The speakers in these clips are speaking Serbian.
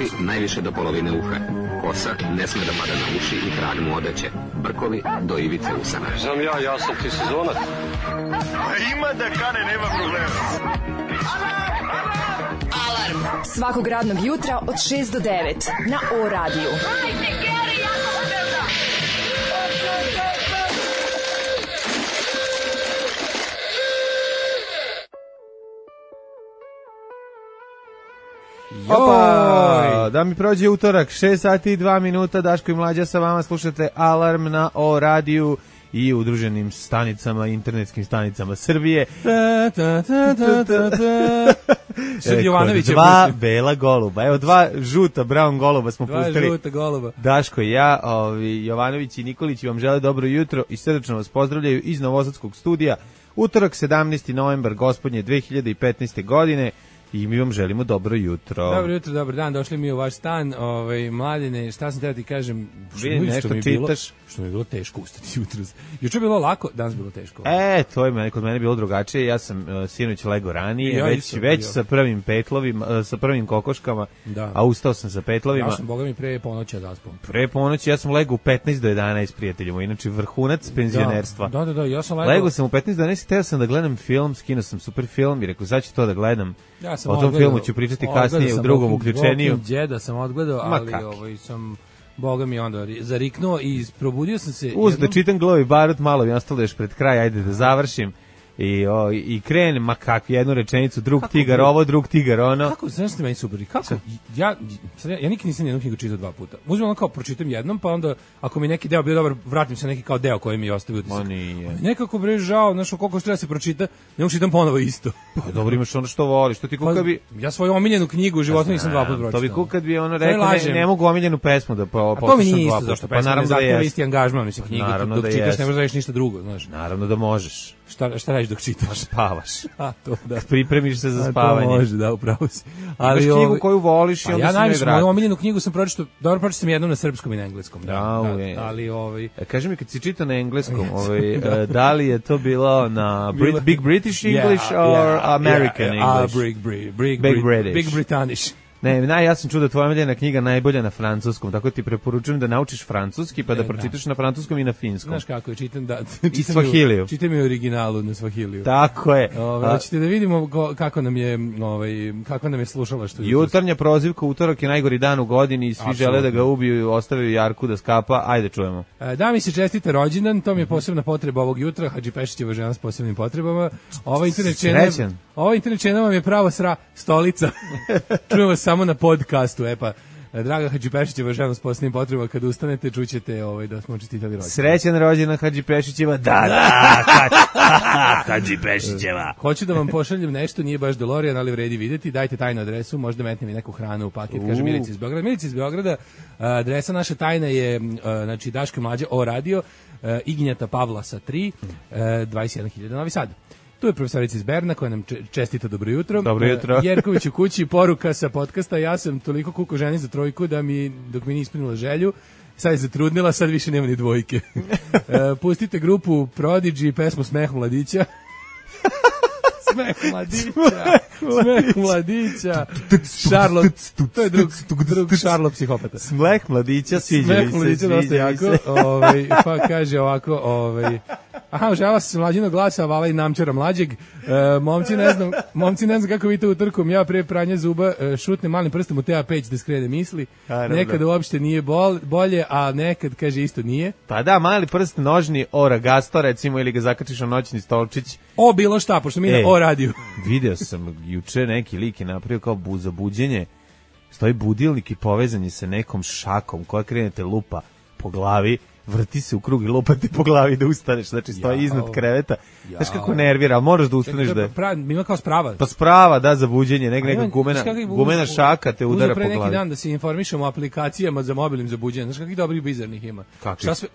Uši najviše do polovine uha. Kosa ne sme da pada na uši i tragnu odeće. Brkovi do ivice usana. Znam ja sam ti sezonac. Ima da kane, nema problema. Alarm svakog radnog jutra od 6 do 9 na O radiju. Opa, da mi prođe utorak, 6 sati i 2 minuta, Daško i Mlađa sa vama, slušate Alarm na O radiju i udruženim stanicama, internetskim stanicama Srbije. Dva bela goluba, evo dva žuta brown goluba smo pustili. Žuta goluba. Daško i ja, Jovanović i Nikolić vam žele dobro jutro i srdačno vas pozdravljaju iz Novosadskog studija. Utorak 17. novembar gospodnje 2015. godine. I mi vam želimo dobro jutro. Dobro jutro, dobar dan, došli mi u vaš stan. Mladine, šta sam treba ti kažem? Nešto čitaš. Što mi je bilo teško ustati jutros. Juče je bilo lako, danas bilo teško. To je kod mene bilo drugačije. Ja sam sinoć lego ranije, već sa prvim petlovima, sa prvim kokoškama, da. A ustao sam sa petlovima. Ja sam, boga mi, pre ponoći zaspao. Pre ponoći ja sam lego u 15 do 11 prijateljima, inače vrhunac penzionerstva. Da, ja sam lego sam u 15 do 11, teo sam da gledam film, skinuo sam super film i rekao, sad ću to da gledam. Ja o tom filmu ću pričati kasnije u drugom uključeniju. Djeda sam odgledao, ali sam, boga mi, onda zariknuo i probudio sam se. Da čitam Glavi barut, malo mi ostalo još pred kraj, ajde da završim. I krenem, ma kak, jednu rečenicu, drug tigar ovo, drug tigar ono. Kako, znaš što meni super, kako, ja nikad nisam jednu knjigu čitao 2 puta. Uzmem ono kao pročitam jednom, pa onda, ako mi neki deo bio dobar, vratim se neki kao deo koji mi je ostavio utisak. Nekako bre žao, znaš, koliko što treba se pročita, ne učitam ponovo isto. Pa dobro, imaš ono što voliš, što ti kuka bi... Ja svoju omiljenu knjigu u životu nisam 2 puta pročitao. To bi kuka bi ono rekao, ne mogu omiljenu pesmu da poslušam 2 puta. To mi nije isto, zašto pesma ne zahtjeva isti angažman, mislim, knjigu, dok čitaš ne možeš da radiš ništa drugo, znaš. Naravno da možeš. Šta radiš dok čitaš? Spavaš. To da. Pripremiš se za spavanje. To može, da, upravo si. Ali imaš knjigu koju voliš i onda si najviše moju omiljenu knjigu sam pročitao, dobro pročitao sam jednom na srpskom i na engleskom. Ali kaži mi kad si čitao na engleskom, da li je to bilo na Big British English or American English? Big British. Ne, ja sam čuo da tvoja omiljena knjiga najbolja na francuskom, tako ti preporučujem da naučiš francuski pa da pročitaš na francuskom i na finskom. Znaš kako je, čitam Swahiliju. Čitam i originalu na Swahiliju. Tako je. Hoćete da vidimo kako nam je slušalaštvo. Jutarnja prozivka, utorak je najgori dan u godini i svi žele da ga ubiju i ostavaju Jarku da skapa. Ajde čujemo. Da mi se čestite rođendan, to mi je posebna potreba ovog jutra, Hadži Pešićeva žena s posebnim potrebama. Ova internet čena vam je pravo stolica. Čujemo samo na podcastu, draga Hadži Pešićeva žena s posebnim potrebama, kad ustanete čućete da smo čestitali rođendan. Srećan rođendan Hadži Pešićeva, Hadži Pešićeva. Hoću da vam pošaljem nešto, nije baš DeLorean, ali vredi videti, dajte tajnu adresu, možda metnem i neku hranu u paket, kaže Milica iz Beograda. Milica iz Beograda, adresa naša tajna je, znači Daško i Mlađa, O radio, Ignjata Pavlasa 3, 21.000 Novi Sad. Tu je profesorica iz Berna koja nam čestita dobro jutro. Dobro jutro. Jerković u kući, poruka sa podcasta, ja sam toliko kuko ženi za trojku da dok mi nije ispunila želju, sad je zatrudnila, sad više nema ni dvojke. Pustite grupu Prodigy, pesmu Smeh mladića. Smeh mladića. Charlotte, to je drug Charlotte psihopata. Smeh mladića, sviđa mi se. Smeh mladića dosta jako. Pa kaže ovako, aha, žela se mlađinog glasa, vala i namčara mlađeg. Momci ne znam kako vidite utrkom, ja pre pranja zuba šutnem malim prstom u TA peć da skrene misli. Nekad uopšte nije bolje, a nekad, kaže, isto nije. Pa da, mali prst nožni, oragasto, recimo, ili ga zakačiš na noćni stolčić. Bilo šta, pošto mi na O radiju. Video sam juče neki lik je napravio kao za buđenje. Stoji budilnik i povezan je sa nekom šakom koja krenete lupa po glavi, vrti se u krug i lupate po glavi da ustaneš, znači stoji iznad kreveta. Znaš kako nervira, ali moraš da ustaneš da... Ima kao sprava. Pa sprava, da, za buđenje, neka gumena šaka te udara po glavi. Uzeo pre neki dan da se informišemo o aplikacijama za mobilnim za buđenje, znaš kakvih dobrih bizarnih ima.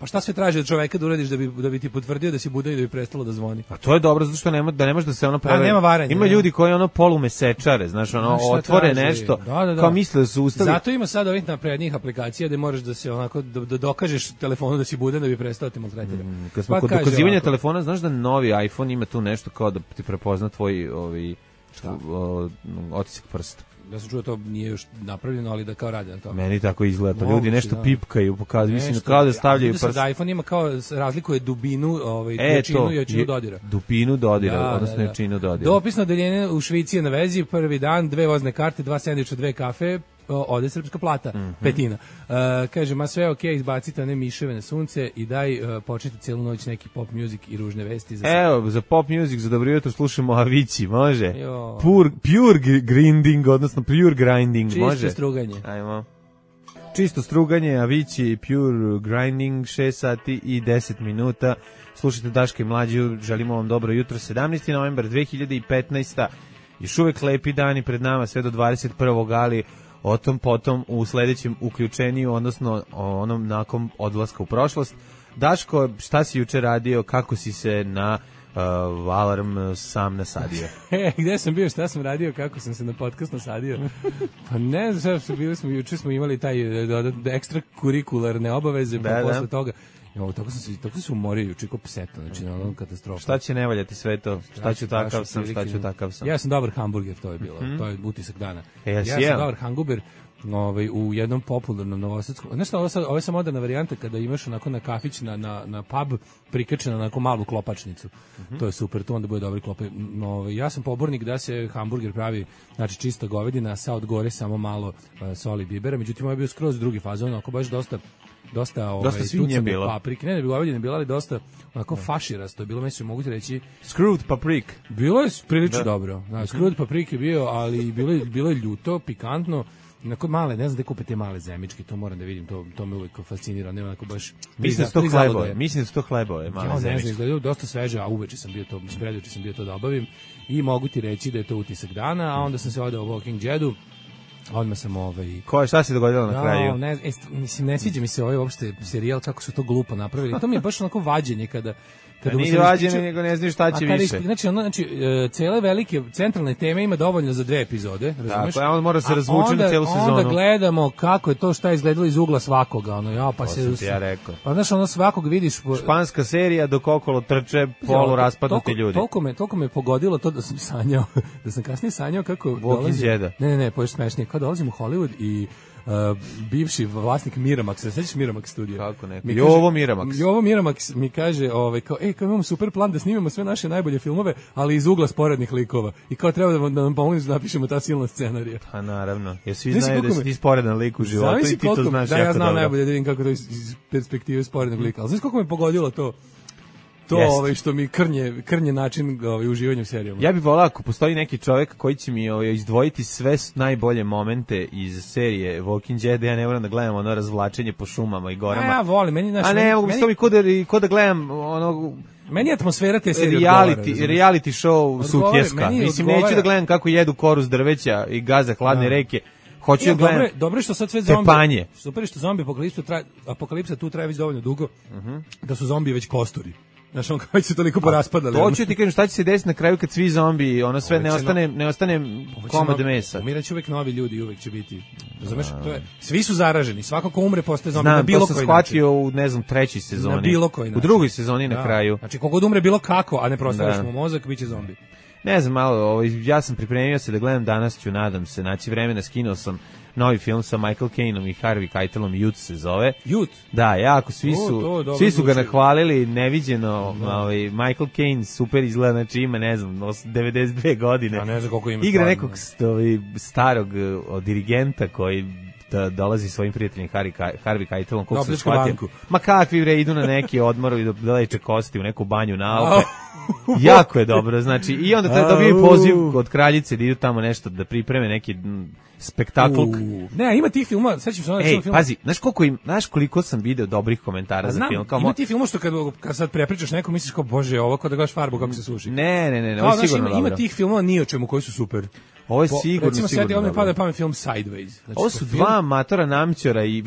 Šta sve traži od čoveka da uradiš da bi ti potvrdio da si budan i da bi prestalo da zvoni? A to je dobro, zato što ne može da se ono pravi. Nema varanja. Ima ljudi koji polumesečare, znaš, otvore nešto, kao misle da su ustali. Zato ima sad ovih naprednijih aplikacija da možeš da se onako da dokažeš telefonu da si budan da bi prestao te maltretirati. Kad smo kod dokazivanja telefona, znaš da novi iPhone ima tu nešto kao da ti prepozna tvoj otisak prsta. Ja sam čuo to nije još napravljeno, ali da kao rade na to. Meni tako izgleda, to ljudi nešto da. pipkaju, pokazuju, mislim kao da stavljaju prst. Da iPhone ima kao razlikuje dubinu, jačinu i jačinu dodira. Dupinu dodira, odnosno jačinu dodira. Dopisno odeljenje u Švici je na vezi, prvi dan, 2 vozne karte, 2 sendviča, 2 kafe, ode srpska plata, petina. Kaže, ma sve okej, izbacite one miševe na sunce i daj početi cijelu noć neki pop music i ružne vesti. Evo, za pop music, za dobro jutro slušamo Avicii, može? Pure grinding, odnosno pure grinding, čisto može? Čisto struganje. Ajmo. Čisto struganje, Avicii, pure grinding, 6 sati i 10 minuta. Slušajte Daška i Mlađu, želimo vam dobro jutro, 17. novembar 2015. Još uvek lepi dani pred nama, sve do 21. ali o tom potom u sledećem uključeniju, odnosno onom nakon odlaska u prošlost. Daško, šta si juče radio, kako si se na alarm sam nasadio? Gde sam bio, šta sam radio, kako sam se na podcast nasadio? Pa ne znam, juče smo imali taj ekstra kurikularne obaveze, pa posle toga tako sam se umorio juče kao pseta, znači na onom katastrofa. Šta će ne valjati sve to? Šta ću takav sam? Ja sam dobar hamburger, to je bilo. To je utisak dana. Ja sam dobar hamburger u jednom popularnom novosadskom. Znaš šta, ovo je samo moderna varijanta kada imaš onako na kafić, na pub prikačeno na onako malu klopačnicu. To je super, to onda bude dobri klope. Ja sam pobornik da se hamburger pravi, znači čista govedina, sa od gore samo malo soli i bibera, međutim ovo je bio skroz drugi fazon, onako baš dosta svinje bilo. Paprike, ne bi govedine bilo, ali dosta onako faširasto je bilo, mislim, mogu ti reći screwed paprik. Bilo je prilično dobro. Screwed paprik je bio, ali bilo je ljuto, pikantno. Onako male, ne znam da kupite male zemičke, to moram da vidim, to me uvijek fascinira, nema onako baš... Mislim da su to hlebove, male zemičke. Ne znam, dosta sveže, a uveče sam bio to, preduče sam bio to da obavim i mogu ti reći da je to utisak dana, a onda sam se odao u Walking Deadu, odmah sam šta se dogodilo na kraju? Mislim, ne sviđa mi se uopšte serijal, kako su to glupo napravili. To mi je baš onako vađenje kada nije vađenje, nego ne znaš šta će više. Znači, cele velike centralne teme ima dovoljno za 2 epizode, razumeš? Tako, on mora se razvući na celu sezonu. Onda gledamo kako je to, šta je izgledalo iz ugla svakoga, to sam ti ja rekao. Pa znaš, svakog vidiš... Španska serija, dok okolo trče polu raspadnuti ljudi. Toliko me pogodilo to da sam sanjao, da sam kasnije sanjao kako... Walking Deada. Ne, poješ smešnije. Kad dolazim u Hollywood i bivši vlasnik Miramaxa, sećaš Miramax studija? Kako ne? Jovo Miramax mi kaže, kao imamo super plan da snimamo sve naše najbolje filmove, ali iz ugla sporednih likova. I kao treba da nam pomoći da napišemo ta silna scenarija. Pa naravno. Jer svi znaju da si ti sporedan lik u životu i ti to znaš jako dobro. Da, ja znam najbolje da vidim kako to iz perspektive sporednog lika. Ali znaš koliko me pogodilo to što mi krnje način uživanja u serijama. Ja bih volao ako postoji neki čovjek koji će mi izdvojiti sve najbolje momente iz serije Walking Dead, ja ne moram da gledam ono razvlačenje po šumama i gorama. Ja volim, meni ne mogu mi ko da gledam ono... Meni je atmosfera te serije reality show sutjeska. Mislim, neću da gledam kako jedu koru s drveća i gaza hladne reke. Hoću da gledam dobro što sad sve zombi. Super što zombi apokalipsa tu traje već dovoljno dugo da su zombi već kosturi. Znaš, on kao se toliko poraspadali. To ću ti kažem šta će se desiti na kraju kad svi zombi, ono sve ne ostane komad mesa. Umiraće uvek novi ljudi, uvek će biti. Razumeš? Svi su zaraženi, svako ko umre postaje zombi na bilo koji način. Znam, to sam shvatio u, ne znam, 3. sezoni. Na bilo koji način. U 2. sezoni na kraju. Znači, kogod umre bilo kako, a ne prostaviš mu mozak, bit će zombi. Ne znam, malo, ja sam pripremio se da gledam danas ću, nadam se, naći vremena, skinuo sam novi film sa Michael Caineom i Harvey Keitelom, Youth se zove. Youth? Da, jako, svi su ga nahvalili, neviđeno, Michael Caine super izgleda, znači ima, ne znam, 92 godine. Ja ne znam koliko ima. Igra nekog starog dirigenta koji dolazi svojim prijateljem Harvey Keitelom, koliko se shvatio. Ma kakvi bre, idu na neki odmor i da leče kosti u neku banju na Alpe. Jako je dobro, znači, i onda dobiju poziv od kraljice da idu tamo nešto da pripreme neki spektakl. Ne, ima tih filmova, sećam se onog filma. Pazi, znaš koliko sam video dobrih komentara za film. Ima ti filmova što kad sad prepričaš nekom misliš kao bože, ovo kao da gledaš Farbu kako se suši. Ne, ovo je sigurno dobro. Ima tih filmova ni o čemu koji su super. Ovo je sigurno recimo sad ovdje pada pamet film Sideways. Znači, ovo su dva amatora namćora i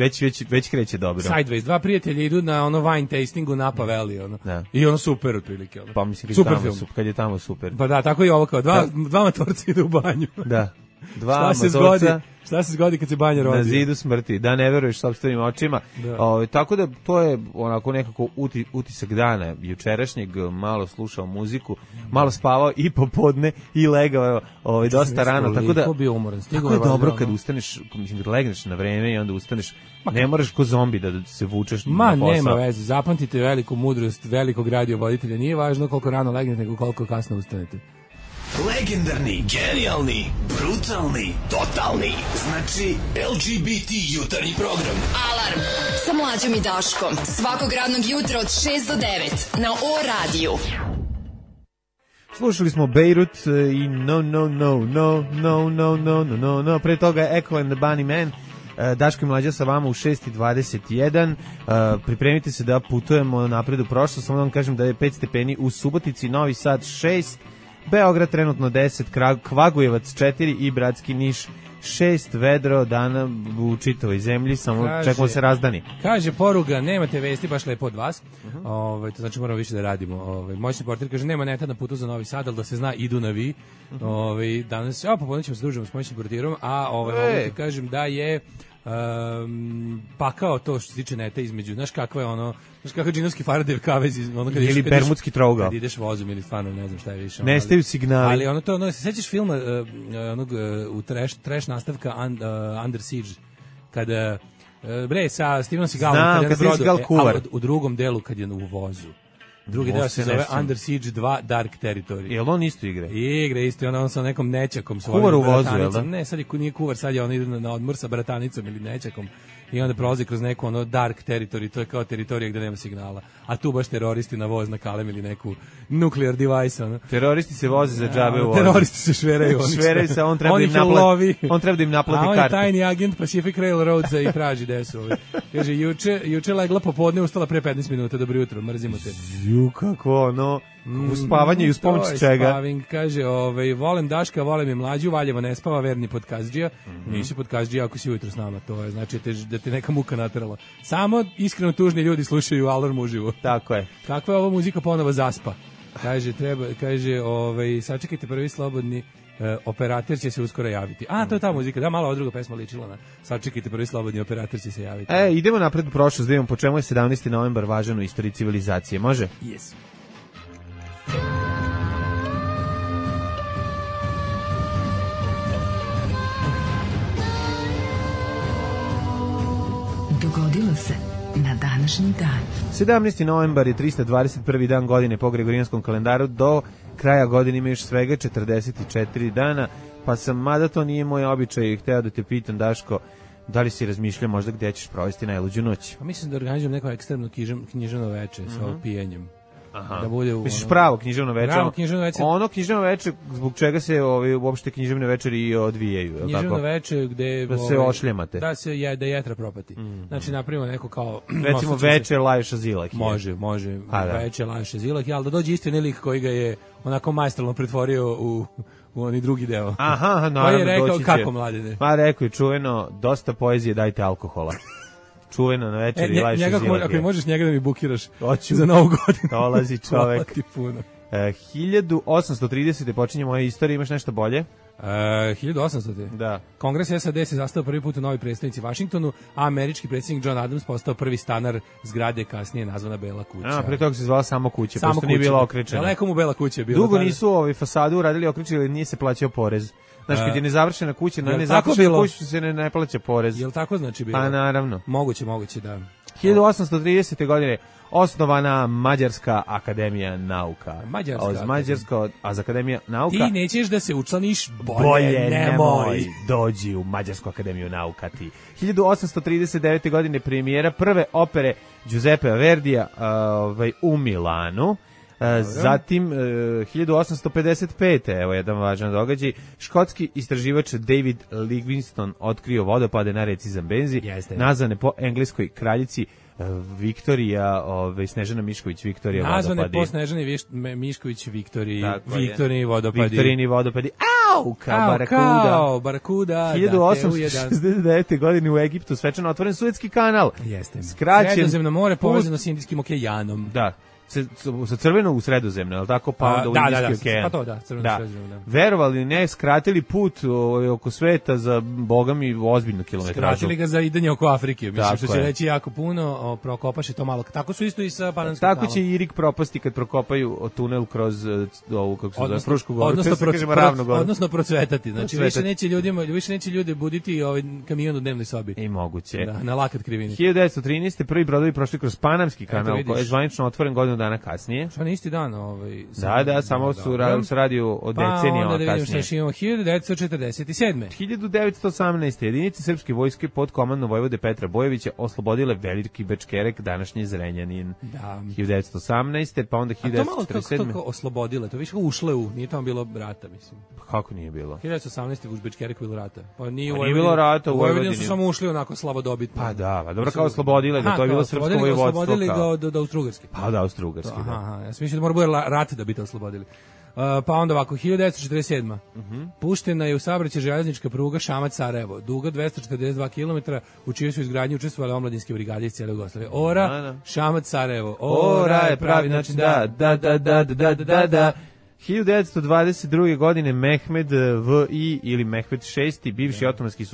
već kreće dobro. Sideways, dva prijatelja idu na ono wine tastingu Napa Valley, ono. Da. I ono super otprilike. Ono. Pa mislim kad je tamo super. Pa da, tako i ovo kao dva amatorca idu u banju. Da. Dva amatorca. Šta se zgodi kad se banja rodi? Na zidu smrti, da ne veruješ sopstvenim očima. Tako da to je onako nekako utisak dana jučerašnjeg, malo slušao muziku. malo spavao i popodne i legao dosta rano, tako da bio umoran. Tako je dobro kad ustaneš, mislim, kad legneš na vreme i onda ustaneš, ne moraš ko zombi da se vučeš na posao. Ma, nema veze, zapamtite veliku mudrost velikog radiovoditelja, nije važno koliko rano legnete, nego koliko kasno ustanete. Legendarni, genijalni, brutalni, totalni. Znači, LGBT jutarnji program. Alarm sa Mlađom i Daškom. Svakog radnog jutra od 6 do 9 na O-radiju. Slušali smo Beirut i No. Pre toga Echo and the Bunny Man. Daško i Mlađa sa vama u 6:21. Pripremite se da putujemo napred u prošlost. Samo da vam kažem da je 5 stepeni u Subotici, Novi Sad 6, Beograd trenutno 10, Kvagujevac 4 i Bratski Niš 6, vedro dana u čitavoj zemlji, samo čekamo se razdani. Kaže poruga, nemate vesti, baš lepo od vas. To znači moramo više da radimo. Moćni portir kaže, nema neta na putu za Novi Sad, ali da se zna, idu na vi. Danas, popodne ćemo se družiti s moćnim portirom, a mogu ti kažem da je pakao to što se tiče neta između, znaš kakva je ono, znaš kakav džinovski Faradev kavez ili bermudski trougao kad ideš vozom ili stvarno ne znam šta je više, nestaju signali, ali ono to, se sećaš filma onog u trash nastavka Under Siege kada sa Stevenom Seagalom u drugom delu kad je u vozu. Drugi deo se zove Under Siege 2 Dark Territory. Jel on isto igra? Igra isto, on sa nekom nećakom svojim. Kuvar u vozu, jel da? Ne, sad nije kuvar, sad je on ide na odmor sa bratanicom ili nećakom i onda prolazi kroz neku Dark Territory, to je kao teritorija gde nema signala. A tu baš teroristi na voz nakalem neki nuclear device. Teroristi se voze za džabe u vozu. Teroristi se šveraju. Šveraju se, on treba da im naplati kartu. A on je tajni agent Pacific Railroadsa i traži gde su. Kaže, juče legla popodne, ustala pre 15 minuta, dobro jutro, mrzimo te. Kako u spavanje i uz pomoć čega? Spaving, kaže, volim Daška, volim i Mlađu, Valjevo ne spava, verni podkazdžija. Nisi podkazdžija ako si ujutro s nama, to je znači da te neka muka naterala. Samo iskreno tužni ljudi slušaju Alarm uživo. Tako je. Kakva je ova muzika ponovo zaspa? Kaže, sačekajte prvi slobodni operator će se uskoro javiti. To je ta muzika, da, malo ova druga pesma ličila na sačekajte prvi slobodni operator će se javiti. Idemo napred u prošlost, da vidimo po čemu je 17. novembar važan u istoriji civilizacije, može? Yes. Dogodilo se na današnji dan. 17. novembar je 321. dan godine po Gregorijanskom kalendaru, do kraja godine ima još svega 44 dana, pa mada to nije moj običaj, hteo da te pitam, Daško, da li si razmišljao možda gde ćeš provesti najluđu noć? Pa mislim da organizujem neko ekstremno književno veče sa pijenjem. Aha. Da bude misliš pravo književno veče? Pravo književno veče. Ono književno veče zbog čega se uopšte književne večeri i odvijaju, je književno veče gde da se ošljemate. Da jetra propati. Znači napravimo neko kao recimo veče Lajša Zilak. Može veče Lajša Zilak, al da dođe isti lik koji ga je onako maestralno pretvorio u oni drugi deo. Aha, naravno. Pa je rekao kako mladine. Pa rekao je čuveno, dosta poezije, dajte alkohola. Čuveno na večeri Lajša Zilak. Ako možeš njega da mi bukiraš za Novu godinu. Dolazi čovek. 1830. počinje moja istorija, imaš nešto bolje? 1800. Da. Kongres SAD se sastao prvi put u novoj prestonici Vašingtonu, a američki predsjednik John Adams postao prvi stanar zgrade, kasnije nazvana Bela kuća. Pre toga se zvala samo kuća, pošto nije bila okrečena. Daleko mu Bela kuća je bila. Dugo nisu fasadu uradili okrečili, nije se plaćao porez. Znaš, kad je nezavršena kuća, na nezavršenu kuću se ne plaća porez. Jel tako znači bilo? Pa naravno. Moguće, da. 1830. godine osnovana Mađarska akademija nauka. Mađarska akademija nauka. Ti nećeš da se učlaniš, bolje nemoj. Dođi u Mađarsku akademiju nauka ti. 1839. godine premijera prve opere Giuseppe Verdija u Milanu. Zatim 1855. evo jedan važan događaj, škotski istraživač David Livingstone otkrio vodopade na reci Zambenzi, nazvane po engleskoj kraljici Viktorija, Snežana Mišković Viktorija vodopadi. Nazvane po Snežani Mišković Viktorini vodopadi. Viktorini vodopadi. Au, kao barakuda. 1869. godine u Egiptu svečano otvoren Suetski kanal. Jeste. Sredozemno more povezano s Indijskim okeanom. Da. sa crvenog u Sredozemno, je li tako, pa onda u Indijski okean. Pa to, da, crveno u Sredozemno, da. Verovali ne, skratili put oko sveta za, boga mi, ozbiljnu kilometražu. Skratili ga za idanje oko Afrike, mislim, tako što će reći jako puno, prokopaše to malo. Tako su isto i sa Pananskim kanalom. Tako će i Irig propasti kad prokopaju tunel kroz ovu, kako se zove, Frušku goru. Odnosno procvetati. Znači, više neće ljudi buditi ovaj kamion u dnevnoj sobi. I moguće. Da, na lakat krivini. 1913. prvi brodovi prošli kroz Panamski kanal, koji je zvanično otvoren godinu dana kasnije. Šta na isti dan? Da, samo su radiju od decenijama kasnije. Pa onda da vidimo imamo 1947. 1918. jedinice srpske vojske pod komandom vojvode Petra Bojevića oslobodile Veliki Bečkerek, današnji Zrenjanin. Da. 1918. pa onda 1947. A to malo kako oslobodile, to više ušle nije tamo bilo rata, mislim. Kako nije bilo? 1918. u Bečkereku bilo rata. Pa nije bilo rata u Vojvodini. Su samo ušli onako slavodobitno. Pa da, dobro kao oslobodile ga, to je bilo srpsko vojvodstvo. Oslobodili ga od Austrougarske. Pa da, Austrougarske, da. Aha, ja sam mislio da mora bude rat da bi te oslobodili. Pa onda ovako, 1947. Puštena je u saobraćaj železnička pruga Šamac-Sarajevo, duga 242 km, u čijoj su izgradnji učestvovale omladinske brigade iz cijele Jugoslavije. Ora, Šamac-Sarajevo. Ora je pravi način da. 1922. godine Mehmed V.I. ili Mehmed VI. Bivši otomanski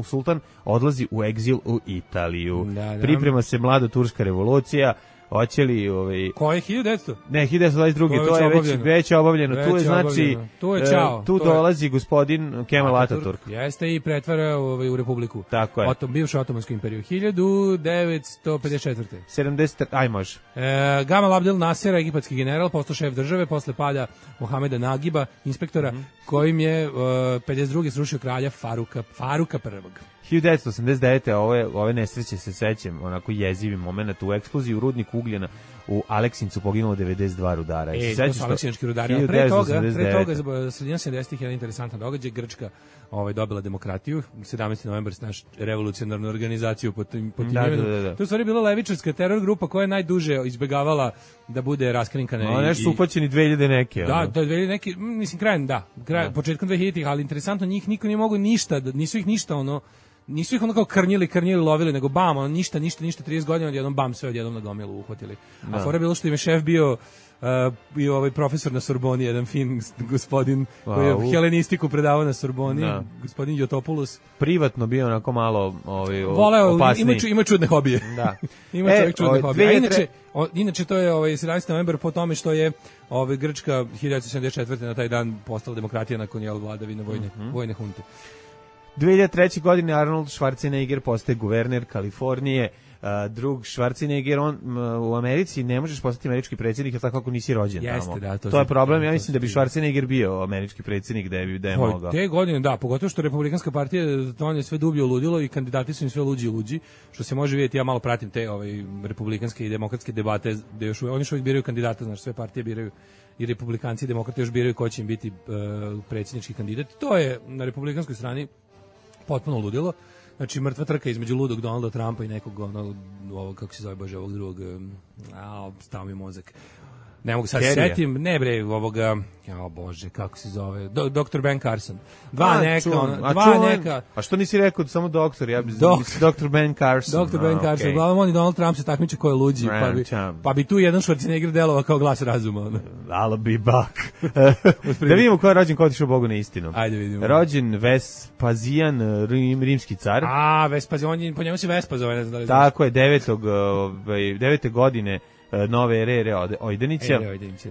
sultan odlazi u egzil u Italiju. Priprema se mlada turska revolucija. Hoće li Ko je 1900? Ne, 1922. To je već obavljeno. Tu je znači tu dolazi gospodin Kemal Ataturk. Jeste i pretvara u republiku. Tako je. Bivšu otomansku imperiju. 1954. 70, aj može. Gamal Abdel Nasser, egipatski general, postao šef države posle pada Mohameda Nagiba, inspektora, kojim je 52. srušio kralja Faruka I. 1989. ove nesreće se sećam, onako jezivi moment u eksploziji u rudniku ugljena u Aleksincu poginulo 92 rudara. To su aleksinački rudari. Pre toga, sredina 70-ih je jedan interesantan događaj. Grčka dobila demokratiju. 17. novembar naš revolucionarnu organizaciju pod tim imenom. To je u stvari bila levičarska teror grupa koja je najduže izbegavala da bude raskrinkana. Nešto su upaćeni 2000 neke. Da, to je 2000 neki, mislim početkom 2000-ih, ali interesantno njih niko nije mogo ništa, nisu ih ono kao krnjili, lovili, nego bam, ništa, 30 godina, odjednom bam, sve odjednom na gomilu uhvatili. A fora je bilo što im je šef bio ovaj profesor na Sorboni, jedan fin gospodin koji je helenistiku predavao na Sorboni, gospodin Jotopoulos. Privatno bio onako malo opasniji. Ima čudne hobije. Da. Ima čovjek čudne hobije. Inače to je 17. novembar po tome što je Grčka 1974. na taj dan postala demokratija nakon vladavine vojne hunte. 2003. godine Arnold Schwarzenegger postaje guverner Kalifornije. Drug Schwarzenegger, on u Americi ne možeš postati američki predsjednik tako kako nisi rođen tamo. To je problem, ja mislim da bi Schwarzenegger bio američki predsjednik da je mogao. Te godine, da, pogotovo što Republikanska partija to je sve dublje ludilo i kandidati su im sve luđi i luđi, što se može vidjeti, ja malo pratim te republikanske i demokratske debate, gde oni još uvijek biraju kandidata, znaš, sve partije biraju i republikanci i demokrati još biraju ko će im biti predsjednički kandidat. To je na republikanskoj strani potpuno ludilo. Znači, mrtva trka između ludog Donalda Trumpa i nekog, ovog, kako se zove, bože, ovog drugog, stao mi mozak. Ne mogu sad setim, ne bre, ovoga, bože, kako se zove, Dr. Ben Carson. Dva neka. A što nisi rekao samo doktor, ja bih Dr. Ben Carson. Dr. Ben Carson, uglavnom on i Donald Trump se takmiče ko je luđi, pa bi tu jedan Schwarzenegger delovao kao glas razuma. I'll be back. Da vidimo ko je rođen, ko otišao Bogu na istinu. Ajde vidimo. Rođen Vespazijan, rimski car. Vespazijan, po njemu si Vespa zove, ne znam da li znaš. Tako je, 9. godine nove ere Ojdenića.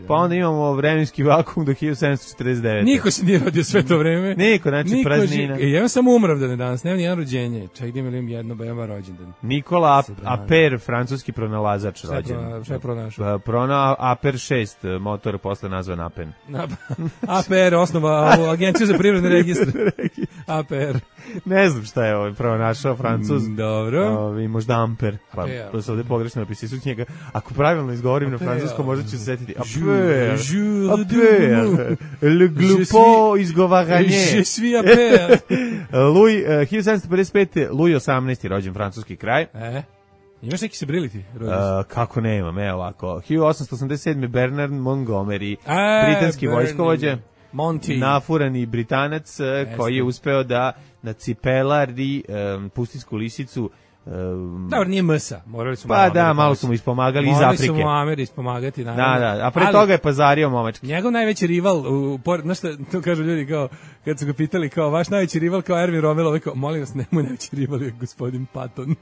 Pa onda imamo vremenski vakum do 1749. Niko se nije rodio sve to vreme. Niko, znači praznina. Ja imam samo umravdane danas, nema nijedan rođenje. Čak da imam jedno bema rođendan. Nikola Aper, francuski pronalazač rođen. Šta je pronašao? Aper 6, motor posle nazvan Apen. Aper, osnova agenciju za privredne registre. Aper. Ne znam šta je pronašao Francuz. Dobro. I možda Amper. Pa se ovdje pogrešno napisali su njega. Ako pravilno izgovorim na francuskom, možda ću se setiti. Aper, le glupo izgovaranje. Je suis Aper. Louis, 1755. Louis 18. rođen, francuski kraj. Imaš neki se briliti? Kako ne imam, evo ovako. 1887. Bernard Montgomery, britanski vojskovođa. Nafurani Britanac koji je uspeo da na cipelari pustinsku lisicu Dobro, nije MSA, morali su Pa da, malo su mu ispomagali iz Afrike. Morali su mu Ameri ispomagati, naravno. Da, a pre toga je pazario momački. Njegov najveći rival, znaš šta, to kažu ljudi kao, kad su ga pitali kao, vaš najveći rival kao Ervin Rommel, ovaj kao, molim vas, nemoj najveći rival je gospodin Patton.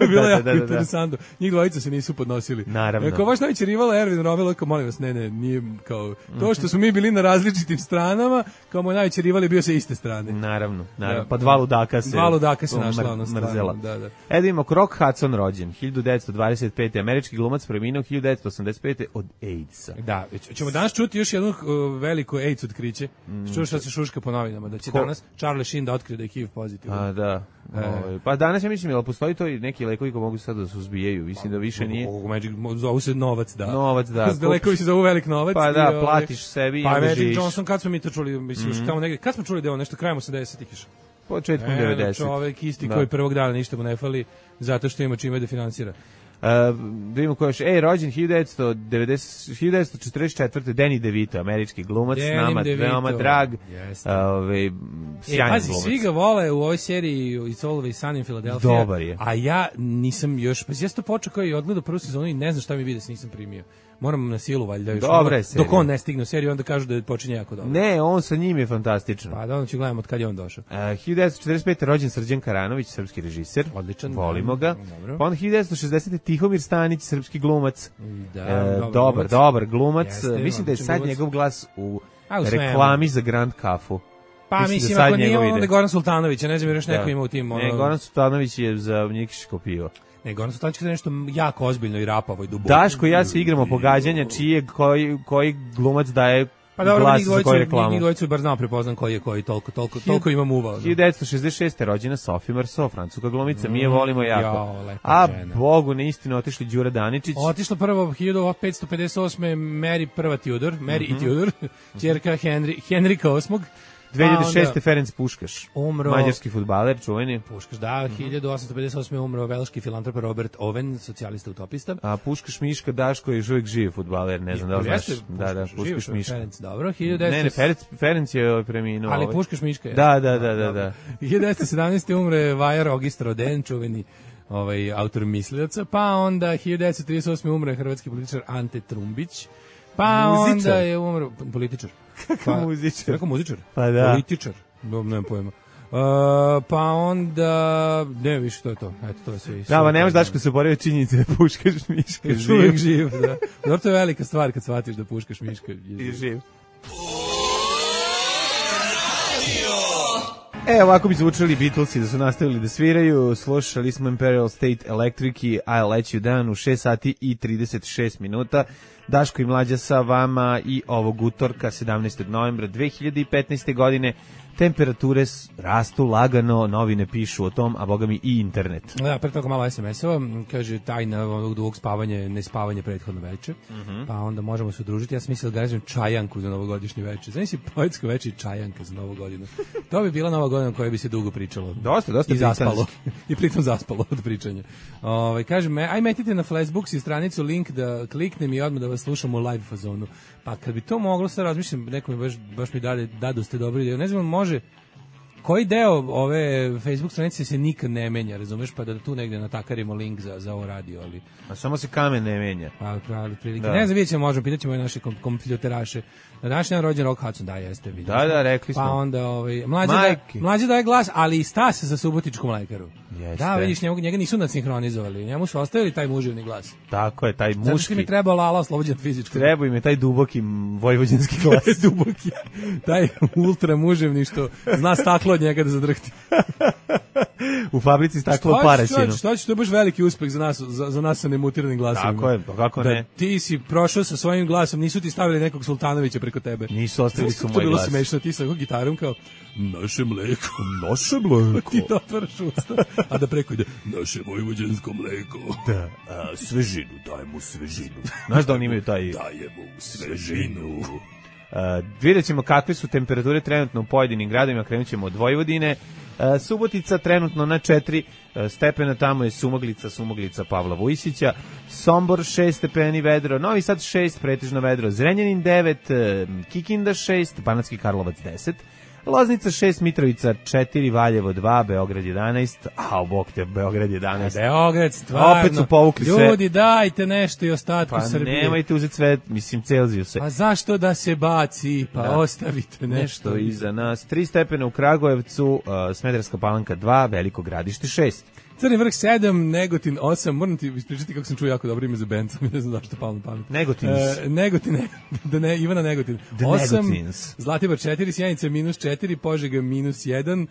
Bilo je jako interesantno. Njih dvojica se nisu podnosili. Naravno. Kao, vaš najveći rival je Ervin Rommel, kao, molim vas, ne, nije kao, to što smo mi bili na različitim stranama, kao moj najveći rival je bio sa iste strane. Naravno. Pa dva ludaka se našla ono mrzela. Da. Edimo, Rock Hudson rođen, 1925. Američki glumac preminuo 1985. od AIDS-a. Da, ćemo danas čuti još jednu veliko AIDS otkriće. Čuo šta se šuška po novinama, da će danas Charlie Sheen da otkrije da je HIV pozitivan. A, da. Pa danas ja mislim, jel postoji to i neki lekovi koji mogu sad da se uzbijaju? Mislim da više nije. Zovu se novac, da. Novac, da. Lekovi se zovu velik novac. Pa da, platiš sebi i onda živiš. Pa Magic Johnson, kad smo mi to čuli, mislim, tamo negdje, kad smo čuli da je on nešto krajem 80-ih išao? Početkom 90. Čovek isti koji prvog dana ništa mu ne fali, zato što ima čime da finansira. Da vidimo ko još. Rođen 1944. Danny DeVito, američki glumac, nama veoma drag. Sjajan pazi, glumac. svi ga vole u ovoj seriji It's Always Sunny in Philadelphia. Dobar je. A ja nisam još, pa ja sam to počeo kao i odgledao prvu sezonu i ne znam šta mi vidi da se nisam primio. Moram na silu valjda još. Dobra je serija. Dok on ne stigne u seriju, onda kažu da počinje jako dobro. Ne, on sa njim je fantastično. Pa da, onda ću gledam od kad je on došao. 1945. rođen Srđan Karanović, srpski režiser. Odličan. Volimo ga. Dobro. Pa onda 1960. Tihomir Stanić, srpski glumac. Da, dobar glumac. Jeste, mislim da je sad glumac. Njegov glas u reklami za Grand Kafu. Pa mislim, ako nije onda je Goran Sultanović, ne znam jer još neko ima u tim. Ne, Goran Sultanović je za Njikiško pivo. Ne, Goran Sultanović je nešto jako ozbiljno i rapavo i duboko. Daško i ja se igramo pogađanja koji glumac daje glas za koju reklamu. Njih dvojicu bar znam prepoznam koji je koji, toliko imam uvao. 1966. rođena Sophie Marceau, francuska glumica, mi je volimo jako. A Bogu na istinu otišli Đura Daničić. Otišla prvo 1558. Mary i Tudor, ćerka Henrika VIII. 2006. Ferenc Puškaš, umro, mađarski fudbaler, čuveni. Puškaš, da, 1858. umro velški filantrop Robert Owen, socijalista utopista. A Puškaš Miška Daško je još uvijek živ fudbaler, ne znam da li znaš. Da, Puškaš Miška. Ferenc, dobro. Ne, Ferenc je preminuo. Ali Puškaš Miška je. Da. 1917. umre Vajar Ogist Roden, čuveni autor mislilaca, pa onda 1938. umre hrvatski političar Ante Trumbić. Pa onda je umro političar. Kakav muzičar? Kakav muzičar? Pa da. Političar. Nemam pojma. Pa onda ne više to je to. Eto, to je sve. Da, ma nemaš Daško se borio činjenice da Puškaš Miška uvijek živ, da. Dobro, to je velika stvar kad shvatiš da Puškaš Miška je živ. Ovako bi zvučali Beatlesi da su nastavili da sviraju. Slušali smo Imperial State Electric i I'll Let You Down u 6 sati i 36 minuta. Daško i Mlađa sa vama i ovog utorka 17. novembra 2015. godine. Temperature rastu lagano, novine pišu o tom, a boga mi i internet. Da, pre toga malo SMS-ova, kaže tajna onog dugog spavanja, nespavanje prethodno veče, pa onda možemo se udružiti. Ja sam mislio da organizujem čajanku za novogodišnje veče. Znači si poetsko veče i čajanka za novu godinu. To bi bila nova godina o kojoj bi se dugo pričalo. Dosta i zaspalo. I pritom zaspalo od pričanja. Kaže, aj metite na Flashbooks i stranicu link da kliknem i odmah da vas slušam u live fazonu. Pa kad bi to moglo, sad razmišljam, neko mi baš mi dadu ste dobri ideju. Ne znam, može, koji deo ove Facebook stranice se nikad ne menja, razumeš, pa da tu negde natakarimo link za ovo radio, ali... A samo se kamen ne menja. Pa, prilike. Ne znam, vidjet ćemo, možemo, pitat ćemo i naše kompiloteraše. Na današnji dan rođen Rock Hudson, da, jeste, vidim. Da, rekli smo. Pa onda, mlađe daje glas, ali i Stas za subotičku mlekaru. Jeste. Da, vidiš, njega nisu nadsinhronizovali, njemu su ostavili taj muževni glas. Tako je, taj muški. Zato što mi treba Lala oslobođen fizičko. Treba im je taj duboki vojvođanski glas. Duboki, taj ultra muževni što zna staklo od njega da zadrhti. U fabrici staklo Paraćinu. Šta će, to je baš veliki uspeh za nas sa nemutiranim glasovima. Tako je, pa kako ne. Ti si prošao sa svojim glasom, nisu ti stavili nekog Sultanovića preko tebe. Nisu ostavili su moj glas. To bilo glas. smešno, ti sa gitarom kao naše mleko. Ti to otvaraš usta, a da preko ide naše vojvođansko mleko. Da, svežinu, dajemo svežinu. Znaš da oni imaju taj... Dajemo svežinu. Vidjet ćemo kakve su temperature trenutno u pojedinim gradovima, krenut ćemo od Vojvodine. Subotica trenutno na 4 stepena, tamo je Sumoglica Pavla Vujsića, Sombor 6 stepeni vedro, Novi Sad 6 pretežno vedro, Zrenjanin 9, Kikinda 6, Banatski Karlovac 10, Loznica 6, Mitrovica 4, Valjevo 2, Beograd 11, a bok te, Beograd 11. Beograd, stvarno. Opet su povukli sve. Ljudi, dajte nešto i ostatku Srbije. Pa nemojte uzeti sve, mislim, Celzijuse. Pa zašto da se baci, pa ostavite nešto iza nas. 3 stepena u Kragujevcu, Smederevska Palanka 2, Veliko Gradište 6. Crni vrh 7, Negotin 8, moram ti ispričati kako sam čuo jako dobro ime za bend, ne znam zašto palo na pamet. Negotin, Ivana Negotin. 8, Zlatibor 4, Sjenica -4, Požega -1,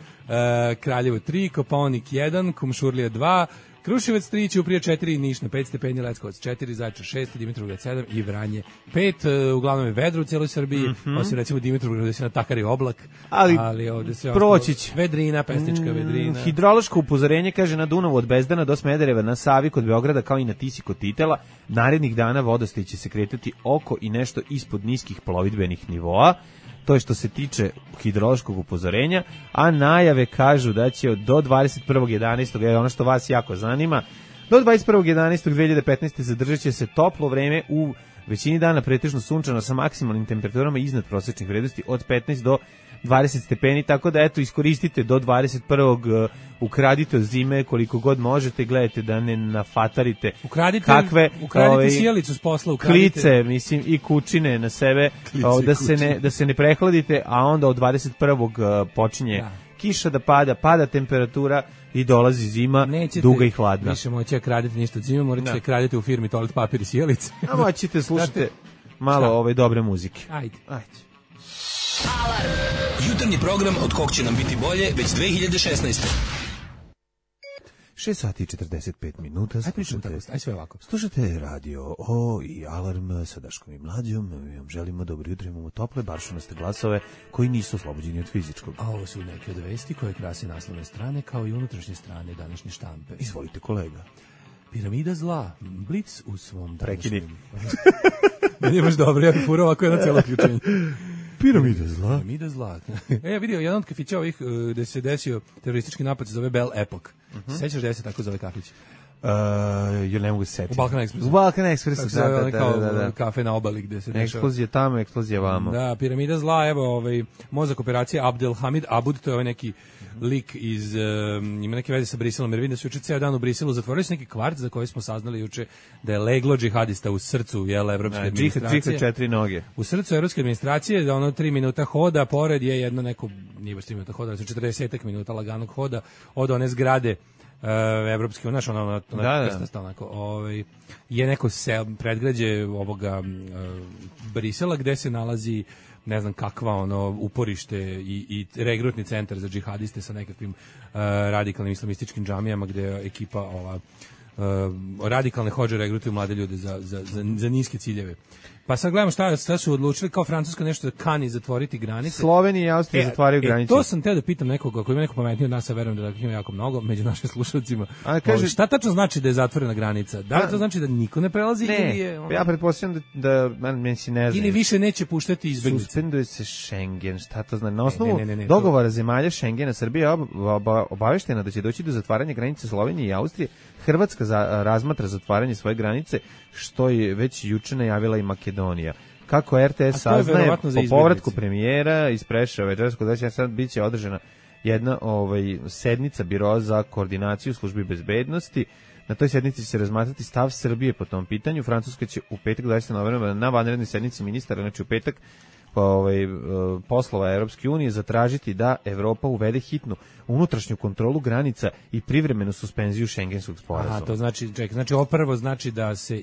Kraljevo 3, Kopaonik 1, Kumšurlija 2, Kruševac 3, Ćuprija 4, Niš na 5 stepeni, Leskovac 4, Zaječar 6, Dimitrovgrad 7 i Vranje 5. Uglavnom je vedro u cijeloj Srbiji, osim recimo Dimitrovgrad gde se natakari oblak, ali ovde se proći će. Vedrina, pesnička vedrina. Hidrološko upozorenje kaže na Dunavu od Bezdana do Smedereva, na Savi kod Beograda kao i na Tisi kod Titela. Narednih dana vodostaj će se kretati oko i nešto ispod niskih plovidbenih nivoa. To je što se tiče hidrološkog upozorenja, a najave kažu da će do 21.11. je ono što vas jako zanima, do 21.11.2015. zadržat će se toplo vreme u većini dana pretežno sunčano sa maksimalnim temperaturama iznad prosečnih vrednosti od 15 do 20 stepeni, tako da eto iskoristite do 21. Ukradite od zime koliko god možete, gledajte da ne nafatarite kakve sjelicu s posla, klice, mislim, i kućine na sebe, da se ne prehladite, a onda od 21. počinje kiša da pada temperatura i dolazi zima, duga i hladna. Više moći kraditi ništa od zime, morate kraditi u firmi toalet papir i sjelice. A moćete slušati malo dobre muzike. Ajde. Alarm. Jutarnji program od kog će nam biti bolje već 2016. 6 sati i 45 minuta. Aj sve ovako. Slušate radio i Alarm sa Daškom i Mlađom. Mi vam želimo dobro jutro, imamo tople, baršunaste glasove koji nisu oslobođeni od fizičkog. A ovo su neke od vesti koje krasi naslovne strane kao i unutrašnje strane današnje štampe. Izvolite, kolega. Piramida zla, Blic u svom današnjem. Prekini. Meni je baš dobro, ja bih furao ovako jedno cijelo ključenje. Piramida zla. Piramida zla. Ja vidio jedan od kafića ovih gde se desio teroristički napad, se zove Bell Epoch. Sećaš da se tako zove kafić? Ja ne mogu se setiti. U Balkan Expressu. U Balkan Expressu, da. Kafe na obali gde se dešava. Eksplozija tamo, eksplozija vamo. Da, piramida zla, evo, mozak operacije Abdelhamid Abud, to je ovaj neki lik iz, ima neke veze sa Briselom, jer vidim da su juče ceo dan u Briselu zatvorili su neki kvart za koji smo saznali juče da je leglo džihadista u srcu, evropske administracije. Džihad 4 noge. U srcu evropske administracije, da ono 3 minuta hoda, pored je jedno neko, nije baš 3 minuta hoda, ali su 40 minuta laganog hoda od one zgrade evropske, znaš, ono krstasta, onako, je neko predgrađe ovoga Brisela gde se nalazi ne znam kakva uporište i regrutni centar za džihadiste sa nekakvim radikalnim islamističkim džamijama gde je ekipa radikalne hodže regrutuju mlade ljude za niske ciljeve. Pa sad gledamo šta su odlučili, kao Francuska nešto da kani zatvoriti granice. Slovenija i Austrija zatvaraju granice. To sam teo da pitam nekog, ako ima neko pametniji od nas, a verujem da ima jako mnogo među našim slušalcima. Šta tačno znači da je zatvorena granica? Da li to znači da niko ne prelazi? Ne, ja pretpostavljam da meni se ne znam. Ili više neće puštati izbeglice. Suspenduje se Schengen, šta to znači? Na osnovu dogovora zemalja Schengena, Srbija obaveštena da će doći do zatvaranja granice Slovenije i Austrije. Hrvatska razmatra zatvaranje svoje granice, što je već juče najavila i Makedonija. Kako RTS saznaje, po povratku premijera iz Preševa večeraskog da će sad biće održana jedna sednica Biroa za koordinaciju službi bezbednosti. Na toj sednici će se razmatrati stav Srbije po tom pitanju. Francuska će u petak 20. novembra na vanrednoj sednici ministara, znači u petak, poslova Europske unije zatražiti da Evropa uvede hitnu unutrašnju kontrolu granica i privremenu suspenziju šengenskog sporazuma. Aha, to znači, znači ovo prvo znači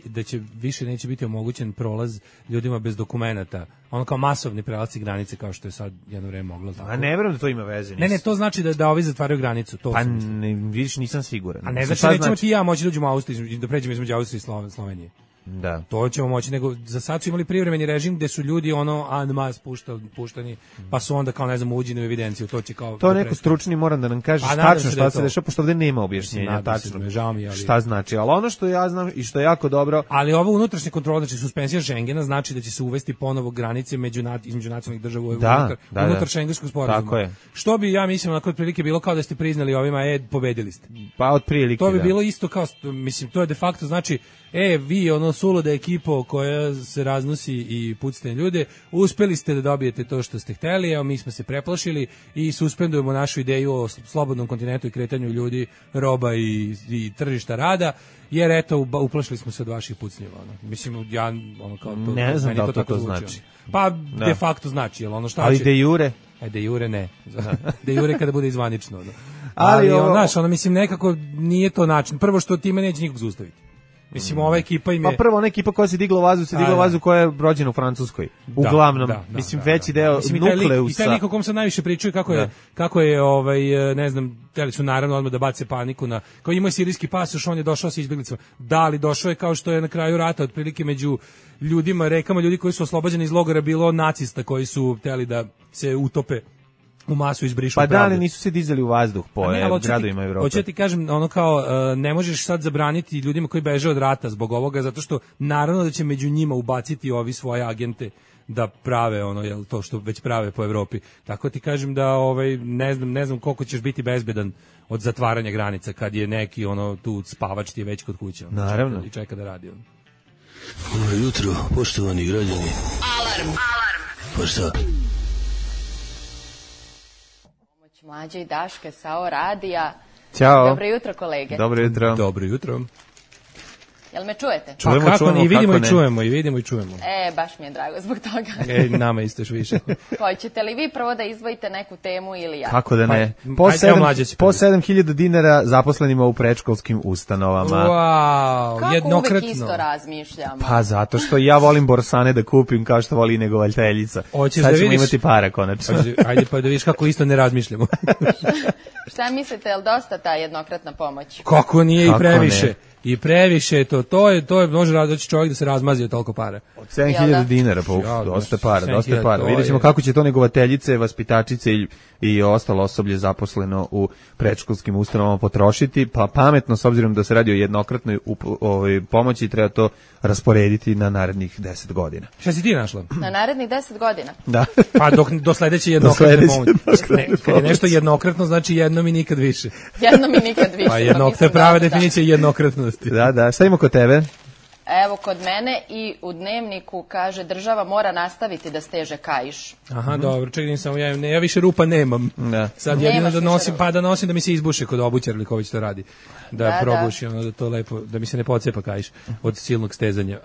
da će više neće biti omogućen prolaz ljudima bez dokumenata. Ono kao masovni prelasci granice kao što je sad jedno vreme moglo. A ne verujem da to ima veze. Ne, to znači da ovi zatvaraju granicu. To pa vidiš, nisam siguran. A ne znači nećemo ti ja moći da uđemo u Austriju, da pređemo između Austrije i Slovenije. Da. To ćemo moći, nego za sad su imali privremeni režim gde su ljudi en mas puštani, pa su onda kao ne znam uđeni u evidenciju, to će kao... To neko stručni moram da nam kaže tačno šta se dešava, pošto ovdje nema objašnjenja tačno šta znači, ali ono što ja znam i što je jako dobro... Ali ovo unutrašnje kontrole, znači suspenzija Schengena znači da će se uvesti ponovo granice između nacionalnih država unutar šengenskog sporazuma. Tako je. Što bi, ja mislim, onako otprilike bilo kao da ste priznali ovima, pobedili ste. Pa otprilike, to bi bilo isto kao, mislim, to je de facto znači, vi suluda ekipo koja se raznosi i pucate ljude, uspeli ste da dobijete to što ste hteli, evo mi smo se preplašili i suspendujemo našu ideju o slobodnom kontinentu i kretanju ljudi, roba i tržišta rada, jer eto, uplašili smo se od vaših pucnjeva. Mislim, ja ono kao to... Ne znam da li to znači. Pa, de facto znači, jel ono šta ali će... de jure? De jure ne. De jure kada bude izvanično. Ali znaš, mislim, nekako nije to način. Prvo što time neće nikog zaustaviti. Mislim, ova ekipa im je... Pa prvo, ona ekipa koja se digla u vazduh, koja je rođena u Francuskoj. Uglavnom, mislim, veći deo nukleusa. I taj lik o kom sam najviše pričao kako je ne znam, teli su naravno odmah da bace paniku na... Kao imao je sirijski pasoš, on je došao sa izbjeglicama. Da, li došao je kao što je na kraju rata, otprilike među ljudima, rekama ljudi koji su oslobođeni iz logora, bilo nacista koji su hteli da se utope u masu izbrišu pravde. Pa da, ali nisu se dizali u vazduh po gradovima Evrope. Hoću ti kažem, ono kao, ne možeš sad zabraniti ljudima koji beže od rata zbog ovoga, zato što naravno da će među njima ubaciti ovi svoje agente da prave to što već prave po Evropi. Tako ti kažem da ne znam koliko ćeš biti bezbedan od zatvaranja granica kad je neki tu spavač ti je već kod kuće. Naravno. I čeka da radi. Dobro jutro, poštovani građani. Alarm. Pa šta? Mlađe i Daške sa O radija. Ćao. Dobro jutro, kolege. Dobro jutro. Dobro jutro. Jel me čujete? Čujemo, i vidimo i čujemo, i vidimo i čujemo. Baš mi je drago zbog toga. Nama isto još više. Hoćete li vi prvo da izdvojite neku temu ili ja? Kako da ne? Po 7.000 dinara zaposlenima u predškolskim ustanovama. Wow, kako jednokratno. Uvek isto razmišljamo? Pa zato što ja volim borsane da kupim kao što voli negovaljteljica. Sad ćemo imati para konačno. Ajde pa da vidiš kako isto ne razmišljamo. Šta mislite, je li dosta ta jednokratna pomoć? Kako nije i previše? Ne? I previše je to je može doći čovjek da se razmazi od toliko para. Od 7.000 dinara, pa dosta para. Vidjet ćemo kako će to negovateljice, vaspitačice i ostalo osoblje zaposleno u predškolskim ustanovama potrošiti, pa pametno, s obzirom da se radi o jednokratnoj pomoći, treba to rasporediti na narednih 10 godina. Šta si ti našla? Na narednih 10 godina? Da. Pa do sledeće jednokratne pomoći. Kad je nešto jednokratno, znači jednom i nikad više. Jednom i nikad više. Pa to je prava definicija jednokratnosti. Da. Šta ima kod tebe? Evo, kod mene i u dnevniku kaže država mora nastaviti da steže kaiš. Aha, dobro, čekaj, ja više rupa nemam. Da. Sad jedino da nosim da mi se izbuše kod obućara ili ko već to radi. Da probuši, da to lepo, da mi se ne pocepa kaiš od silnog stezanja.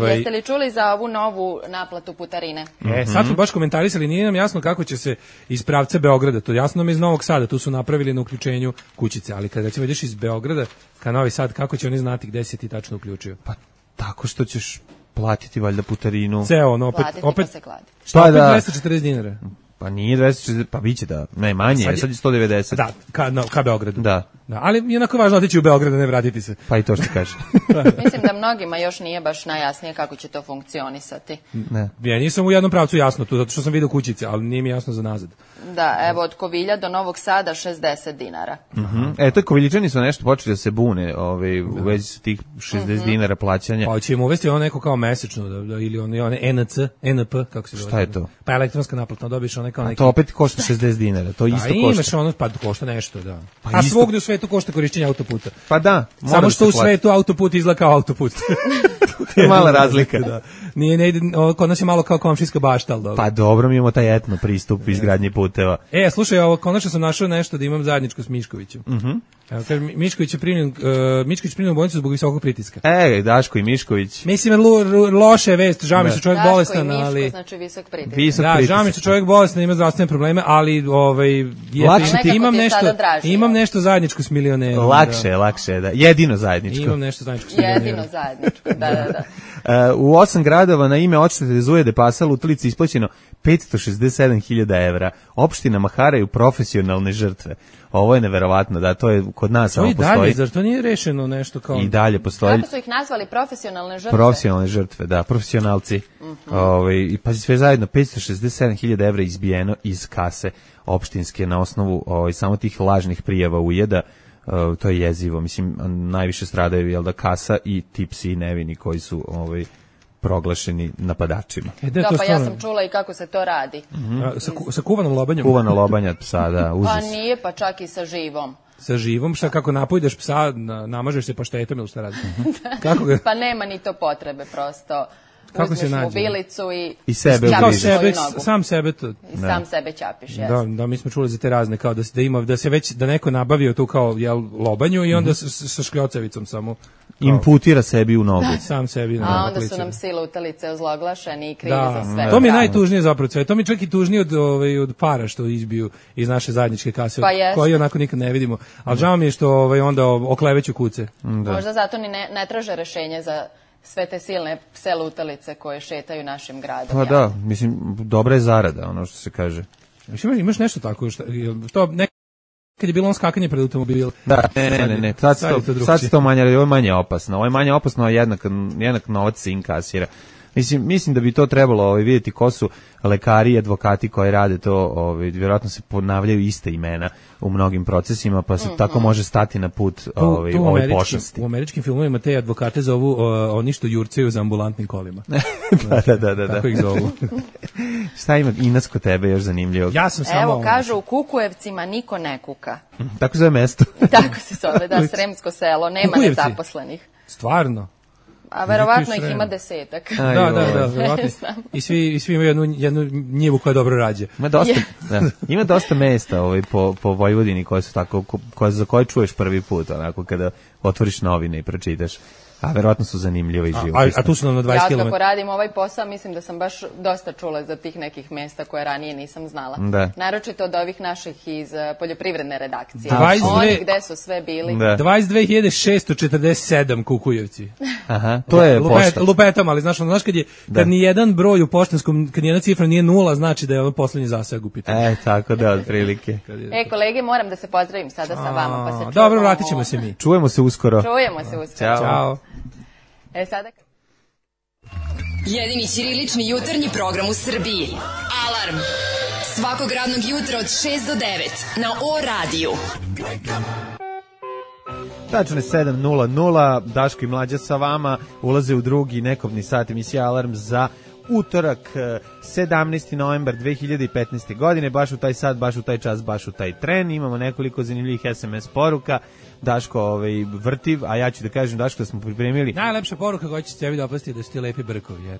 Jeste li čuli za ovu novu naplatu putarine? Sad smo baš komentarisali, nije nam jasno kako će se iz pravca Beograda, to jasno nam iz Novog Sada, tu su napravili na uključenju kućice, ali kada recimo ideš iz Beograda ka Novi Sad, kako će oni znati gde se ti tačno uključio? Pa tako što ćeš platiti valjda putarinu. Opet se kladi. Šta opet 240 dinara? Pa nije 240, pa biće da najmanje, sad je 190. Da, ka Beogradu. Da. Ali jednako je važno otići u Beograd, ne vratiti se. Pa i to što kaže. Mislim da mnogima još nije baš najjasnije kako će to funkcionisati. Ne. Ja nisam u jednom pravcu jasno tu, zato što sam vidio kućice, ali nije mi jasno za nazad. Da, evo od Kovilja do Novog Sada 60 dinara. To Koviljičani su nešto počeli da se bune u vezi sa tih 60 dinara plaćanja. Pa će im uvesti ono neko kao mesečno, ili one NP, kako se zove. Šta je to? Pa elektronska naplata, dobiješ one kao neki... To opet košta 60 dinara, to isto košta. Imaš ono, pa košta nešto, da. A svugde u svetu košta korišćenje autoputa. Pa da. Samo što u svetu autoput izgleda kao autoput. To je mala razlika. Da. Ne ide, kod nas je malo kao komšijska bašta, ali dobro. Pa dobro, mi imamo taj etno pristup izgradnji puteva. Slušaj, konačno sam našao nešto da imam zajedničko s Miškovićem. Mišković je primljen u bolnicu zbog visokog pritiska. Daško i Mišković. Mislim, loše je vest, žao mi što čovjek bolestan, ali... Daško i Miško, znači visok pritisak. Da, žao mi što čovjek bolestan, ima zdravstvene probleme, ali imam nešto zajedničko s milionerom. Lakše, da. Jedino zajedničko. Imam nešto zajedničko s milionerom. Jedino zajedničko, da. U 8 gradova na ime odštete Zuje de Pasal u Tlici isplaćeno 567.000 evra. Opštinama haraju profesionalne žrtve. Ovo je neverovatno, da, to je kod nas samo postoji. Dalje, zar to nije rešeno nešto kao... I dalje postoji. Kako su ih nazvali profesionalne žrtve? Profesionalne žrtve, da, profesionalci. I pazi, sve zajedno, 567.000 evra izbijeno iz kase opštinske na osnovu samo tih lažnih prijava ujeda. To je jezivo, mislim, najviše stradaju kasa i ti psi nevini koji su proglašeni napadačima. Pa ja sam čula i kako se to radi. Sa kuvanom lobanjom? Kuvana lobanja psa, da, užas. Pa nije, pa čak i sa živom. sa živom, šta kako napojdeš psa, namažeš se paštetom ili šta radiš? Kako ga? Pa nema ni to potrebe, prosto. Kako se uzmeš nađe? mobilicu i sebe ćapiš svoju nogu. Sam sebe to. I sam sebe ćapiš, jesno. Da, mi smo čuli za te razne, kao da se već, da neko nabavio tu kao lobanju i onda sa škljocavicom samo. Imputira sebi u nogu. Sam sebi. A onda su nam sile utalice ozloglašeni i krivi za sve. To mi je najtužnije zapravo sve. To mi je čak i tužnije od para što izbiju iz naše zajedničke kase, koji onako nikad ne vidimo. Ali žao mi je što onda okleveću kuce. Možda zato ni ne traže rešenje za sve te silne pse lutalice koje šetaju našim gradom. Pa da, mislim, dobra je zarada, ono što se kaže. Imaš nešto tako, što kad je bilo on skakanje pred automobil. Da, ne. Sad se to manje, ovo je manje opasno. Ovo je manje opasno, a jednak novac se inkasira. Mislim da bi to trebalo vidjeti ko su lekari i advokati koji rade to, vjerojatno se ponavljaju iste imena u mnogim procesima, pa se tako može stati na put ovoj pošasti. U američkim filmovima te advokate zovu oni što jurcaju za ambulantnim kolima. Da. Tako ih zovu. Šta ima Ines kod tebe još zanimljivo? Ja sam samo... Evo, kažu u Kukujevcima niko ne kuka. Tako zove mesto. Tako se zove, da, Sremsko selo, nema nezaposlenih. Stvarno? A verovatno ih ima 10. Da, verovatno. I svi imaju jednu njivu koja dobro rađe. Ima dosta mesta po Vojvodini koje su tako, za koje čuješ prvi put, onako kada otvoriš novine i pročitaš. A verovatno su zanimljivo i živopisne. A tu su nam na 20 km. Ja kako radim ovaj posao, mislim da sam baš dosta čula za tih nekih mesta koje ranije nisam znala. Da. Naročito od ovih naših iz poljoprivredne redakcije. 22... Oni gde su sve bili. Da. 22.647 Kukujevci. Aha, to je pošta. Lupetam, ali znaš kad ni jedan broj u poštanskom, kad ni jedna cifra nije 0, znači da je ovo poslednji zaseg u pitanju. Tako da, otprilike. Kolege, moram da se pozdravim sada sa vama. Pa se dobro, vratit ćemo se mi. Čujemo se uskoro. Ćao. Sada... Jedini ćirilični jutarnji program u Srbiji. Alarm. Svakog radnog jutra od 6 do 9 na O-radiju. Tačno je 7:00, Daško i Mlađa sa vama ulaze u drugi nekobni sat emisije Alarm za utorak, 17. novembar 2015. godine, baš u taj sat, baš u taj čas, baš u taj tren. Imamo nekoliko zanimljivih SMS poruka. Daško vrtiv, a ja ću da kažem, Daško, da smo pripremili... Najlepša poruka koja će tebi dopasti da su ti lepi brkovi.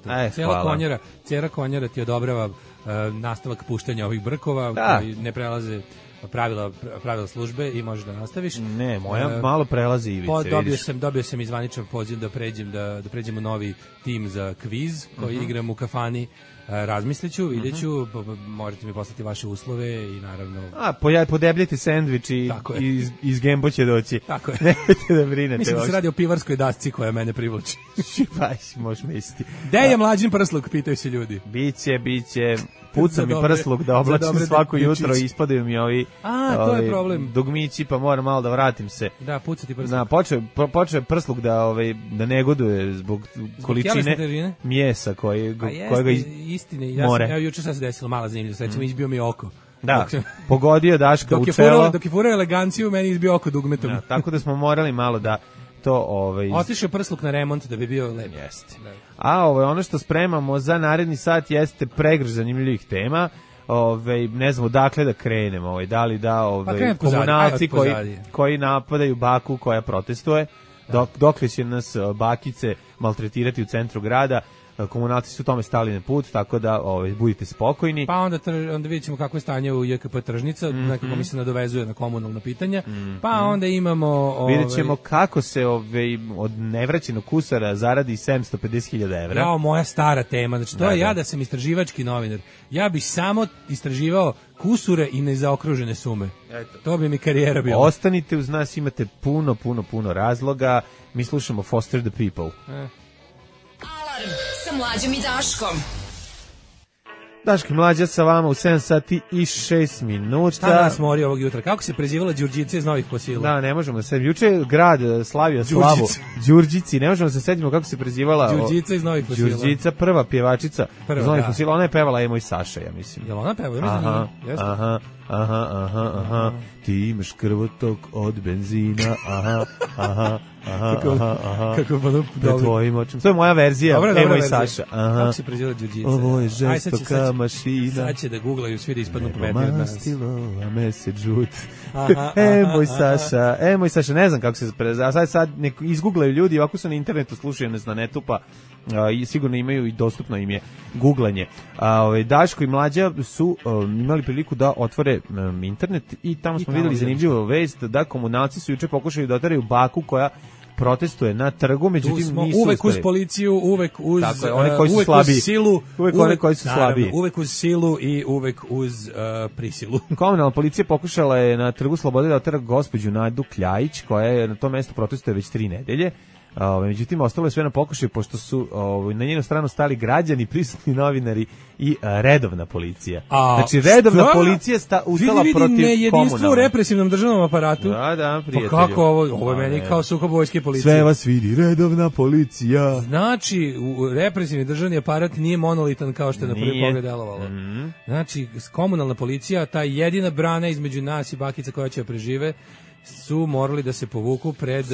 Cijela konjara ti odobrava nastavak puštanja ovih brkova koji ne prelaze pravila službe i možeš da nastaviš. Ne, moja malo prelazi ivice. Dobio sam izvaničan poziv da pređemo novi tim za kviz koji igram u kafani. Razmisliću, vidjet ću, možete mi poslati vaše uslove i naravno... Podebljati sendvič i iz Gembo će doći. Tako je. Nemojte da brinete. Mislim da se radi o pivarskoj dasci koja mene privlači. Možeš misliti. Gde je Mlađin prsluk, pitaju se ljudi. Biće. Puca mi prsluk da oblačim svako jutro i ispadaju mi ovi to je problem. Dugmići, pa moram malo da vratim se. Da, puca ti prsluk. Počeo je prsluk da negoduje zbog količine mjesa kojega istine, evo juče sad se desilo, mala zanimljivost, recimo izbio mi oko. Da, pogodio Daška u čelo. Dok je furao eleganciju, meni izbio oko dugmetom. Da, tako da smo morali malo da to... Otišao prsluk na remont da bi bio lep. Jeste. A ono što spremamo za naredni sat jeste pregrš zanimljivih tema. Ne znamo dakle da krenemo, da li komunalci koji napadaju baku koja protestuje, dokle će nas bakice maltretirati u centru grada. Komunalci su tome stali na put, tako da budite spokojni. Pa onda vidjet ćemo kako je stanje u JKP Tržnica, nekako mi se nadovezuje na komunalna pitanja. Pa onda imamo... Vidjet ćemo kako se od nevraćenog kusara zaradi 750.000 evra. Jao, moja stara tema. Znači, to je ja da sam istraživački novinar. Ja bih samo istraživao kusure i nezaokružene sume. Eto. To bi mi karijera bila. Ostanite uz nas, imate puno razloga. Mi slušamo Foster the People. Alarm sa Mlađom i Daškom. Daško i Mlađa sa vama u 7 sati i 6 minuta. Šta nas mori ovog jutra? Kako se prezivala Đurđica iz Novih Fosila? Da, ne možemo da se... Juče je grad slavio slavu Đurđici. Ne možemo da se setimo kako se prezivala... Đurđica iz Novih Fosila. Đurđica, prva pjevačica iz Novih Fosila. Ona je pevala Emo i Saša, ja mislim. Jel ona pevala? Aha. Ti imaš krvotok od benzina. Aha. Kako ono pred tvojim očima. To je moja verzija, Emo i Saša. Kako se preziva Đurđica? Ovo je žestoka mašina. Sad će da googlaju svi da ispadnu pametniji od nas. Mastilo, a mesec žut. Emo i Saša, ne znam kako se preziva. Sad izgooglaju ljudi, ovako su na internetu, slušaju nas na netu, pa sigurno imaju i dostupno im je googlanje. Daško i Mlađa su imali priliku da otvore internet i tamo smo videli zanimljivu vest da komunalci su juče pokušali da oteraju baku koja protestuje na trgu, međutim nisu uvek uz policiju, uvek uz silu, uvek koji su slabiji. Uvek uz silu i uvek uz prisilu. Komunalna policija pokušala je na trgu Slobode da otera gospođu Nadu Kljajić, koja je na tom mestu protestuje već 3 nedelje. Međutim, ostalo je sve na pokušaju, pošto su na njenu stranu stali građani, prisutni novinari i redovna policija. Znači, redovna policija ustala protiv komunalne. Nejedinstvo u represivnom državnom aparatu. Da, prijatelju. Pa kako ovo je meni kao sukob vojske i policije. Sve vas vidi, redovna policija. Znači, represivni državni aparat nije monolitan kao što je na prvi pogled delovalo. Znači, komunalna policija, ta jedina brana između nas i bakica koja će prežive, su morali da se povuku pred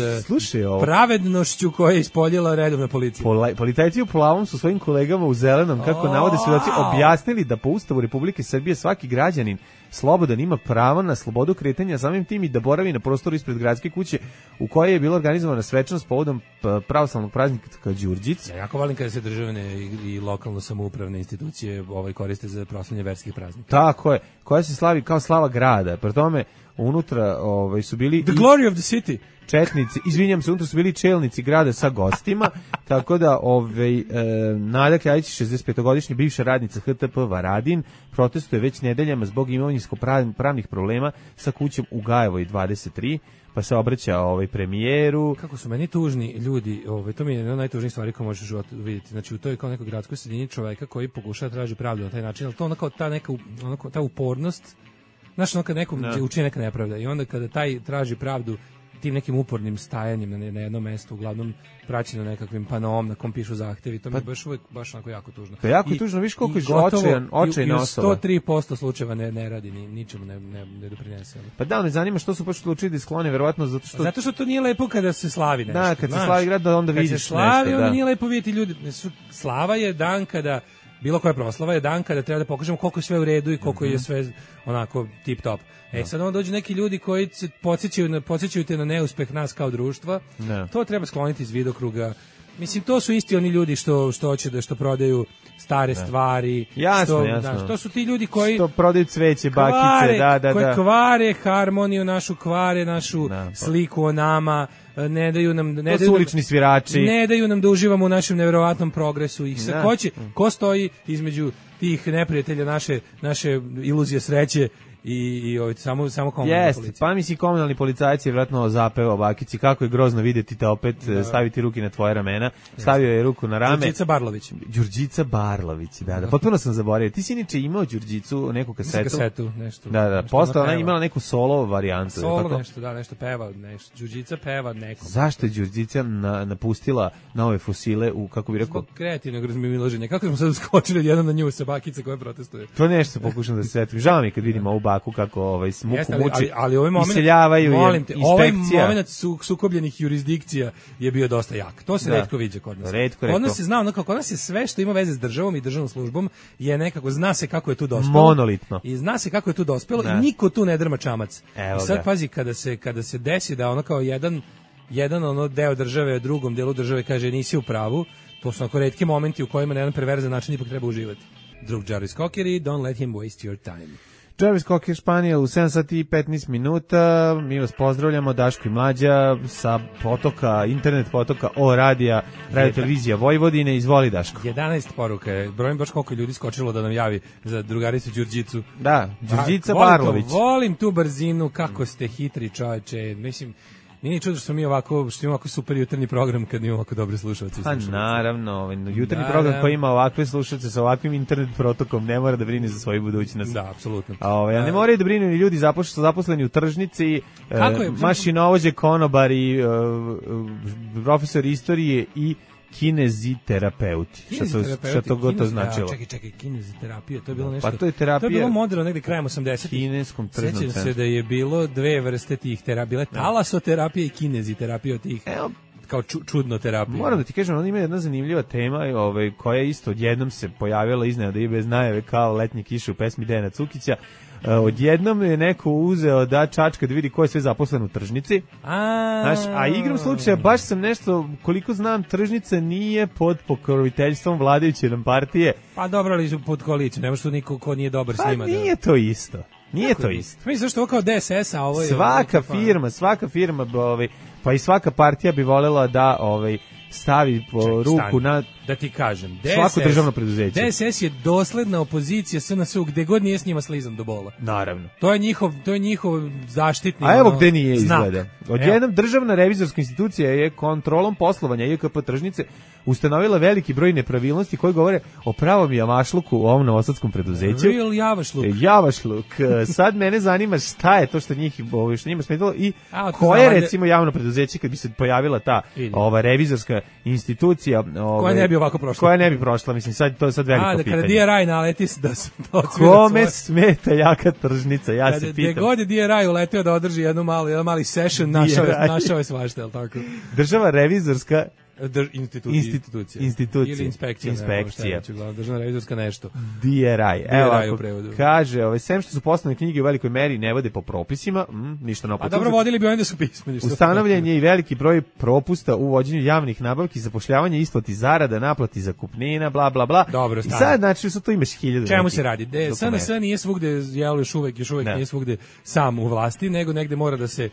pravednošću koja je ispoljila redovna policija. Policajci u plavom su svojim kolegama u zelenom, kako navode svedoci, objasnili da po Ustavu Republike Srbije svaki građanin slobodan ima pravo na slobodu kretanja, samim tim i da boravi na prostoru ispred gradske kuće u kojoj je bila organizovana svečanost povodom pravoslavnog praznika Đurđic. Ja jako volim kada se državne i lokalno samoupravne institucije koriste za proslavljanje verskih praznika. Tako je, koja se slavi kao slava grada. Pri tome unutra su bili The glory of the city. Četnici, izvinjam se, unutra su bili čelnici grada sa gostima, tako da Nada Kljajić, 65-godišnja bivša radnica HTP Varadin, protestuje već nedeljama zbog imovinsko-pravnih problema sa kućom u Gajevoj 23, pa se obraća premijeru. Kako su meni tužni ljudi, to mi je jedna od najtužnijih stvari koje možeš vidjeti. Znači, u toj kao nekoj gradskoj sredini čoveka koji pokušava traži pravdu na taj način, ali to onako ta upornost, znaš, kad nekom učini neka nepravda i onda kada taj traži pravdu tim nekim upornim stajanjem na jednom mestu, uglavnom praćeno nekakvim panoom na kom pišu zahtevi, to mi je baš onako jako tužno. Pa jako tužno, viš koliko je očajna osoba. 103% slučajeva ne radi, ničemu ne doprinese. Pa da, me zanima što su baš odlučili da sklone, verovatno zato što to nije lepo kada se slavi nešto. Da, kad se slavi grad, da onda vidiš nešto. Kad se slavi, onda nije lepo vidjeti ljudi. Slava je dan kada bilo koja proslava je dan kada treba da pokažemo koliko je sve u redu i koliko je sve onako tip top. Sad onda dođu neki ljudi koji se podsjećaju te na neuspeh nas kao društva. To treba skloniti iz vidokruga. Mislim, to su isti oni ljudi što hoće što prodaju stare stvari. Jasno. To su ti ljudi koji što prodaju cveće, bakice, koji kvare harmoniju našu, kvare našu sliku o nama, ne daju nam ulični svirači. Ne daju nam da uživamo u našem neverovatnom progresu. I sad ko stoji između tih neprijatelja naše iluzije sreće i samo komunalni policija. Pa misli komunalni policajac je vjerojatno zapevao bakici kako je grozno vidjeti te opet staviti ruke na tvoje ramena. Stavio je ruku na rame. Đurđica Barlović, da. Potpuno sam zaboravio. Ti si inače imao Đurđicu, neku kasetu. Nešto. Da. Posle ona imala neku solo varijantu. Solo nešto peva, nešto. Đurđica peva neko. Zašto je Đurđica napustila nove fosile u, kako bi rekao, kreativnog razmimoilaženja? Kako smo sad skočili jedan na nju sa bakice koja protestuje? To nešto pokušam da se setim. Žao mi kad vidimo ovu baku kako muku muči, ali ovaj moment, iseljavaju je inspekcija. Ovaj moment sukobljenih jurisdikcija je bio dosta jak. To se retko viđa kod nas. Kod nas se zna, kod nas je sve što ima veze s državom i državnom službom je nekako, zna se kako je tu dospelo. Monolitno. I zna se kako je tu dospelo i niko tu ne drma čamac. I sad pazi, kada se desi da ono kao jedan deo države, drugom delu države kaže nisi u pravu, to su onako retki momenti u kojima na jedan perverzan način ipak treba uživati. Drug Jarvis Cocker i Don't Let Him Waste Your Time. Jarvis Cocker, Španija, u 7 sati i 15 minuta. Mi vas pozdravljamo, Daško i Mlađa, sa potoka, internet potoka radio televizija Vojvodine. Izvoli, Daško. 11 poruka je. Brojim baš koliko ljudi skočilo da nam javi za drugaricu Đurđicu. Da, Đurđica Barlović. Volim tu brzinu, kako ste hitri, čoveče. Mislim, nije ni čudo što imamo ovako super jutarnji program kad imamo ovako dobre slušalce. Pa naravno, jutarnji program koji ima ovakve slušalce sa ovakvim internet protokom ne mora da brine za svoju budućnost. Da, apsolutno. A ne moraju da brinu ni ljudi zaposleni u tržnici, mašinovođe, konobari, profesor istorije i kineziterapeuti. Šta to god to značilo? Čekaj, kineziterapija, to je bilo nešto. Pa to je terapija. To je bilo moderno negde krajem 80-ih. Kineskom tržnom centru. Sećam se da je bilo dve vrste tih terapija, bile talasoterapija i kineziterapija od tih. Kao čudno terapija. Moram da ti kažem, on ima jedna zanimljiva tema koja isto odjednom se pojavila iznenada i bez najave kao letnje kiše u pesmi Dejana Cukića. Odjednom je neko uzeo da čačka da vidi ko je sve zaposlen u tržnici. A igram slučaja, baš sam nešto, koliko znam, tržnica nije pod pokroviteljstvom vladajuće nam partije. Pa dobro, ali su pod koalicijom, nema što niko ko nije dobar s njima. Pa nije to isto. Nije to isto. Mislim zašto ovo kao DSS, a ovo je... Svaka firma, pa i svaka partija bi voljela da stavi ruku na... Da ti kažem, svako državno preduzeće. DSS je dosledna opozicija SNS-u gde god nije s njima slizan do bola. Naravno. To je njihov zaštitni. A evo gde nije izgleda. Odjednom državna revizorska institucija je kontrolom poslovanja IKP tržnice ustanovila veliki broj nepravilnosti koji govore o pravom javašluku u ovom novosadskom preduzeću. Real javašluk. Javašluk. Sad mene zanima šta je to što njima smetalo i koje recimo javno preduzeće kad bi se pojavila ta revizorska institucija koja ne bi ovako prošla. Koja ne bi prošla, mislim, sad to je sad veliko pitanje. Kada DRI naleti da se kome smeta jaka tržnica, ja se pitam. Gde god je DRI uleteo da održi jedan mali session, našao je svašta, je li tako? Država revizorska institucija. Ili inspekcija. Državna revizorska nešto. DRI. Evo, kaže, sem što su poslane knjige u velikoj meri ne vode po propisima, ništa ne A dobro, vodili bi oni da su pismeni. Ustanovljen je i veliki broj propusta u vođenju javnih nabavki, zapošljavanje, isplati zarada, naplati zakupnina, bla, bla, bla. Dobro, i sad, znači, tu imaš 1000. Čemu se radi? SNS nije svugde, još uvek nije svugde sam u vlasti, nego negde mora da se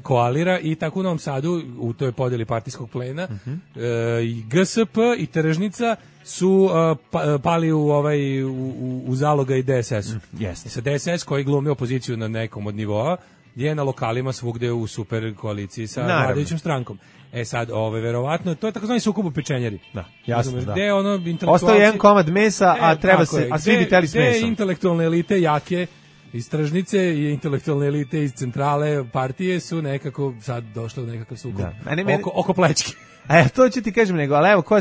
koalira i tako u Novom Sadu u toj podeli partijskog plena i GSP i Tržnica su pali u zaloga i DSS-u. Sa DSS koji glumi opoziciju na nekom od nivoa je na lokalima svugde u super koaliciji sa vladajućom strankom. Sad, verovatno, to je takozvani sukob u pečenjeri. Da, jasno, da. Gde ostao jedan komad mesa, a svi bi teli s mesom. Gde intelektualne elite jake iz tržnice i intelektualne elite iz centrale partije su nekako sad došle u nekakav sukob oko plećke. To ću ti kažem nego, ali evo, ko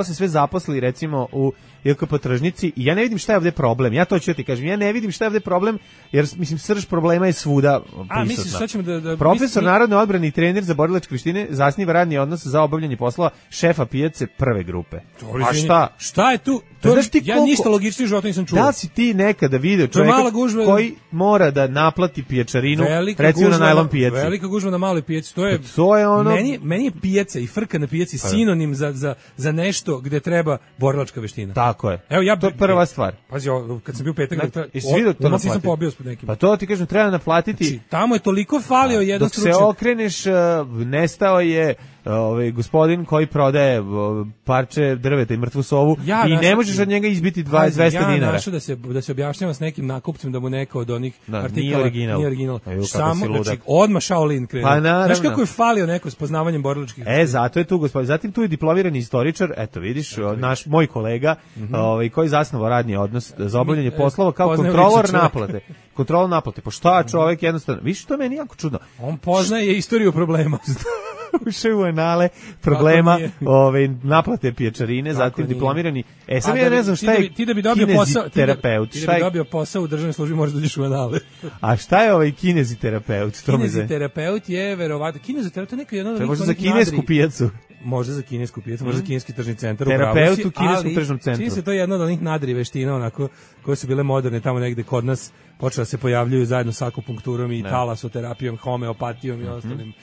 se sve zaposli recimo u IKP tržnici i ja ne vidim šta je ovde problem. Ja to ću ti kažem, ja ne vidim šta je ovde problem, jer mislim srž problema je svuda prisutna. Misliš šta ćemo da profesor narodne odbrane i trener za borilačke veštine zasniva radni odnos za obavljanje poslova šefa pijace prve grupe. A šta? Šta je tu? Ja ništa logičnije u životu nisam čuo. Da si ti nekada video čovjeka koji mora da naplati pijačarinu, recimo na najlon pijaci. Velika gužva na maloj pijaci, to je ono... Meni je pijaca i frka na pijaci sinonim za nešto gde treba borilačka veština. Tako je. Evo, to je prva stvar. Pazi, kad sam bio petak, sam pobio s nekim. Pa to ti kažem, treba naplatiti. Znači, tamo je toliko falio jedan stručnjak. Dok se okreneš, nestao je gospodin koji prodaje parče drveta i mrtvu sovu i ne možeš od njega izbiti 200 dinara. Ja našao da se objašnjava s nekim nakupcem da mu neka od onih artikala nije original. Samo, znači, odmah Shaolin krenuo. Pa naravno. Znaš kako je falio neko s poznavanjem borilačkih? Zato je tu gospodin. Zatim tu je diplomirani istoričar, eto vidiš, moj kolega, koji zasnovao radni odnos za obavljanje poslova kao kontrolor naplate. Kontrola naplate. Pa šta čovjek jednostavno, viš, to je meni jako čudno. On poznaje istoriju problema. Ušao u anale problema naplate pijačarine, zatim diplomirani. Sad ja ne znam šta je kineziterapeut. Ti da bi dobio posao u državnoj službi možeš da uđeš u anale. A šta je kineziterapeut? Kineziterapeut je verovatno, kineziterapeut je neka jedna... Možda za kinesku pijacu. Možda za kinesku pijacu, možda za kineski tržni centar. Terapeut u kineskom tržnom centru. Čini se to je jedna od onih nadri veština, onako, koje su bile moderne tamo negde kod nas, počela da se pojavljuju zajedno sa akupunkturom i talasoterapijom, homeopatijom i ostalim.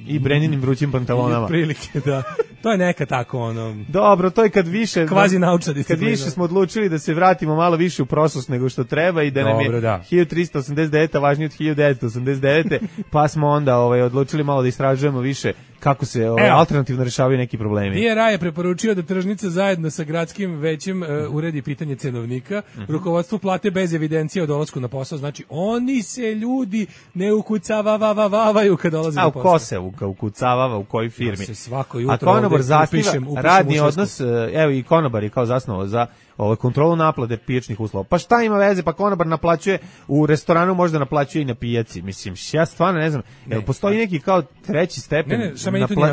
I Breninim vrućim pantalonama. Prilike, da. To je neka tako, Dobro, to je kad više... Kvazi naučna disciplina. Kad više smo odlučili da se vratimo malo više u prošlost nego što treba i da nam je 1389 važnije od 1989. Pa smo onda odlučili malo da istražujemo više kako se alternativno rešavaju neki problemi. DRI je preporučio da tržnica zajedno sa gradskim većem uredi pitanje cenovnika, rukovodstvo plate bez evidencije o dolasku na posao, znači oni se ljudi ne ukucavavavaju kad dolaze na posao. A ko se ukucavava u kojoj firmi? Svako jutro ako ono konobar zasniva upišem radni u odnos, evo i konobar je kao zasnovao za kontrolu naplate pijačnih uslova. Pa šta ima veze, pa konobar naplaćuje u restoranu, možda naplaćuje i na pijaci. Mislim, ja stvarno ne znam, postoji neki kao treći stepen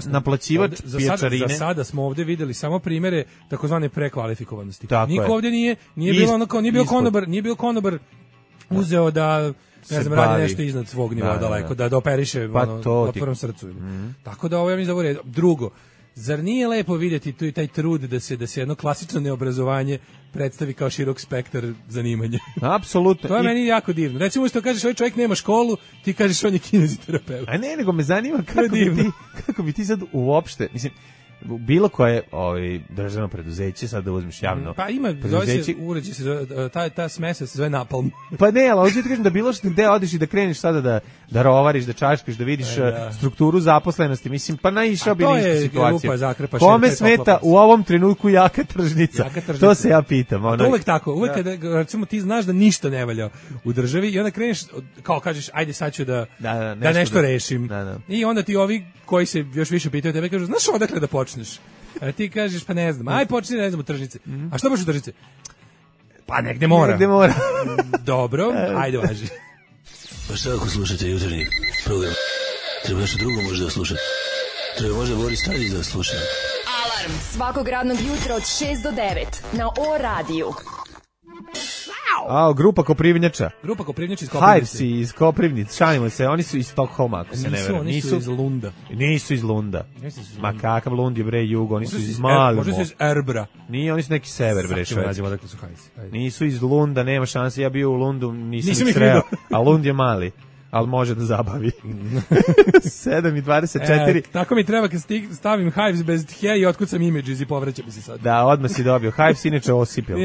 naplaćivač pijačarine. Za sada smo ovde videli samo primere takozvane prekvalifikovanosti. Niko ovde nije bilo onako, nije bio konobar uzeo da ne znam, radi nešto iznad svog nivoa daleko, da operiše otvorom srcu. Tako da ovo ja mislim da je drugo. Zar nije lepo vidjeti taj trud da se jedno klasično neobrazovanje predstavi kao širok spektar zanimanja? Apsolutno. To je meni jako divno. Recimo što kažeš ovaj čovjek nema školu, ti kažeš on je kineziterapeut. A ne, nego me zanima kako bi ti sad uopšte, mislim, bilo koje državno preduzeće, sad da uzmeš javno. Pa ima, uređe se, ta smesa se zove napalm. Pa ne, ali hoću ti kažem da bilo što gde odeš i da kreneš sada da rovariš, da čaškaš, da vidiš strukturu zaposlenosti, mislim, pa naišao bi na istu situaciju. Kome smeta u ovom trenutku jaka tržnica? To se ja pitam. Uvek tako, uvek kada recimo ti znaš da ništa ne valja u državi i onda kreneš, kao kažeš, ajde sad ću da nešto rešim. I onda ti ovi koji se još više pitaju tebe kažu, znaš odakle da počneš? A ti kažeš, pa ne znam, aj počni, ne znam, u tržnici. A što baš u tržnici? Pa negde mora. Dobro, ajde važi. Pa šta ako slušate jutarnji program? Treba nešto drugo možda da slušate. Treba možda Boris Tadić da sluša. Alarm svakog radnog jutra od 6 do 9 na O-radiju. Grupa Koprivnjača. Grupa Koprivnjača iz Koprivnice. Hivesi iz Koprivnice, šalimo se, oni su iz Stokholma, ako se ne veram. Nisu iz Lunda. Nisu iz Lunda. Ma kakav Lund je bre jugo, oni su iz Malmo. Možda su iz Erbra. Nije, oni su neki sever bre Švedske. Odakle su Hivesi. Nisu iz Lunda, nema šanse, ja bio u Lundu, nisam ih sreo, a Lund je mali. Ali može da zabavi. 7:24. Tako mi treba kad stavim Hives bez tje i otkucam images i povraća mi se sad. Da, odmah si dobio. Hives inače osipil.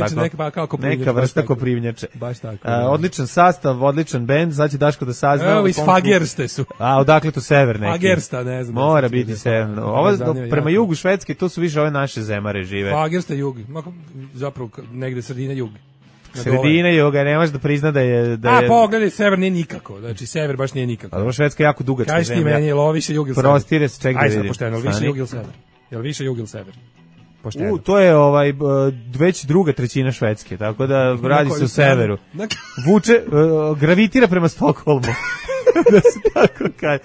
Neka vrsta koprivnjače. Baš tako. Odličan sastav, odličan bend, sad će Daško da sazna. Evo iz Fagerste su. Odakle tu sever neki? Fagersta, ne znam. Mora biti severno. Ovo prema jugu Švedske, to su više ove naše zemare žive. Fagersta jug. Zapravo negde sredina jug. Sredina juga, nemaš da prizna da je... pogledaj, sever nije nikako. Znači, sever baš nije nikako. Ali Švedska je jako dugačka zemlja. Kaži ti meni, je li ovo više jug ili sever? Prostire se, ček da vidim. Ajde, pošteno, više jug ili sever? Je li više jug ili sever? Pošteno. To je već druga trećina Švedske, tako da radi se u severu. Vuče, gravitira prema Stokholmu. Da se tako kaže.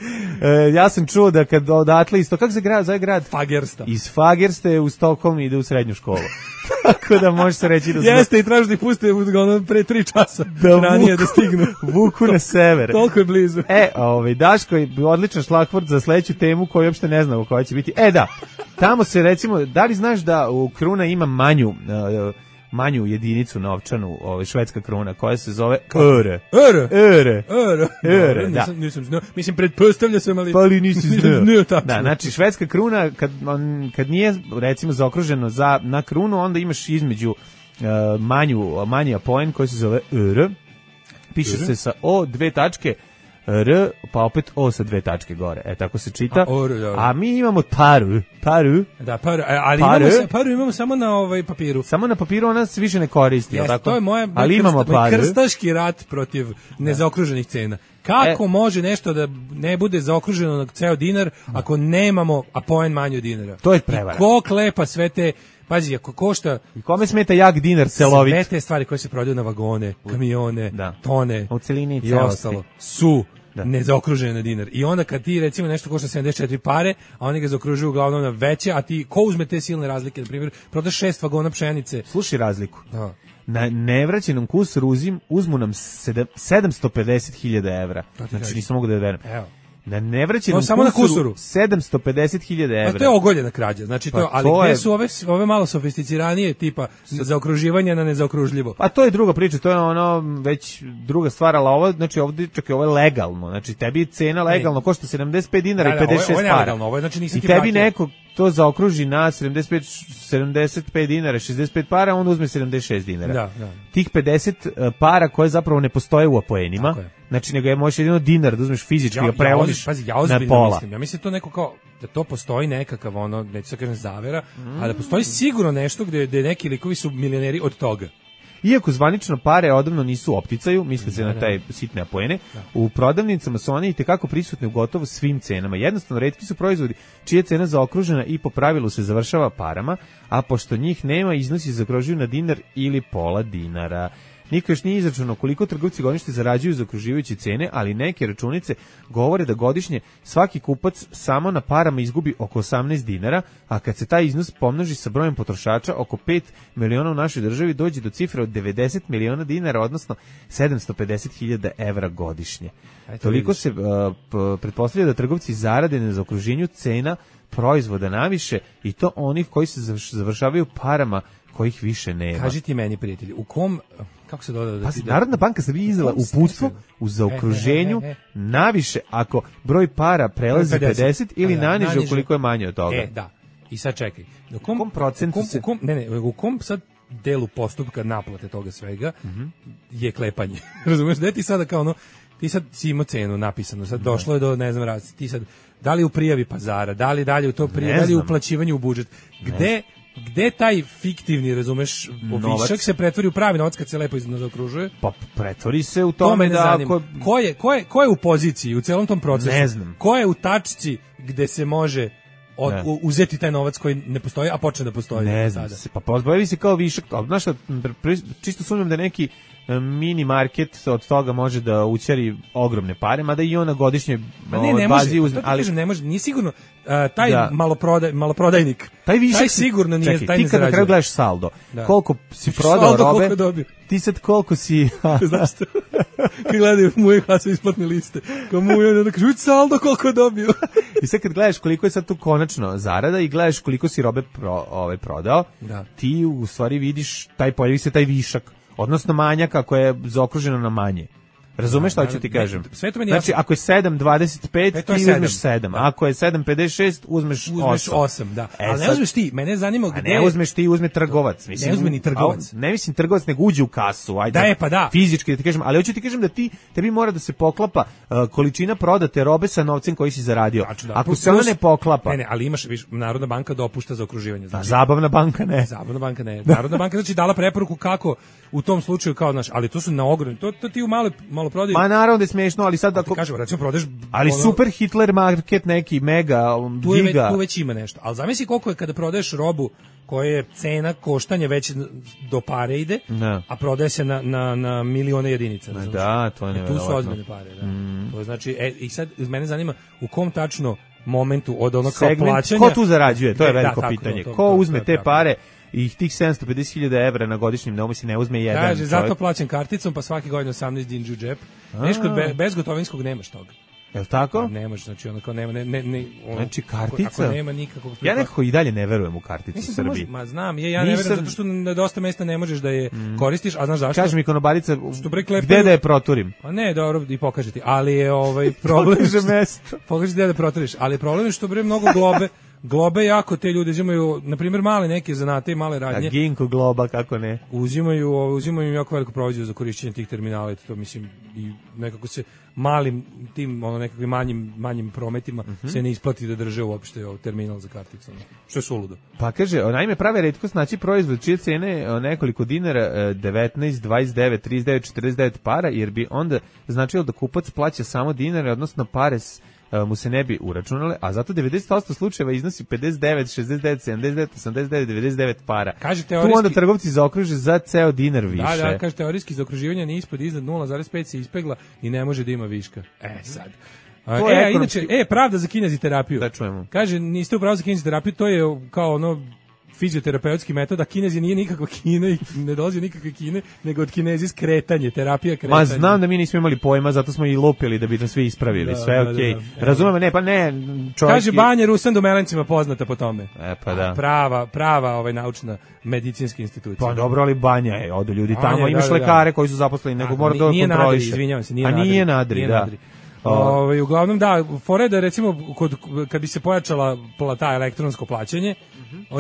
Ja sam čuo da kad odatle isto, kako se zove grad? Fagersta. Iz Fagerste u Stokholm ide u srednju školu. Tako da može se reći da... Jeste, i traži da ih puste pre 3 časa ranije da stignu. Vuku na sever. Toliko je blizu. Daško je odličan šlagvort za sledeću temu koju uopšte ne znamo koja će biti. Da, tamo se recimo, da li znaš da u Kruna ima manju jedinicu novčanu, švedska kruna, koja se zove öre. Da. Nisam znao. Mislim, pretpostavlja sam, ali nisi znao. Da, znači, švedska kruna, kad nije, recimo, zaokruženo na krunu, onda imaš između manji apoen koji se zove öre. Piše se sa O, 2 tačke, R, pa opet O sa 2 tačke gore. Tako se čita. A mi imamo paru. Da, ali paru imamo samo na papiru. Samo na papiru, ona se više ne koristi. Jeste, to je moj krstaški rat protiv nezaokruženih cena. Kako može nešto da ne bude zaokruženo na ceo dinar ako nemamo apoen manje od dinara? To je prevara. Ko klepa sve te... Pazi, ako košta... I kome smeta jak dinar celovit? Sve te stvari koje se prodaju na vagone, kamione, tone u celini i ostalo su nezaokružene na dinar. I onda kad ti recimo nešto košta 74 pare, a oni ga zaokružuju uglavnom na veće, a ti ko uzme te silne razlike? Na primjer, prodaš 6 vagona pšenice. Slušaj razliku. Na nevraćenom kursuru uzmu nam 750.000 evra. Znači nisam mogu da verujem. Evo. Na nevraćenom kursuru 750.000 evra. To je ogoljena krađa. Znači ali gde su ove malo sofisticiranije tipa zaokruživanja na nezaokružljivo? Pa to je druga priča, to je ono već druga stvar, ali ovo, znači ovdje čekaj, ovo je legalno. Znači tebi cena legalno košta 75 dinara i 56 para. Legalno, ovo je, znači nisi i tebi neko to zaokruži na 75 dinara, 65 para, onda uzme 76 dinara. Da. Tih 50 para koje zapravo ne postoje u apoenima, znači nego je možeš jedino dinar da uzmeš fizički i preložiš na pola. Mislim. Ja mislim to neko kao da to postoji nekakav neću da kažem zavera, a da postoji sigurno nešto gde neki likovi su milioneri od toga. Iako zvanično pare odavno nisu u opticaju, misli se na taj sitne apoene, u prodavnicama su one itekako prisutne u gotovo svim cenama. Jednostavno, retki su proizvodi čija je cena zaokružena i po pravilu se završava parama, a pošto njih nema, iznosi zaokružuju na dinar ili pola dinara. Niko još nije izračunao koliko trgovci godišnje zarađuju zaokruživajući cene, ali neke računice govore da godišnje svaki kupac samo na parama izgubi oko 18 dinara, a kad se taj iznos pomnoži sa brojem potrošača, oko 5 miliona u našoj državi, dođe do cifre od 90 miliona dinara, odnosno 750.000 evra godišnje. Toliko se pretpostavlja da trgovci zarade na zaokruženju cena proizvoda naviše, i to onih koji se završavaju parama kojih više nema. Kaži ti meni, prijatelji, u kom, kako se doda da ti... Narodna banka Srbije izdala uputstvo u zaokruženju naviše ako broj para prelazi 50 ili naniže ukoliko je manje od toga. Da. I sad čekaj. U kom procentu se... U kom sad delu postupka naplate toga svega je klepanje? Razumeš, da ti sada kao ono, ti sad si imao cenu napisano, sad došlo je do, ne znam, ti sad, da li u prijavi pazara, da li dalje u to prijavi, da li u uplaćivanju u budžet, gde taj fiktivni, razumeš, višak se pretvori u pravi novac kad se lepo zaokružuje? Pa pretvori se u tome da ako... Ko je u poziciji u celom tom procesu? Ne znam. Ko je u tačci gde se može uzeti taj novac koji ne postoji, a počne da postoji? Ne znam, pa pozbavi se kao višak, ali znaš šta, čisto sumnjam da neki mini market od toga može da ućari ogromne pare, mada i on na godišnjoj bazi uzme. Ali ne može, nije sigurno taj maloprodajnik. Taj višak, taj sigurno nije, čekaj, taj ne ti kad na kraju gledaš saldo, koliko si prodao robe, ti sad koliko si... Znaš što? Kad gledaju moje hlasove isplatne liste, kao moje, onda kažu, saldo koliko je dobio. I sad kad gledaš koliko je sad tu konačno zarada i gledaš koliko si robe prodao, ti u stvari vidiš, pojavi se taj višak, odnosno manjak ako je zaokruženo na manje. Razumeš šta ću ti kažem? Znači, ako je 7,25, ti uzmeš 7. Ako je 7,56, uzmeš 8. Da. Ali ne uzmeš ti, mene zanima gde... Ne uzmeš ti, uzme trgovac. Ne uzme ni trgovac. Ne mislim trgovac, nego uđe u kasu. Ajde, da. Fizički da ti kažem, ali hoću ti kažem da tebi mora da se poklapa količina prodate robe sa novcem koji si zaradio. Ako se ona ne poklapa... Ne, ali imaš, Narodna banka dopušta zaokruživanje. Zabavna banka ne. Narodna banka znači dala preporuku kako u tom slučaju kao naš, ali to su na ogromni, to ti u malo prodaju. Ma naravno da je smiješno, ali sad ako... Kažem, recimo prodeš... Ali super Hitler market neki, mega, giga... Tu već ima nešto. Ali zamisli koliko je kada prodaješ robu koja je cena koštanja već do pare ide, a prodaje se na milione jedinica. Da, to je nevjerovatno. Tu su ozbiljne pare, da. To znači, i sad mene zanima u kom tačno momentu od onog kao plaćanja... Ko tu zarađuje, to je veliko pitanje. Ko uzme te pare i tih 750.000 evra na godišnjem domu si ne uzme jedan čovjek. Kaže, zato plaćam karticom, pa svaki godin 18 dinđu u džep. Nešto bezgotovinskog nemaš toga. Jel tako? Ne može, znači ono kao nema, znači kartica? Ako nema nikakvog... Ja nekako i dalje ne verujem u karticu u Srbiji. Znam, ja ne verujem zato što na dosta mesta ne možeš da je koristiš, a znaš zašto? Kaže mi konobarica, gde da je proturim? Pa ne, dobro, i pokaže ti, ali je problem... Pokaže mesto. Pokaže gde da proturiš, ali problem je što mnogo globe jako te ljudi uzimaju, na primjer male neke zanate i male radnje. A Ginko globa, kako ne? Uzimaju im jako veliku proviziju za korišćenje tih terminala, to mislim i nekako se malim tim nekakvim manjim prometima se ne isplati da drže uopšte terminal za karticu. Što je suludo. Pa kaže, naime prave retkost naći proizvod čije cene nekoliko dinara 19, 29, 39, 49 para, jer bi onda značilo da kupac plaća samo dinare, odnosno pare mu se ne bi uračunale, a zato 90% slučajeva iznosi 59, 69, 79, 89, 99 para. Kaže teorijski, tu onda trgovci zaokruže za ceo dinar više. Da, kaže teorijski zaokruživanje ni ispod iznad 0,5 se ispegla i ne može da ima viška. Sad. Inače, pravda za kineziterapiju. Da čujemo. Kaže, niste u pravu za kineziterapiju, to je kao fizioterapeutski metod, a Kinezi nije nikakva Kina i ne dolazi nikakve Kine, nego od Kinezi skretanje, terapija kretanja. Ma znam da mi nismo imali pojma, zato smo i lupili da bi to svi ispravili, sve okej. Razumemo, ne, čovjek... Kaže, Banja Rusan do Melencima poznata po tome. Pa da. Prava naučna medicinska institucija. Pa dobro, ali Banja je, odu ljudi tamo, imaš lekare koji su zaposleni, nego mora da kontroliše. Izvinjavam se, nije nadri, da. Uglavnom da, fore da recimo kad bi se pojačala ta elektronsko plaćanje,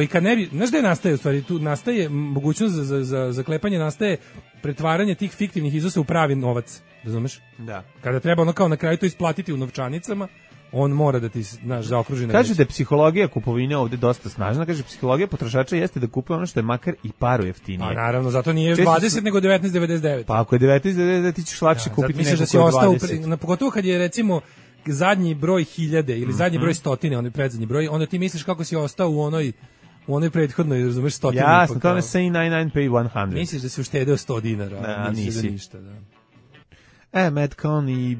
i kad ne bi, znaš gde nastaje u stvari, tu nastaje mogućnost za zaklepanje, nastaje pretvaranje tih fiktivnih iznosa u pravi novac, razumeš? Da. Kada treba kao na kraju to isplatiti u novčanicama, on mora da ti, znaš, zaokruži na Kažu da je psihologija kupovine ovde dosta snažna, kaže psihologija potrošača jeste da kupuje ono što je makar i paru jeftinije. A naravno, zato nije Često 20 nego 19,99. Pa ako je 19,99 ti ćeš lakše kupiti misliš nešto da si koje ostao 20. pogotovo kad je recimo zadnji broj 1000 ili zadnji broj stotine, onaj predzadnji broj, onda ti misliš kako si ostao u onoj prethodnoj, razumeš, stotini. Jasno, to ne say 99 pay 100. Misliš da si uštedeo $100, Da, nisi. da ništa, da. Matt Cohn i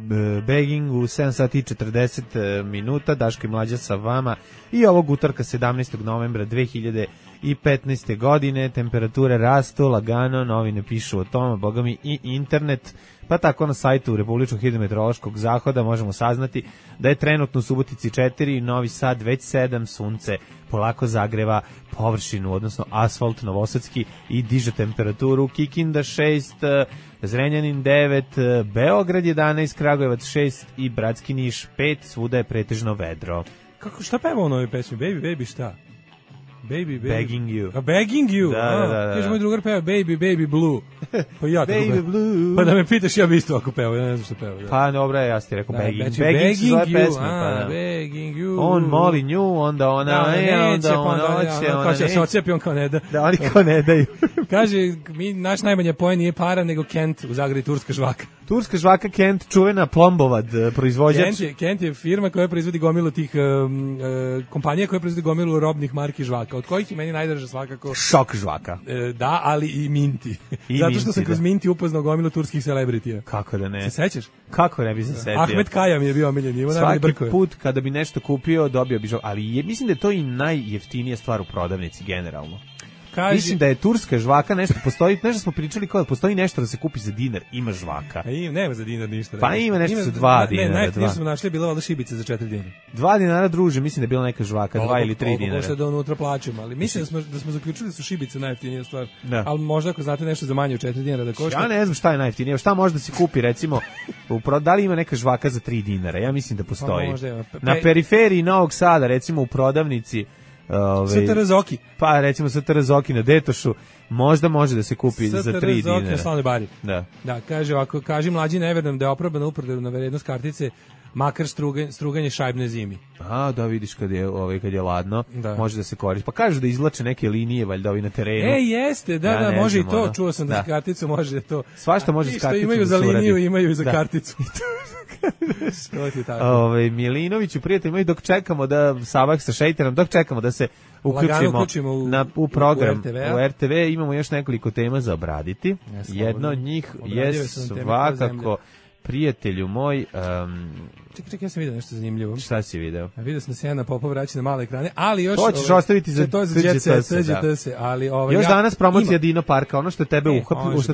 Begging u 7 sati i 40 minuta, Daško i Mlađa sa vama i ovog utorka 17. novembra 2015. godine, temperature rastu, lagano, novine pišu o tome, boga mi i internet, pa tako na sajtu Republičkog hidrometeorološkog zahoda možemo saznati da je trenutno u Subotici 4, Novi Sad već 7, sunce polako zagreva površinu, odnosno asfalt novosadski i diže temperaturu, Kikinda 6, Zrenjanin 9, Beograd 11, Kragujevac 6 i Bratski Niš 5, svuda je pretežno vedro. Šta peva u novoj pesmi? Baby, šta? Baby. Begging you. A Begging you? Da. Kaže, moj drugar peva Baby Blue. Pa ja tako Baby Blue. Pa da me pitaš, ja bi isto ako peva, ja ne znam što peva. Da. Pa dobro, ja ti rekao Begging. Znači, Begging su zove you, pesme. Pa, da. Begging you. On moli nju, onda ona onda ona hoće, ona neće. Se ocepi, on kao ne da. Da, oni kao ne daju. Kaže, naš najmanja poen nije para, nego Kent u Zagrebi, turska žvaka. Turska žvaka Kent, čuvena Plombovad proizvođač. Kent je firma koja proizvodi gomilu tih kompanija koja proizvodi gomilu robnih marki žvaka, od kojih je meni najdraža svakako Šok žvaka. Da, ali i Minti. Zato što sam kroz Minti upoznao gomilu turskih celebritija. Kako da ne? Se sećaš? Kako ne bi se setio? Ahmed Kaya mi je bio omiljen. Svaki put kada bi nešto kupio, dobio bi žvaka. Ali mislim da je to i najjeftinija stvar u prodavnici generalno. Mislim da je turska žvaka nešto postoji, nešto smo pričali kao da postoji nešto da se kupi za dinar, ima žvaka. Nema za dinar ništa. Pa ima nešto za 2 dinara. Ne, najjeftinije smo našli bila valjda šibice za 4 dinara. 2 dinara druže, mislim da je bila neka žvaka, 2 ili 3 dinara. Možda da unutra plaćamo, ali mislim da smo zaključili da su šibice najjeftinija stvar. Ali možda ako znate nešto za manje od 4 dinara da košta. Ja ne znam šta je najjeftinije, šta može da se kupi recimo, da li ima neka žvaka za 3 dinara? Ja mislim da postoji. Na periferiji Novog Sada, recimo u prodavnici STR Zoki. Pa recimo STR Zoki na Detošu možda može da se kupi za 3 dinara. STR Zoki na Slavnoj Bari. Da, kaže ovako, kaži mlađi ne verujem da je oprobana uprodajna vrednost kartice makar struganje šajbne zimi. Da vidiš kad je ladno, može da se koristi. Pa kažu da izvlače neke linije valjda ovi na terenu. Jeste, da, može i to. Čuo sam da karticu može to. Svašta može s karticom. Imaju za liniju, imaju i za karticu. Milinoviću, prijatelji, dok čekamo da Savak sa Šejterom, dok čekamo da se uključimo u program u RTV, imamo još nekoliko tema za obraditi. Jedna od njih je svakako prijatelju moj... Čekaj, ja sam vidio nešto zanimljivo. Šta si video? Vidio sam da se Jana Popa vraća na male ekrane, ali još... To ćeš ostaviti za TGT, ali... Još danas promocija Dino Parka, ono što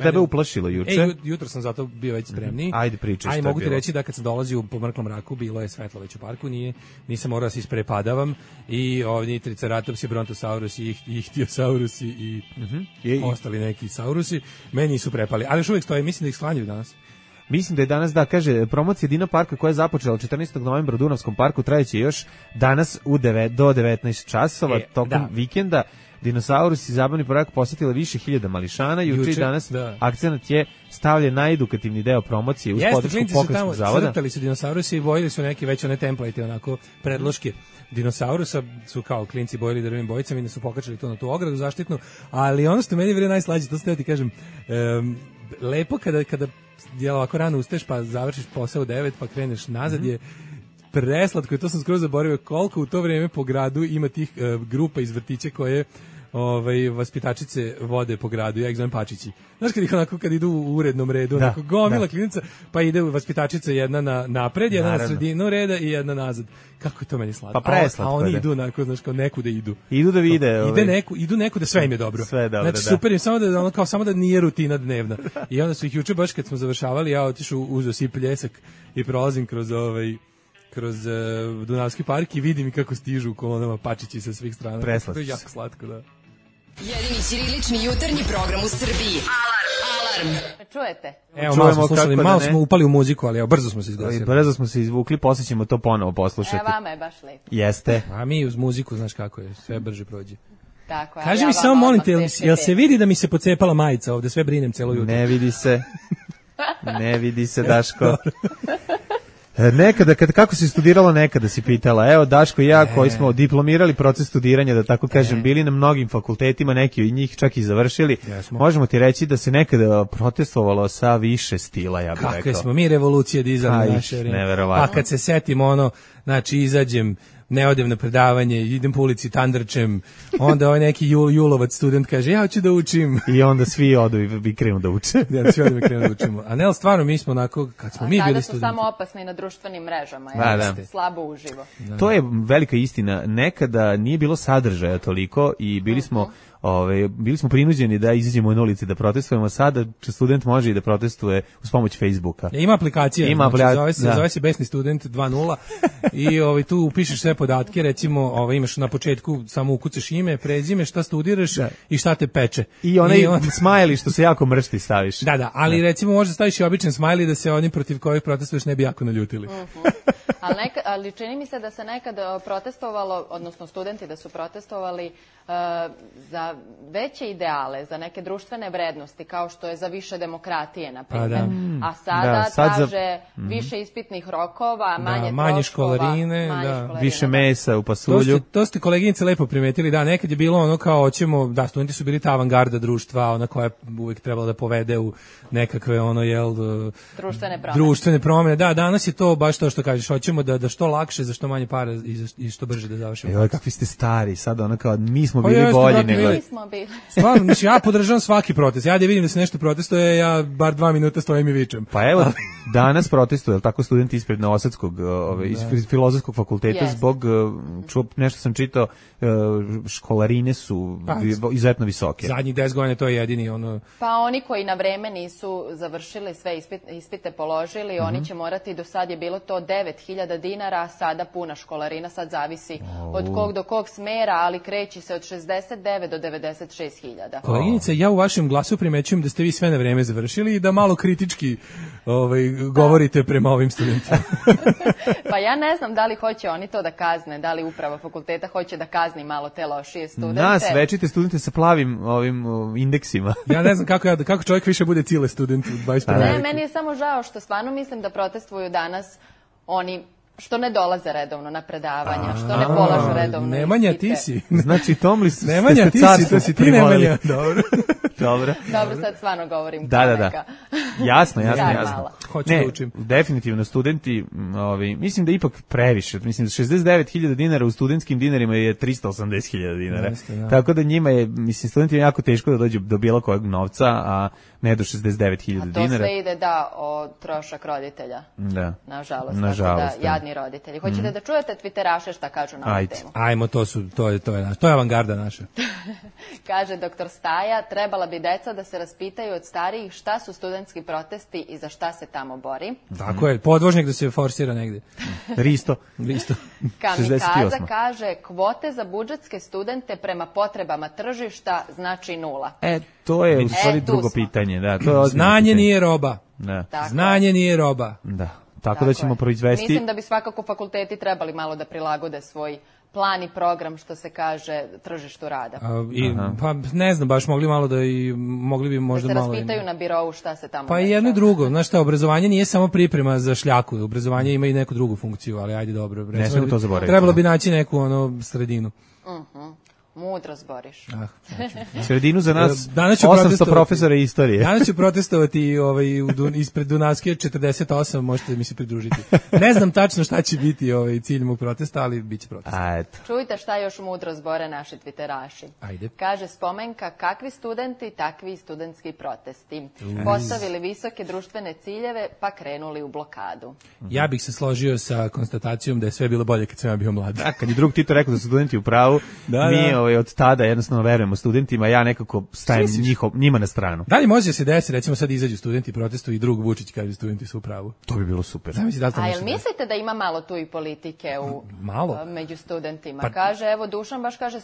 tebe uplašilo juče. Jutro sam zato bio već spremniji. Ajde, pričaj šta je bilo. Mogu ti reći da kad sam dolazio po mrklom mraku, bilo je svetlo već u parku, nisam morao da se isprepadavam i ovdje Triceratopsi, Brontosaurus i Ichthyosaurus i ostali neki saurusi, meni su prepali, ali još uvijek stoje, mislim da ih sklanjaju danas. Mislim da je danas, kaže, promocija Dino Parka koja je započela 14. novembra u Dunavskom parku trajeće još danas do 19 časova tokom vikenda. Dinosaurus i zabavni park posjetila više hiljada mališana. Juče i danas akcenat je stavljen na edukativni deo promocije uz podršku Pokrenjskog zavoda. Crtali su dinosaurusi i bojili su neki već one template, onako predloške dinosaurusa, su kao klinci bojili drvenim bojicama i da su pokačali to na tu ogradu zaštitnu, ali ono što meni je najslađe, to ste ti kažem, lepo kada ovako rano ustaješ pa završiš posao u 9 pa kreneš nazad je preslatko i to sam skoro zaboravio koliko u to vrijeme po gradu ima tih grupa iz vrtića koje vaspitačice vode po gradu, ja ih zovem pačići. Znaš kad idu u urednom redu, onako gomila klinica, pa ide vaspitačica jedna na napred, jedna na sredinu reda i jedna nazad. Kako je to meni slatko? Pa preslatko. A oni idu onako, znaš, kao nekuda idu. Idu da vide. Idu nekuda, sve im je dobro. Sve dobro, znači, super im, samo da nije rutina dnevna. I onda su ih juče baš kad smo završavali, ja otišao, uzeo si pljesak i prolazim kroz Dunavski park i vidim kako stižu u kolonama pačići sa svih strana. Preslatko. To je jako slatko, da. Jedini ćirilični jutarnji program u Srbiji. Alarm! Čujete? Evo, malo smo slušali, malo smo upali u muziku, ali brzo smo se izglasili. Brzo smo se izvukli, poslije ćemo to ponovo poslušati. Vama je baš lepo. Jeste. A mi uz muziku, znaš kako je, sve brže prođe. Tako, kaži mi samo, molim te, jel se vidi da mi se pocepala majica ovde, sve brinem celo jutro? Ne vidi se. Ne vidi se, Daško. Nekada, kako si studiralo nekada, si pitala. Evo, Daško i ja koji smo diplomirali proces studiranja, da tako kažem, bili na mnogim fakultetima, neki od njih čak i završili. Možemo ti reći da se nekada protestovalo sa više stila, ja bih rekao. Kakve smo mi revolucije dizali naše vreme. Neverovatno. Pa kad se setimo znači izađem, ne odem na predavanje, idem po ulici tandrčem, onda ovaj neki julovac student kaže, ja hoću da učim. I onda svi odu i krenu da uče. Ja, svi odu i krenu da učimo. A ne, stvarno, mi smo onako, kad smo mi bili studenti. Sada su samo opasni na društvenim mrežama, slabo uživo. To je velika istina. Nekada nije bilo sadržaja toliko i bili smo prinuđeni da izađemo na ulici da protestujemo. Sada student može i da protestuje uz pomoć Facebooka. Ima aplikacija, zove se Besni student 2.0 i tu upišeš sve podatke, recimo imaš na početku samo ukucaš ime, prezime, šta studiraš i šta te peče. I onaj smajli što se jako mršti staviš. Da, ali recimo možda staviš i običan smajli da se oni protiv kojih protestuješ ne bi jako naljutili. Ali čini mi se da se nekad protestovalo, odnosno studenti da su protestovali za veće ideale, za neke društvene vrednosti, kao što je za više demokratije, na primjer. A sada traže više ispitnih rokova, manje školarine, više mesa u pasulju. To ste koleginice lepo primetili, da, nekad je bilo kao hoćemo, da, studenti su bili ta avangarda društva, ona koja je uvijek trebala da povede u nekakve društvene promjene. Da, danas je to baš to što kažeš, hoćemo da što lakše, za što manje para i što brže da završimo. Joj, kakvi ste stari, sada kao mi smo bili bolji nego. Stvarno, ja podržavam svaki protest. Ja da vidim da se nešto protestuje, ja bar 2 minuta stojim i vičem. Pa evo, danas protestuju, tako studenti ispred Novosadskog, iz Filozofskog fakulteta, zbog, nešto sam čitao, školarine su izuzetno visoke. Zadnjih 10 godina to je jedini Pa oni koji na vreme nisu završili sve ispite položili, oni će morati, do sad je bilo to 9.000 dinara, a sada puna školarina, sad zavisi od kog do kog smera, ali kreći se od 69 do 96.000. Koleginice, ja u vašem glasu primećujem da ste vi sve na vreme završili i da malo kritički govorite prema ovim studentima. Pa ja ne znam da li hoće oni to da kazne, da li uprava fakulteta hoće da kazni malo te lošije studente. Nas večite studente sa plavim indeksima. Ja ne znam kako čovjek više bude cile student u 21. Ne, meni je samo žao što stvarno mislim da protestuju danas oni što ne dolaze redovno na predavanja, što ne polažu redovno ispite. Nemanja, ti si. Znači, Tomli ste Nemanja, ti si, to si ti, Nemanja. Dobro, sad stvarno govorim. Da. Jasno. Hoću da učim. Definitivno, studenti, mislim da ipak previše. Mislim da 69.000 dinara u studentskim dinarima je 380.000 dinara. Tako da njima je, studenti je jako teško da dođu do bilo kojeg novca, a ne do 69.000 dinara. A to sve ide, o trošak roditelja. Da. Nažalost. Jadni roditelji. Hoćete da čujete twitteraše šta kažu na ovu temu? Ajmo, to je avangarda naša. Kaže doktor Staja, trebala bi deca da se raspitaju od starijih šta su studentski protesti i za šta se tamo bori. Tako je, podvožnik da se forsira negde. Risto. Kamikaza kaže, kvote za budžetske studente prema potrebama tržišta znači 0. To je u stvari drugo pitanje. Znanje nije roba. Znanje nije roba. Da. Tako da ćemo proizvesti. Mislim da bi svakako fakulteti trebali malo da prilagode svoj plan i program, što se kaže, tržištu rada. Pa ne znam, baš mogli bi možda malo... Da se raspitaju na birovu šta se tamo... Pa i jedno i drugo, znaš šta, obrazovanje nije samo priprema za šljaku, obrazovanje ima i neku drugu funkciju, ali ajde dobro. Ne smemo to zaboraviti. Trebalo bi naći neku sredinu. Mudro zboriš. Sredinu za nas 800 profesora istorije. Danas ću protestovati ispred Dunavske 48, možete mi se pridružiti. Ne znam tačno šta će biti cilj mog protesta, ali bit će protest. Čujte šta još mudro zbore naši twitteraši. Ajde. Kaže Spomenka, kakvi studenti, takvi i studentski protesti. Postavili visoke društvene ciljeve, pa krenuli u blokadu. Ja bih se složio sa konstatacijom da je sve bilo bolje kad sam ja bio mlad. Kad je drug Tito rekao da su studenti u pravu, mi od tada jednostavno verujemo studentima, ja nekako stajem njima na stranu. Da li može se desiti, recimo sad izađu studenti protestuju i drug Vučić kaže studenti su u pravu? To bi bilo super. A jel mislite da ima malo tu i politike među studentima? Kaže, evo Dušan baš kaže,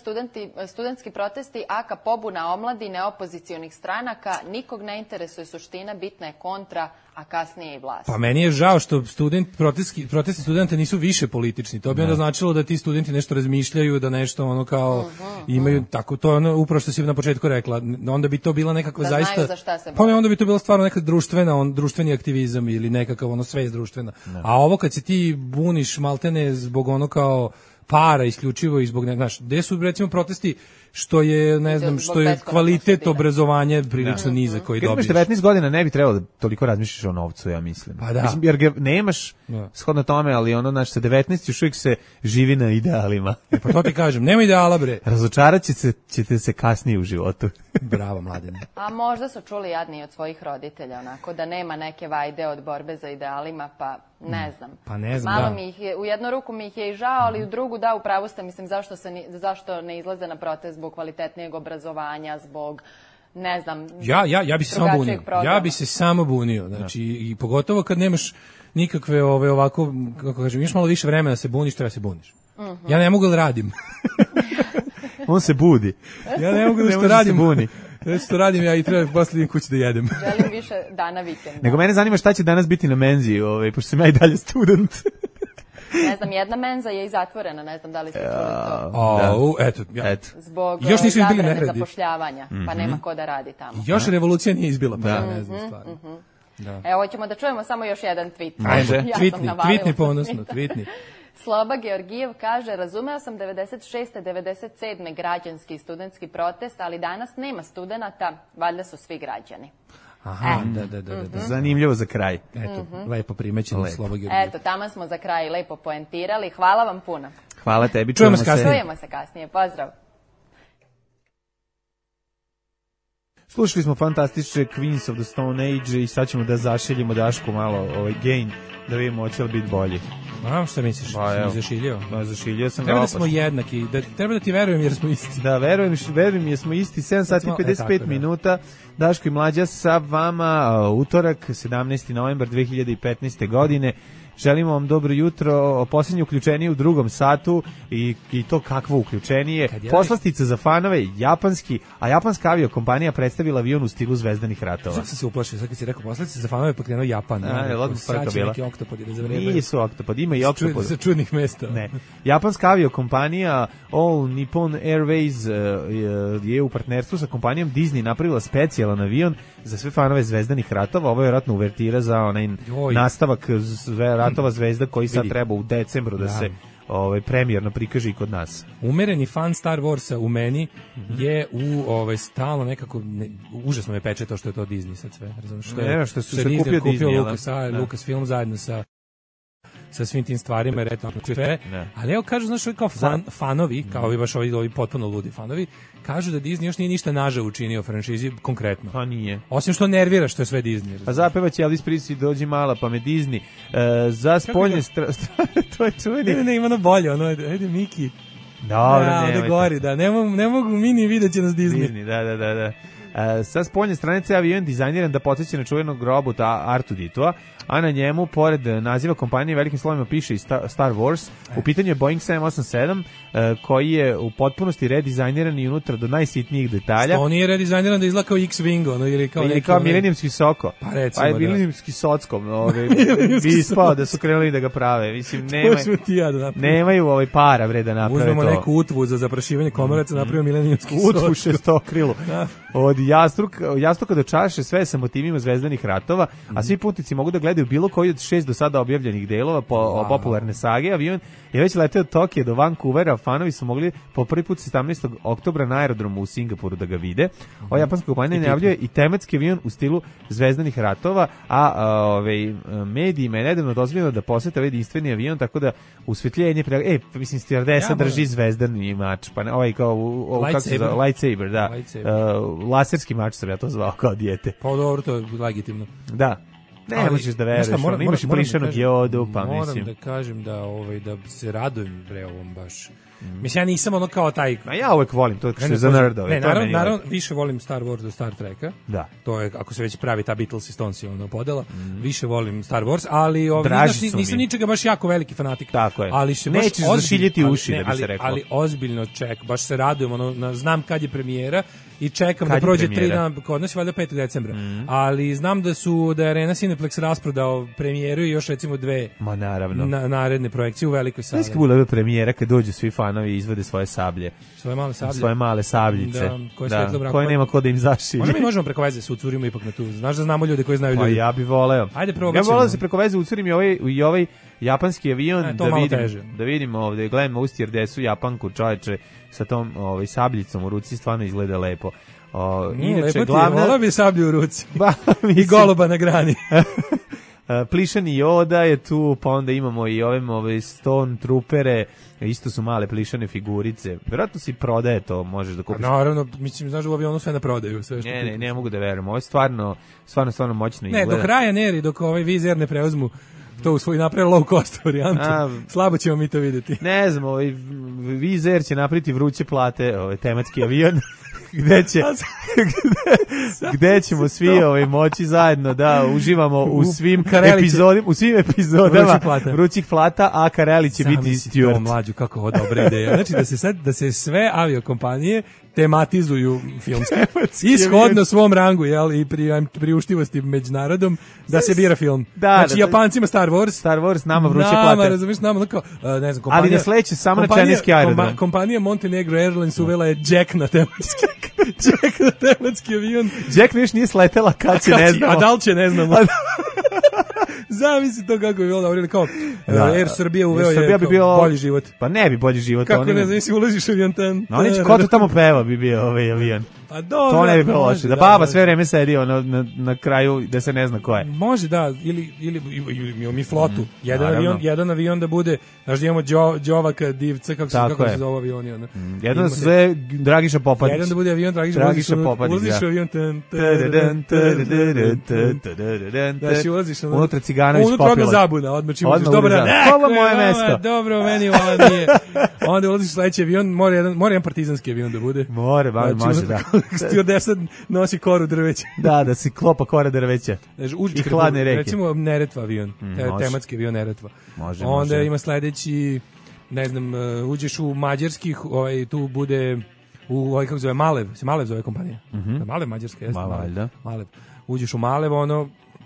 studentski protesti, aka pobuna omladine, opozicionih stranaka, nikog ne interesuje suština, bitna je kontra, a kasnije i vlast. Pa meni je žao što protesti studenta nisu više politični. To bi onda značilo da ti studenti nešto razmišljaju, da nešto imaju tako, to je ono upravo što si na početku rekla, onda bi to bila nekakva Da zaista... znaju za šta se Pa ne, onda bi to bila stvarno neka društveni aktivizam ili nekakav ono svest društvena. A ovo kad se ti buniš maltene zbog ono kao para isključivo i zbog, ne znaš, gde su recimo protesti što je, ne znam, što je kvalitet obrazovanja prilično nizak koji dobiješ. Kad imaš 19 godina ne bi trebalo da toliko razmišljaš o novcu, ja mislim. Pa da. Mislim, jer ga nemaš shodno tome, ali ono, znači, sa 19 još uvijek se živi na idealima. Pa to ti kažem, nema ideala, bre. Razočarat ćete se kasnije u životu. Bravo, Mladene. A možda su čuli jadni od svojih roditelja, onako, da nema neke vajde od borbe za idealima, pa ne znam. Pa ne znam, malo da. mi ih je, u jednu ruku mi ih je i žao, ali u drugu da, u pravu ste, mislim, zašto ne izlaze na protest zbog kvalitetnijeg obrazovanja, zbog, ne znam, ja bi se samo bunio. programa. Ja bi se samo bunio, znači, i pogotovo kad nemaš nikakve ovako, kako kažem, imaš malo više vremena da se buniš, treba se buniš. Ja ne mogu da radim. On se budi. Ja ne mogu da što radim. Buni. Ja što radim, ja i treba posle idem kući da jedem. Želim više dana vikenda. Nego mene zanima šta će danas biti na menzi, pošto sam ja i dalje student. Ne znam, jedna menza je i zatvorena, ne znam da li ste čuli to. Eto. Zbog još nisu bili zabrane neredi. Zapošljavanja, pa nema ko da radi tamo. Još revolucija nije izbila, pa ja ne znam stvarno. Evo, ćemo da čujemo samo još jedan tweet. Može, tweetni ponosno, tweetni. Sloba Georgijev kaže, razumeo sam 96. 97. građanski i studentski protest, ali danas nema studenata, valjda su svi građani. Aha, da. Zanimljivo za kraj. Eto, lepo primećeno Sloba Georgijev. Eto, tamo smo za kraj lepo poentirali. Hvala vam puno. Hvala tebi, čujemo se kasnije. Pozdrav. Slušali smo fantastične Queens of the Stone Age i sad ćemo da zašiljimo Dašku malo ovaj gain, da vidimo hoće li biti bolji. A, šta misliš? Pa, si zašiljio? Pa, zašiljio sam. Treba da smo jednaki, treba da ti verujem jer smo isti. Da, verujem jer smo isti, 7 sati 55 minuta, Daško i Mlađa sa vama, utorak, 17. novembar 2015. godine. Želimo vam dobro jutro, posljednje uključenje u drugom satu i to kakvo uključenije. Poslastica za fanove, japanski, a japanska aviokompanija predstavila avion u stilu Zvezdanih ratova. Sad sam se uplašio, sad kad si rekao poslastica za fanove pa krenuo Japan. Sad će neki oktopodi da zavrebaju. Nisu oktopodi, ima i oktopodi. Sa čudnih mesta. Ne. Japanska aviokompanija All Nippon Airways je u partnerstvu sa kompanijom Disney napravila specijalan avion za sve fanove Zvezdanih ratova. Ovo je vjerojatno uvertira za onaj nastavak ratova Zvezda koji sad treba u decembru da se premijerno prikaže i kod nas. Umereni fan Star Warsa u meni je u stalno nekako užasno me peče to što je to Disney sad sve. Što su se kupio Disney, Lucasfilm zajedno sa svim tim stvarima, jer eto, ali evo kažu, znaš, kao fanovi, kao i baš ovi potpuno ludi fanovi, kažu da Disney još nije ništa naža učinio franšizi konkretno. Pa nije. Osim što nervira što je sve Disney. Pa zapevaće Elvis Presley, dođi mala, pa me Disney. Za spoljne strane, to je čuveni. Ne, ima ono bolje, ajde Miki. Dobro, da gori, da, ne mogu mini vidjet će nas Disney. Da. Sa spoljne stranice avion dizajniran da podsjeća na čuvenog robota Artuditua, a na njemu, pored naziva kompanije, velikim slovima piše i Star Wars. U pitanju je Boeing 787, koji je u potpunosti redizajniran i unutra do najsitnijih detalja. On nije redizajniran da izgleda kao X-Wing, ili kao Milenijumski Soko. Pa recimo, je Milenijumski Sockom, bi ispao da su krenuli da ga prave. Mislim, nemaju para vreda naprave to. Uzmemo neku utvu za zaprašivanje komoraca, napravimo Milenijumski Sockom. Utvu šestokrilu. Od jastuka do čaše, sve sa motivima Zvezdanih ratova, a svi putnici mogu da gledaju bilo koji od 6 do sada objavljenih delova popularne sage. Avion je već leteo od Tokija do Vancouvera, fanovi su mogli po prvi put 17. oktobra na aerodromu u Singapuru da ga vide. Ova japanska kompanija najavljuje i tematski avion u stilu Zvezdanih ratova, a medijima je nedavno dozvoljeno da posete ovaj jedinstveni avion, tako da usvetljenje mislim stewardesa drži zvezdani mač, pa ovaj kao lightsaber, da. Laserski mač sam ja to zvao kao dijete. Pa dobro, to je legitimno. Da. Ne možeš da veruješ, imaš i prišanog jodu, pa mislim. Moram da kažem da se radujem ovom baš. Mislim, ja nisam ono kao taj... A ja uvek volim to što je za nerdove. Naravno, više volim Star Wars do Star Treka. Da. To je, ako se već pravi ta Beatles i Stones podela, više volim Star Wars, ali nisam ničega baš jako veliki fanatik. Tako je. Ali nećeš zašiljiti uši, da bi se rekao. Ali ozbiljno baš se radujem, znam kad je premijera i čekam Kad da je prođe 3 premijera? dana, kod nas je valjda 5. decembra. Ali znam da je Arena Cineplex rasprodao premijeru i još recimo 2 Ma naravno. naredne projekcije u velikoj sali. Znaš kada bude premijera kad dođu svi fanovi i izvede svoje sablje. Svoje male sablje. Svoje male sabljice. Da, koje svetlo brako. koje nema ko da im zašilje. Možda mi možemo preko veze se ucurimo ipak na tu. Znaš da znamo ljude koji znaju Pa ljudi. ja bih voleo. Ajde, Ja probat bih voleo ćemo. da se preko veze ucurim i ovaj japanski avion to malo teže. da vidimo ovde, gledamo u stjerdesu Japanku, čoveče, sa tom sabljicom u ruci, stvarno izgleda lepo. Inače, Volao bi sablju u ruci. I mislim, goluba na grani. plišani Yoda je tu, pa onda imamo i ove Stone Troopere, isto su male plišane figurice. Vjerojatno si prodaje to, možeš da kupiš. Naravno, mislim, znaš, u avionu sve na prodaju. Sve što Ne mogu da verujem. Ovo je stvarno moćno izgleda. Ne, dok Ryanair i dok ovaj Wizz Air ne preuzmu to u svoj napravi low cost varijantu. Slabo ćemo mi to vidjeti. Ne znam, Wizz Air će napraviti vruće plate, tematski avion. gde ćemo svi moći zajedno da uživamo u svim epizodama vrućih plata, a Kareli će biti steward. Mlađu, kako ovo dobra ideja. Znači da se sve aviokompanije tematizuju filmski. Ishodno svom rangu, jel, i priuštivosti među narodom, da se bira film. Znači, Japancima Star Wars, nama vruće plate. Nama, razumiješ, nama, ne znam, kompanija... Ali ne sleće samo na čajniski aerodrom. Kompanija Montenegro Airlines uvela je Jack na tematski avion. Jack još nije sletela, kad će ne znamo. A da li će ne znamo. Zavisi to kako bi bilo dobro, kao Air Srbija uveo je bolji život. Pa ne bi bolji život. Kako ne znam, si ulaziš u avion tan. No, oni će ko to tamo peva bi bio ovaj avion. Pa dobro. To ne bi bilo loše. Da baba sve vreme sedi na kraju da se ne zna ko je. Može da, ili mi flotu. Jedan avion da bude, znaš da imamo Đovaka, Divca, kako se zove avioni. Jedan se zove Dragiša Popadić. Jedan da bude avion Dragiša Popadić. Ulaziš u avion tan. Da si ulaziš unutra Ciganović popila. Unutra zabuna, odmah čim uđeš. Ovo moje mesto. Dobro, meni ovo nije. Onda ulaziš u sledeći avion, mora jedan partizanski avion da bude. Može, da. Stewardesa nosi koru drveća. Da si klopa kora drveća. I hladne reke. Recimo Neretva avion, tematski avion Neretva. Može. Onda ima sledeći, ne znam, uđeš u mađarskih, tu bude u kako zove Malev, se Malev zove kompanija. Malev mađarska, jeste. Malev. Uđeš u Malev,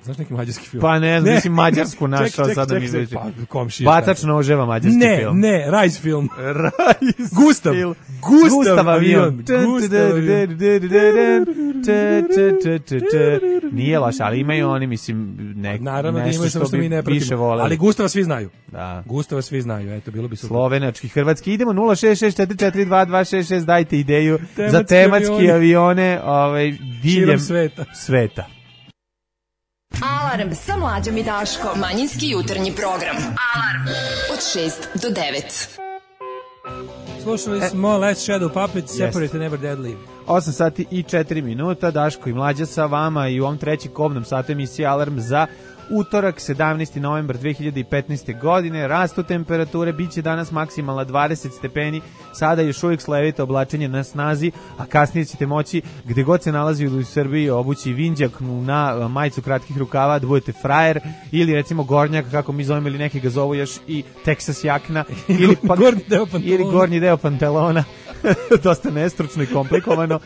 znaš neki mađarski film? Pa ne znam, mislim mađarsku našao, sada mi već. Batač noževa mađarski film. Ne, Rajs film. Gustav avion. Nije loš, ali imaju oni, mislim, nešto što bi više voleli. Ali Gustava svi znaju. Da. Gustava svi znaju, eto, bilo bi super. Slovenački, hrvatski, idemo 066442266, dajte ideju za tematski avione diljem sveta. Alarm sa Mlađom i Daškom. Manjinski jutarnji program. Alarm od 6 do 9. Slušali smo Last Shadow Puppets, Separate Never Deadly. 8 sati i 4 minuta, Daško i Mlađa sa vama i u ovom trećem kobnom satu emisije Alarm za utorak, 17. novembar 2015. godine. Rastu temperature, bit će danas maksimalna 20 stepeni, sada još uvijek slevito oblačenje na snazi, a kasnije ćete moći gde god se nalazi u Srbiji obući vinđak na majicu kratkih rukava, da budete frajer, ili recimo gornjak, kako mi zovemo, ili neki ga zovu još i Texas jakna, ili gornji deo pantalona. Dosta nestručno i komplikovano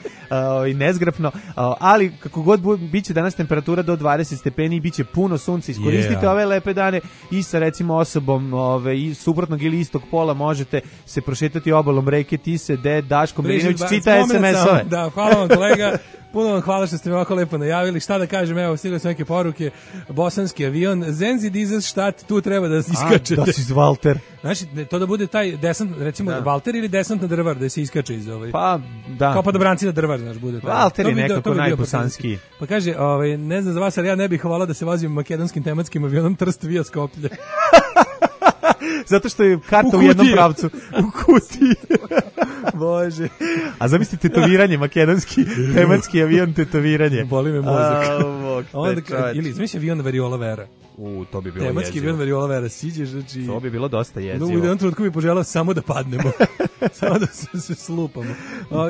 i nezgrapno, ali kako god biće danas temperatura do 20 stepeni i biće puno sunca, iskoristite ove lepe dane i sa recimo osobom i suprotnog ili istog pola možete se prošetati obalom reke Tise, gde Daško Milinović čita SMS-ove. Da, hvala vam kolega. Puno vam hvala što ste mi ovako lepo najavili. Šta da kažem, evo, stigle su neke poruke. Bosanski avion, Zenzi Dizes štat, tu treba da iskačete. Da si iz Valter. Znači, to da bude taj desant, recimo Valter ili desant na drvar, da se iskače iz ovaj. Pa, da. Kao padobranci na drvar, znaš, bude. Valter je nekako najbosanski. Pa kaže, ne znam za vas, ali ja ne bih hvala da se vozim makedonskim tematskim avionom Trst via Skoplje. Zato što je karta u jednom pravcu. U kutiji. Bože. A zamislite tetoviranje, makedonski tematski avion tetoviranje. Boli me mozak. Ili zamisli avion Variola Vera. To bi bilo tematski jezivo. bio Variola Vera, siđeš, znači... To bi bilo dosta jezivo. U jednom trenutku bi poželao samo da padnemo. Samo da se slupamo.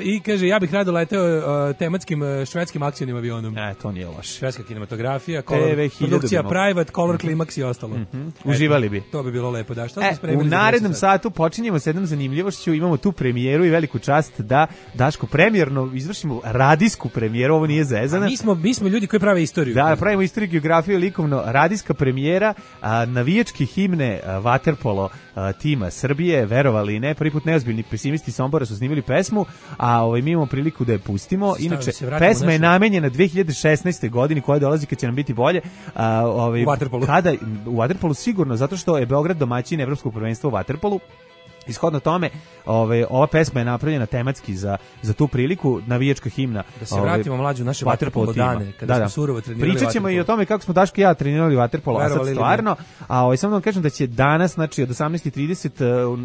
I kaže, ja bih rado leteo tematskim švedskim akcijnim avionom. To nije loše. Švedska kinematografija, TV1000 produkcija Private, Color Climax i ostalo. Uživali bi. To bi bilo lepo, da. Šta U narednom satu počinjemo s jednom zanimljivošću, imamo tu premijeru i veliku čast da Daško premijerno izvršimo radijsku premijeru, ovo nije zezana. Mi smo ljudi koji prave istoriju. Da, pravimo istoriju, geografiju, likovno, radijska premijera, navijačke himne vaterpolo tima Srbije, verovali i ne, prvi put neozbiljni pesimisti Sombora su snimili pesmu, a mi imamo priliku da je pustimo. Inače, pesma je namenjena 2016. godini koja dolazi kad će nam biti bolje. U vaterpolu. U vaterpolu sigurno, zato što je Beograd domaćin evropskog prvenstva u vaterpolu. Ishodno tome, ova pesma je napravljena tematski za tu priliku, navijačka himna. Da se vratimo mlađu naše vaterpolo dane, kada smo surovo trenirali. Pričat ćemo i o tome kako smo Daško i ja trenirali vaterpolo, a sad stvarno. A samo da vam kažem da će danas, znači od 18:30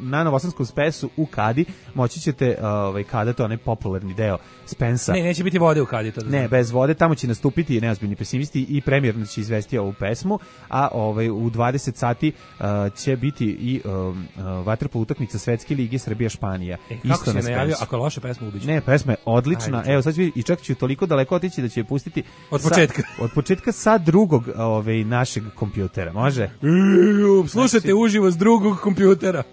na Novosadskom Spesu u Kadi, moći ćete kada to onaj popularni deo Spensa. Ne, neće biti vode u Kadi. To ne, bez vode, tamo će nastupiti neozbiljni pesimisti i premijerno će izvesti ovu pesmu, a u 20 sati će biti i vaterpolo utakmica Svetske lige Srbija-Španija. Kako si je najavio, ako je loša pesma ubiće? Ne, pesma je odlična. Evo, sad ću i čak ću toliko daleko otići da će je pustiti od početka sa drugog našeg kompjutera. Može? Slušajte uživo s drugog kompjutera.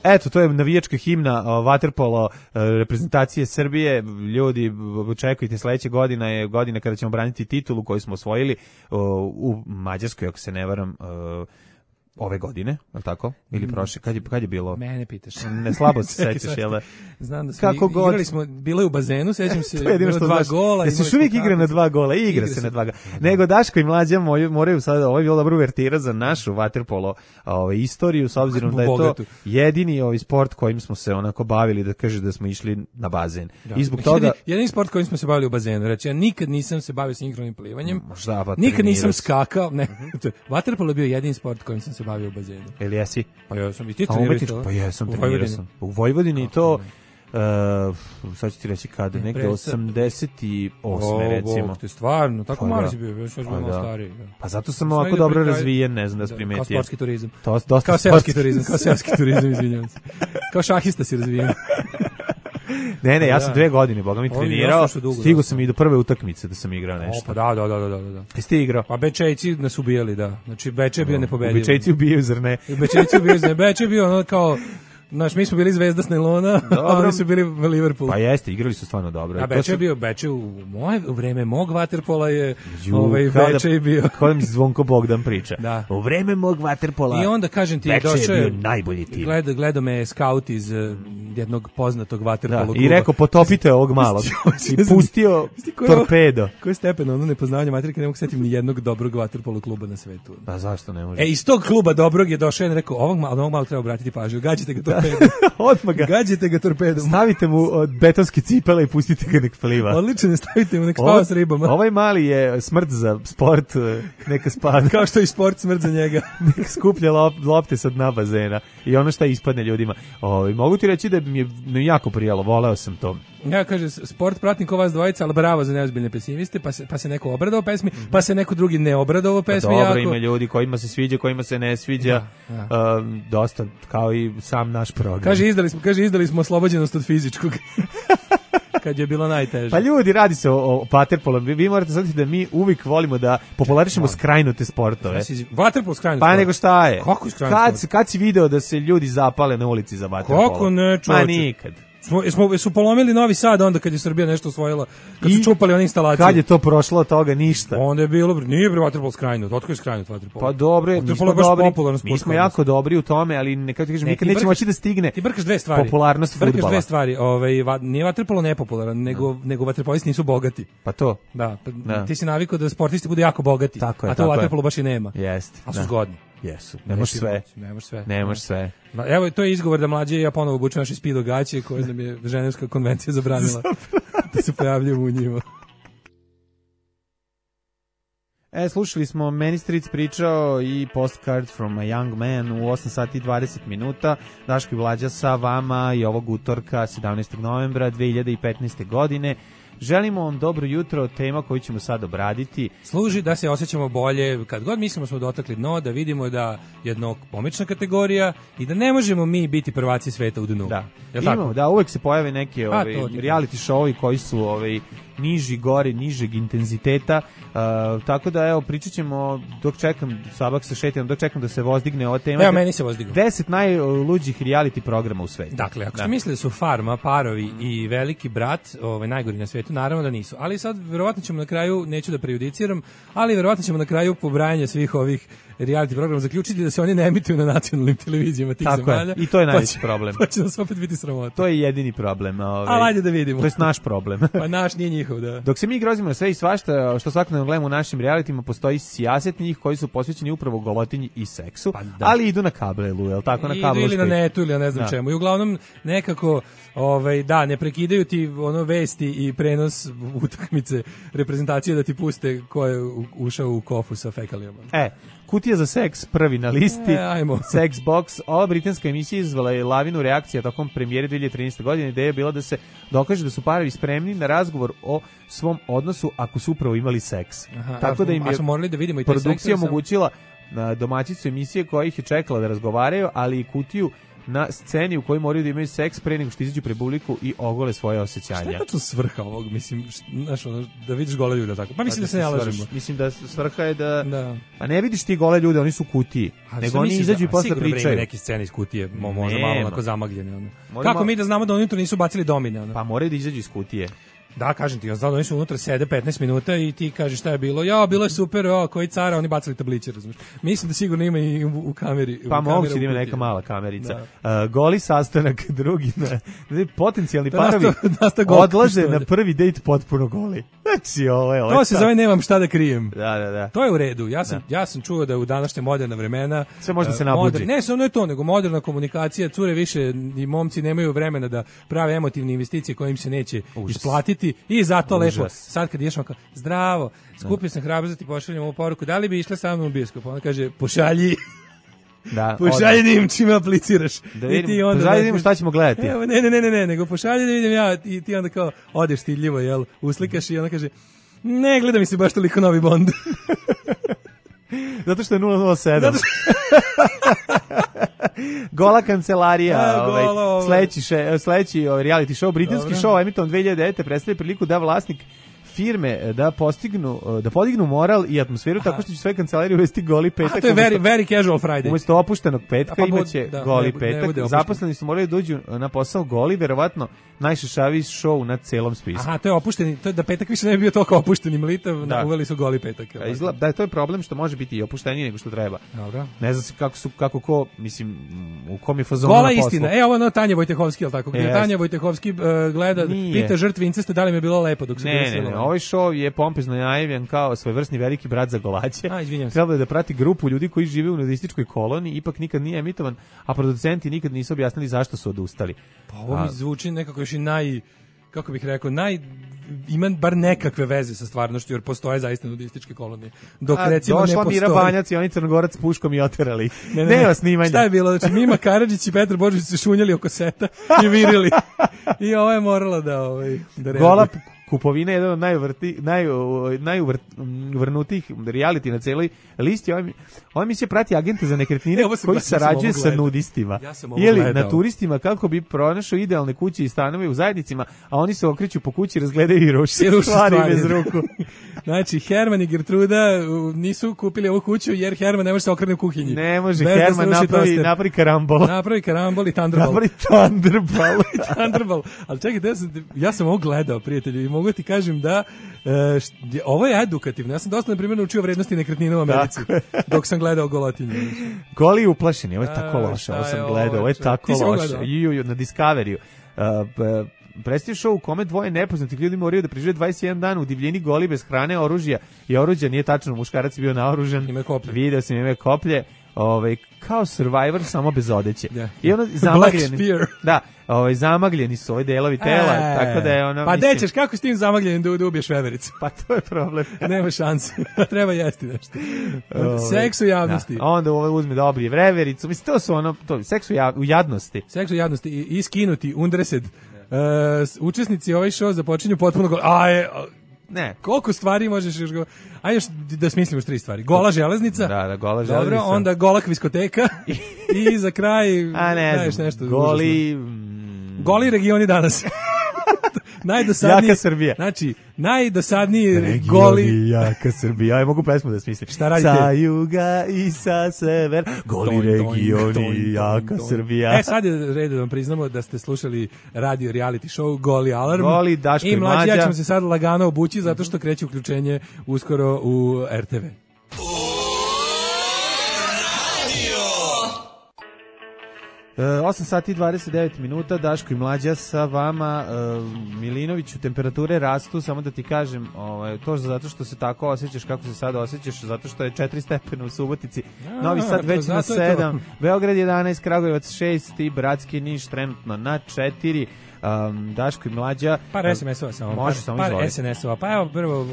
Eto, to je navijačka himna vaterpolo reprezentacije Srbije. Ljudi, očekujte, sledeća godina je godina kada ćemo braniti titulu koju smo osvojili u Mađarskoj, ako se ne varam, ove godine, je li tako? Ili prošle? Kad je bilo? Mene pitaš. Ne, slabo se sećaš, jel da? Znam da smo igrali smo, bilo je u bazenu, sećam se, bilo 2 gola. Jesi još uvijek igra na 2 gola? Igra se na 2 gola. Nego Daško i Mlađa moraju sad, ovo je bilo dobro uvertira za našu vaterpolo istoriju, s obzirom da je to jedini sport kojim smo se onako bavili, da kaže da smo išli na bazen. I zbog toga... Jedini sport kojim smo se bavili u bazenu. Reći, ja nikad nisam se bavio sinhronim plivanjem, nikad nisam skakao. Vaterpolo je bio jedini sport kojim sam se bavio u bazenu. Ili jesi? Pa ja sam i ti trenirao to. Pa jesam, trenirao sam. U Vojvodini to, sad ću ti reći kada, negde 88. recimo. Ti stvarno, tako mali si bio, još bilo malo stariji. Pa zato sam ovako dobro razvijen, ne znam da si primetio. Kao sportski turizam. Kao seoski turizam, izvinjavam se. Kao šahista si razvijen. Ne, ja sam 2 godine, boga mi trenirao, stigao sam i do prve utakmice da sam igrao nešto. Pa da. Jesi ti igrao? Pa Bečejci nas ubijali, da. Znači, Beče je bio nepobediv. Bečejci ubijaju, zar ne? Bečejci ubijaju, zar ne? Beče je bio ono kao... Znaš, mi smo bili Zvezda s Nailona, a oni su bili Liverpool. Pa jeste, igrali su stvarno dobro. A Beče je bio, u vreme mog vaterpola je Beče je bio. Kada mi Zvonko Bogdan priča. Da. U vreme mog vaterpola i onda, kažem ti, Beče je bio najbolji tim. Gledao me scout iz jednog poznatog vaterpolo kluba. I rekao, potopite ovog malog. I pustio torpedo. Koji stepen, ono nepoznavanje materike, ne mogu setiti ni jednog dobrog vaterpolo kluba na svetu. Pa zašto ne može? Iz tog kluba dobrog je došao i rekao, ovog malo treba obratiti pažnju, gađite ga torpedom. Odmah ga. Gađite ga torpedom. Stavite mu betonski cipele i pustite ga nek pliva. Odlično, stavite mu nek spava s ribama. Ovaj mali je smrt za sport, neka spada. Kao što je sport smrt za njega. Neka skuplja lopte sa dna bazena i ono šta ispadne ljudima. Mogu ti reći da mi je jako prijalo, voleo sam to. Ja kaže, sport pratim ko vas dvojica, ali bravo za neozbiljne pesimiste, pa se neko obradovao pesmi, pa se neko drugi ne obradovao pesmi. Pa dobro, ima ljudi kojima se sviđa, kojima se ne sviđa, dosta, kao i sam naš program. Kaže, izdali smo oslobođenost od fizičkog. Kad je bilo najteže. Pa ljudi, radi se o vaterpolu. Vi morate znati da mi uvijek volimo da popularišemo skrajnute sportove. Vaterpol skrajnut sport? Pa nego šta je? Kako skrajnut sport? Kad si video da se ljudi zapale na ulici za vaterpolo? Kako ne, čovječe? Ma nikad. Su polomili Novi Sad onda kad je Srbija nešto osvojila, kad su čupali one instalacije. Kad je to prošlo od toga ništa. Onda je bilo, nije bre vaterpol skrajnut, otko je skrajnut vaterpol. Pa dobro, mi smo jako dobri u tome, ali nekako ti kažem, nikad nećemo moći da stigne. Ti brkaš dve stvari. Popularnost fudbala. Brkaš dve stvari, nije vaterpolo nepopularan, nego vaterpolisti nisu bogati. Pa to. Da, ti si navikao da sportisti budu jako bogati, a to vaterpolo baš i nema. Jeste. A su zgodni. Jesu. Nemaš sve. Evo, to je izgovor da mlađe ja ponovo obučem naše spido gaće koje nam je Ženevska konvencija zabranila da se pojavljujemo u njima. Slušali smo Meni Stric pričao i Postcard from a Young Man u 8 sati i 20 minuta. Daško i Mlađa sa vama i ovog utorka 17. novembra 2015. godine. Želimo vam dobro jutro, tema koju ćemo sad obraditi. Služi da se osjećamo bolje, kad god mislimo smo dotakli dno, da vidimo da jedno pomična kategorija i da ne možemo mi biti prvaci sveta u dnu. Da, tako? Da, uvek se pojave neke reality showovi koji su niži, gori, nižeg intenziteta, tako da evo pričat ćemo dok čekam Sabak sa Šetinom, dok čekam da se vozdigne ova tema. Evo meni se vozdignu. 10 najluđih reality programa u svetu. Dakle, ako ste mislili da su Farma, Parovi i Veliki brat, najgori na svetu, naravno da nisu. Ali sad verovatno ćemo na kraju, neću da prejudiciram, ali verovatno ćemo na kraju pobrajanja svih ovih reality programa zaključiti da se oni ne emituju na nacionalnim televizijama tih zemalja. I to je najveći problem. Pa će nas opet biti sramota. To je jedini problem. Ali ajde da vidimo. To je naš problem. Pa naš nije njihov, da. Dok se mi grozimo na sve i svašta, što svakodnevno gledamo u našim realitima, postoji sijaset njih koji su posvećeni upravo golotinji i seksu, ali idu na kabelu, je li tako? Na kablu ili na netu, ili ne znam čemu. I uglavnom nekako, ne prekidaju ti vesti i prenos utakmice reprezentacije da ti puste ko je ušao u kofu sa fekalijama. Kutija za seks prvi na listi, Sex Box. Ova britanska emisija izazvala je lavinu reakcija tokom premijere 2013. godine. Ideja je bila da se dokaže da su parovi spremni na razgovor o svom odnosu ako su upravo imali seks. Tako da im je produkcija omogućila domaćicu emisije koja ih je čekala da razgovaraju, ali i kutiju na sceni u kojoj moraju da imaju seks pre nego što izađu pred publiku i ogole svoje osjećanja. Šta je to svrha ovog, mislim, da vidiš gole ljude tako? Pa mislim da se ne lažemo. Mislim da svrha je da... A ne vidiš ti gole ljude, oni su u kutiji. Nego oni izađu i posle pričaju. Sigurno neki scene iz kutije, možda malo onako zamagljene. Kako mi da znamo da oni unutra nisu bacili domine? Pa moraju da izađu iz kutije. Da, kažem ti, oni su unutra sede 15 minuta i ti kažeš šta je bilo. Bilo je super, koji cara, oni bacali tabliće, razumiješ. Mislim da sigurno ima i u kameri. Pa moguće da ima neka mala kamerica. Goli sastanak, drugi, potencijalni parovi odlaze na prvi dejt potpuno goli. Znači, to se zove nemam šta da krijem. Da. To je u redu. Ja sam čuo da u današnje moderna vremena sve može da se nabuđi. Ne samo je to, nego moderna komunikacija, cure više i momci nemaju vremena da prave emotivne investicije koje im se neće isplatiti. I zato lepo, sad kad ideš kao, zdravo, skupio sam hrabrost da ti pošaljem ovu poruku, da li bi išla sa mnom u bioskop? Ona kaže, pošalji. Pošalji da im čime apliciraš. Pošalji da vidimo šta ćemo gledati. Evo, ne, nego pošalji da vidim ja i ti onda kao odeš stidljivo, jel, uslikaš i ona kaže, ne, gleda mi se baš toliko novi Bond. Zato što je 007. Gola kancelarija, sledeći reality show, britanski show, emitovan 2009. predstavlja priliku da vlasnik firme da podignu moral i atmosferu tako što će sve kancelarije uvesti goli petak. To je very casual Friday. Umesto opuštenog petka imaće goli petak. Zaposleni su morali dođu na posao goli, verovatno najšešaviji show na celom spisku. To je opušteni, to je da petak više ne bi bio toliko opušteni mlitav, uveli su goli petak. Da, to je problem što može biti i opušteniji nego što treba. Dobro. Ne znam kako ko, mislim, u kom je fazonu gola istina. Ovo Tanja Vojtehovski, al tako. Gdje Tanja Vojtehovski gleda, pita žrtvi incesta da li mi je bilo lepo dok se ne. Ovaj show je pompezno najavljen kao svojevrsni veliki brat za golaće. Trebalo je da prati grupu ljudi koji žive u nudističkoj koloniji, ipak nikad nije emitovan, a producenti nikad nisu objasnili zašto su odustali. Pa ovo mi zvuči nekako još i kako bih rekao, ima bar nekakve veze sa stvarnošću, jer postoje zaista nudističke kolonije. Dok recimo ne postoji. Došla Mira Banjac i oni Crnogorac s puškom i oterali. Nema snimanja. Šta je bilo? Znači, Mima Karadžić i Petar Božović se šunjali oko seta i virili. I ovo je morala da reaguje. Gola kupovina je jedan od najuvrnutijih reality na celoj listi. Ova emisija prati agente za nekretnine koji sarađuje sa nudistima ili na turistima kako bi pronašao idealne kuće i stanove u zajednicima, a oni se okreću po kući, razgledaju i ruši stvari bez ruku. Znači, Herman i Gertruda nisu kupili ovu kuću jer Herman ne može se okrene u kuhinji. Ne može, Herman napravi karambol. Napravi karambol i Thunderball. Ali čekaj, ja sam ovo gledao, prijatelji, i mogu ti kažem da ovo je edukativno. Ja sam dosta, na primjer, naučio vrednosti nekretnina u Americi dok sam gledao Golotinju. Goli uplašeni, ovo je tako loše. Ovo sam gledao, ovo je tako loše. Na Discoveryu. Predstavio show u kome dvoje nepoznatih ljudi moraju da prežive 21 dan u divljini goli bez hrane, oružja i oruđa, nije tačno, muškarac je bio naoružan. Video sam ime koplje. Kao Survivor samo bez odeće. I ono zamagljeni. Da, zamagljeni su ovi delovi tela, tako da je ono. Pa dećeš, kako s tim zamagljenim da ubiješ vevericu? Pa to je problem. Nema šanse. Treba jesti nešto. Seks u javnosti. Da. Onda uzme da obrije vevericu. Mislim, to su seks u jadnosti. Seks u jadnosti i skinuti undresed Učesnici ovaj show započinju potpuno Ne. Koliko stvari možeš još ajde još da smislimo 3 stvari. Gola železnica. Da, gola železnica. Dobro, onda gola kviskoteka i za kraj a ne znam, nešto goli regioni danas. Najdosadniji jaka Srbija. Znači, najdosadniji regioni, goli jaka Srbija. Aj mogu pesmu da smislim. Šta radite? Sa juga i sa sever, goli regioni, jaka Srbija. Sad je red da vam priznamo da ste slušali radio reality show Goli Alarm. Goli, Daško i Mlađa. Ja ćemo se sad lagano obući zato što kreće uključenje uskoro u RTV. 8 sati i 29 minuta, Daško i Mlađa sa vama. Milinoviću, temperature rastu, samo da ti kažem, to zato što se tako osjećaš kako se sad osjećaš, zato što je 4 stepena u Subotici, Novi Sad već na 7, Beograd 11, Kragujevac 6 i Bratski Niš trenutno na 4. Daško i Mlađa. Par SMS-ova samo. Može samo par SNS-ova. Pa evo prvo,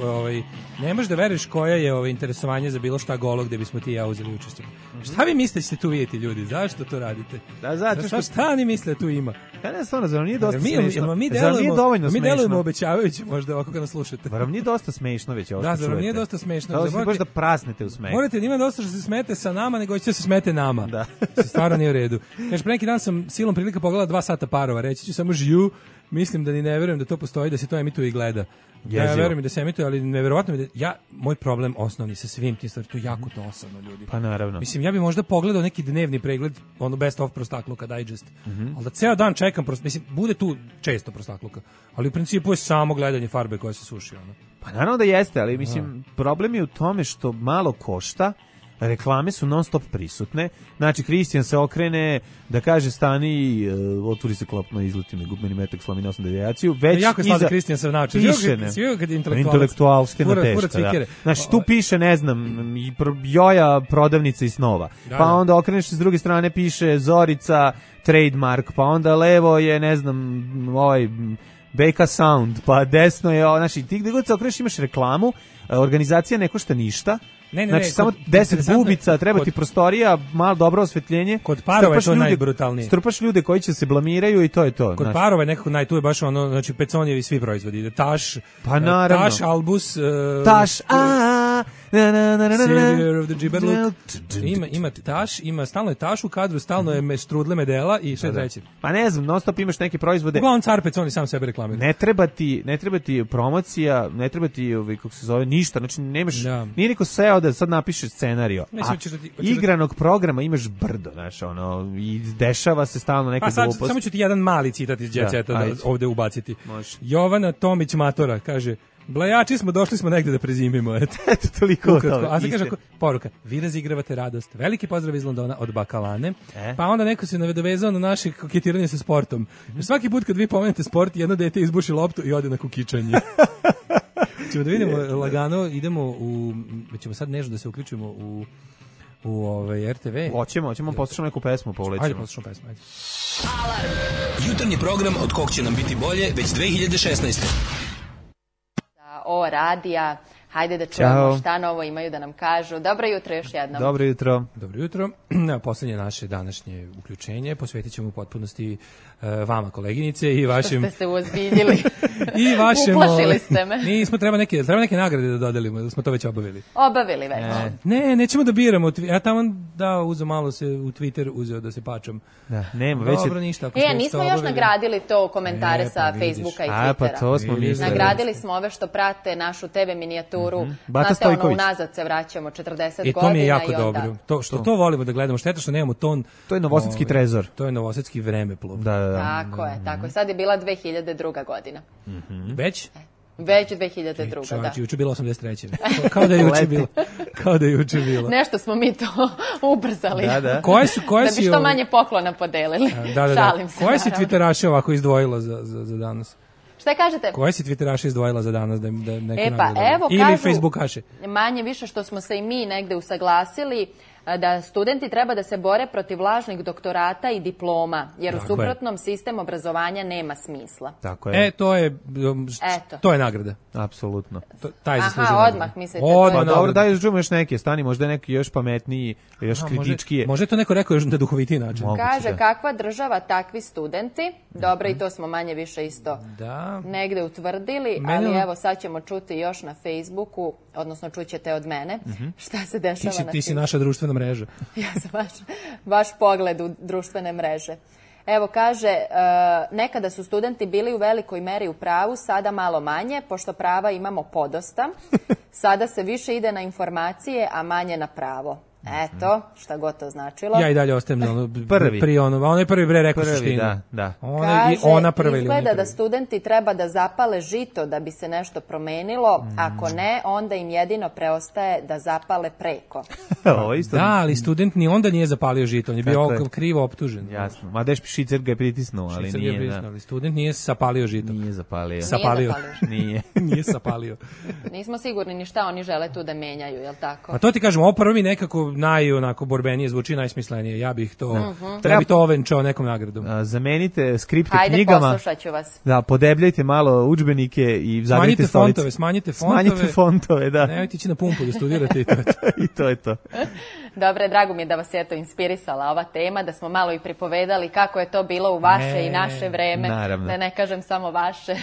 ne možeš da veruješ koja je interesovanje za bilo šta golo gde bismo ti i ja uzeli učešće. Šta vi mislite ćete tu vidjeti ljudi? Zašto to radite? Da, zato što šta oni misle tu ima? Ja ne stvarno, zar nije dosta smešno? Mi delujemo obećavajući možda ovako kad nas slušate. Zar vam nije dosta smešno već ovo što čujete? Da, zar vam nije dosta smešno? Da, baš da prasnete u smehu. Morate, nima dosta što se smete sa nama, nego ćete se smete nama. Da. Stvarno nije u redu. Kaže, pre neki dan sam silom prilika pogledala 2 sata parova, reći ću samo žiju, mislim da ni ne verujem da to postoji, da se to emituje i gleda. Ja verujem da se emituje, ali neverovatno mi da moj problem osnovni sa svim tim stvarima, to je jako dosadno ljudi. Pa naravno. Mislim, ja bih možda pogledao neki dnevni pregled, best of prostakluka digest. Ali da ceo dan čekam, mislim, bude tu često prostakluka, ali u principu je samo gledanje farbe koja se suši. Pa naravno da jeste, ali mislim, problem je u tome što malo košta, reklame su non stop prisutne. Znači, Kristijan se okrene da kaže stani, otvori se klopno, izleti me gubmeni metak, slomine 8 devijaciju. Već jako iza Kristijan se nauči. Piše, intelektualština teška. Da. Znači, tu piše, ne znam, Joja prodavnica i snova. Pa onda okreneš s druge strane, piše Zorica, trademark, pa onda levo je, ne znam, BK Sound, pa desno je, znači, ti gde god se okreneš imaš reklamu, organizacija ne košta ništa. Znači samo 10 bubica, treba ti prostorija, malo dobro osvetljenje. Kod parova je to najbrutalnije. Strpaš ljude koji će se blamiraju i to je to. Kod parova je nekako tu je baš znači Peconjevi svi proizvodi. Taš, pa naravno. Taš, Albus, Taš, Savior of the Giberlook. Ima Taš, stalno je Taš u kadru, stalno je štrudle medela i sve treće. Pa ne znam, non stop imaš neke proizvode. Uglavnom car Peconi sam sebe reklamira. Ne treba ti promocija, ne treba ti kako se zove ništa, znači nemaš, nije niko seo da sad napiše scenario. Igranog programa imaš brdo, znaš, i dešava se stalno neka glupost. Samo ću ti jedan mali citat iz Jet Seta ovde ubaciti. Jovana Tomić Matora kaže: Blajači smo, došli smo negde da prezimimo. Eto, toliko o tome. A sad kaže poruka: vi razigravate radost. Veliki pozdrav iz Londona od Bakalane. Pa onda neko se nadovezao na naše koketiranje sa sportom. Svaki put kad vi pomenete sport, jedno dete izbuši loptu i ode na kukičanje. Ćemo da vidimo lagano, idemo ćemo sad nešto da se uključimo u RTV. Hoćemo poslušamo neku pesmu, povlećemo. Ajde, poslušamo pesmu, ajde. Alarm. Jutarnji program od kog će nam biti bolje već 2016. O radija, hajde da čujemo šta novo imaju da nam kažu. Dobro jutro još jednom. Dobro jutro. Dobro jutro. Poslednje naše današnje uključenje posvetit ćemo u potpunosti vama, koleginice, i vašim... Što ste se uozbiljili. I vašem... Uplašili ste me. Nismo, treba neke nagrade da dodelimo, da smo to već obavili. Obavili već. Nećemo da biramo. Ja tamo uzeo malo se u Twitter, uzeo da se pačam. Da, nema već. Dobro, ništa. Nismo još nagradili to komentare sa Facebooka i Twittera. Pa to smo mislili. Nagradili smo ove što prate našu TV minijaturu. Bata Stojković. Unazad se vraćamo 40 godina. I to mi je jako dobro. To volimo da gledamo. Šteta što nemamo ton. To je novosadski trezor. To je novosadski vremeplov. Tako je. Sad je bila 2002. godina. Već? Već 2002. Da. Juče bilo 83. Kao da je juče bilo. Nešto smo mi to ubrzali. Da. Da bi što manje poklona podelili. Šalim se. Koje si Twitteraše ovako izdvojila za danas? Šta kažete? Koje si Twitteraše izdvojila za danas da neko nagrada? Ili Facebookaše? Manje više što smo se i mi negde usaglasili. da studenti treba da se bore protiv lažnih doktorata i diploma, jer u suprotnom sistem obrazovanja nema smisla. Tako je. To je nagrada. Apsolutno. Taj zaslužuje. Aha, odmah mislite. Pa dobro, daj čujemo još neke, stani, možda je neki još pametniji, još kritičkije. Može to neko rekao još na duhovitiji način. Kaže, kakva država, takvi studenti. Dobro, i to smo manje više isto negde utvrdili, ali evo sad ćemo čuti još na Facebooku, odnosno čućete od mene šta se dešava na Facebooku. Ti si naša društvena mreža. Ja sam vaš pogled u društvene mreže. Evo, kaže, nekada su studenti bili u velikoj meri u pravu, sada malo manje, pošto prava imamo podosta. Sada se više ide na informacije, a manje na pravo. Eto, šta god to značilo. Ja i dalje ostajem na prvi. On je prvi rekao suštinu. Da. Kaže, izgleda da studenti treba da zapale žito da bi se nešto promenilo, ako ne, onda im jedino preostaje da zapale preko. Da, ali student ni onda nije zapalio žito, on je bio krivo optužen. Jasno, ma deš Šicer ga je pritisnuo, ali nije. Ali student nije sapalio žito. Nije zapalio. Nije sapalio. Nismo sigurni ni šta oni žele tu da menjaju, jel tako? A to ti kažem, ovo prvi nekako onako borbenije zvuči, najsmislenije. Ja bih to ovenčao nekom nagradom. Zamenite skripte knjigama. Ajde, poslušat ću vas. Da, podebljajte malo udžbenike i zagrite stolice. Smanjite fontove, da. Nemojte ići na pumpu da studirate i to je to. Dobre, drago mi je da vas je to inspirisala ova tema, da smo malo i pripovedali kako je to bilo u vaše i naše vreme. Naravno. Da ne kažem samo vaše.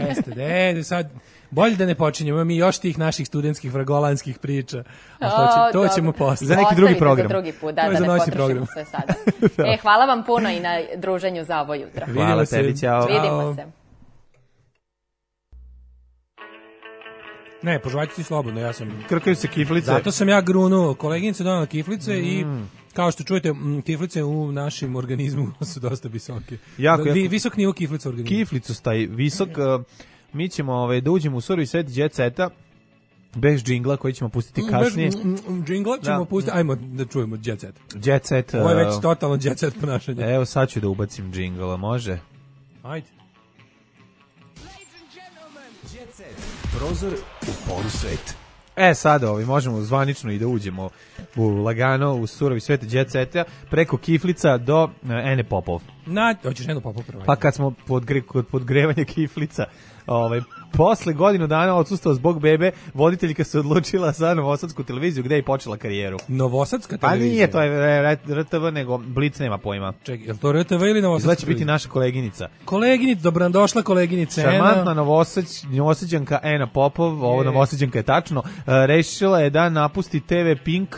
Jeste, sad bolje da ne počinjemo mi još tih naših studentskih vragolanskih priča. A to ćemo posle. Za neki drugi program. Za drugi put, da ne potrošimo sve sada. Hvala vam puno i na druženju za ovo jutro. Hvala tebi, ćao. Vidimo se. Ne, požvaljte ti slobodno, ja sam... Krkaju se kiflice. Zato sam ja grunuo. Koleginica donala kiflice i... Kao što čujete, kiflice u našem organizmu su dosta visoke. Visok nivo kiflica u organizmu. Kiflicu staje visok... Mi ćemo da uđemo u surovi svet Jet Seta bez džingla koji ćemo pustiti kasnije. Džingla ćemo pustiti, ajmo da čujemo Jet Set. Jet Set. Ovo je već totalno Jet Set ponašanje. Evo sad ću da ubacim džingla, može? Ajde. Jet Set. Prozor u polusvet. Sada možemo zvanično i da uđemo lagano u surovi svet Jet Seta preko kiflica do Ene Popov. Hoćeš Enu Popov prvo? Pa kad smo kod podgrevanja kiflica, posle godinu dana odsustva zbog bebe, voditeljka se odlučila za Novosadsku televiziju gde je počela karijeru. Novosadska televizija? Pa nije, to je RTV, nego Blic nema pojma. Čekaj, je to RTV ili Novosadska? Izgleda će biti naša koleginica. Dobrodošla koleginica Ena. Šarmantna Novosađanka Ena Popov, Novosađanka je tačno, rešila je da napusti TV Pink,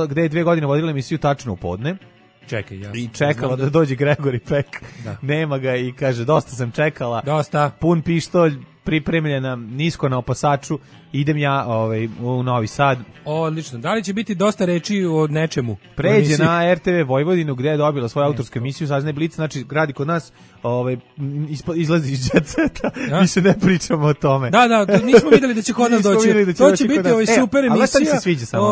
gde je 2 godine vodila emisiju Tačno u podne. Čekaj, ja. I čekala da dođe Gregory Peck. Nema ga i kaže, dosta sam čekala. Pun pištolj, pripremljena nisko na opasaču. Idem ja u Novi Sad. Odlično. Da li će biti dosta reči o nečemu? Pređe na RTV Vojvodinu gde je dobila svoju autorsku emisiju, saznaje Blic, znači radi kod nas, izlazi iz Jet Seta, mi se ne pričamo o tome. Da, nismo videli da će kod nas doći. To će biti super emisija. Ali šta mi se sviđa samo?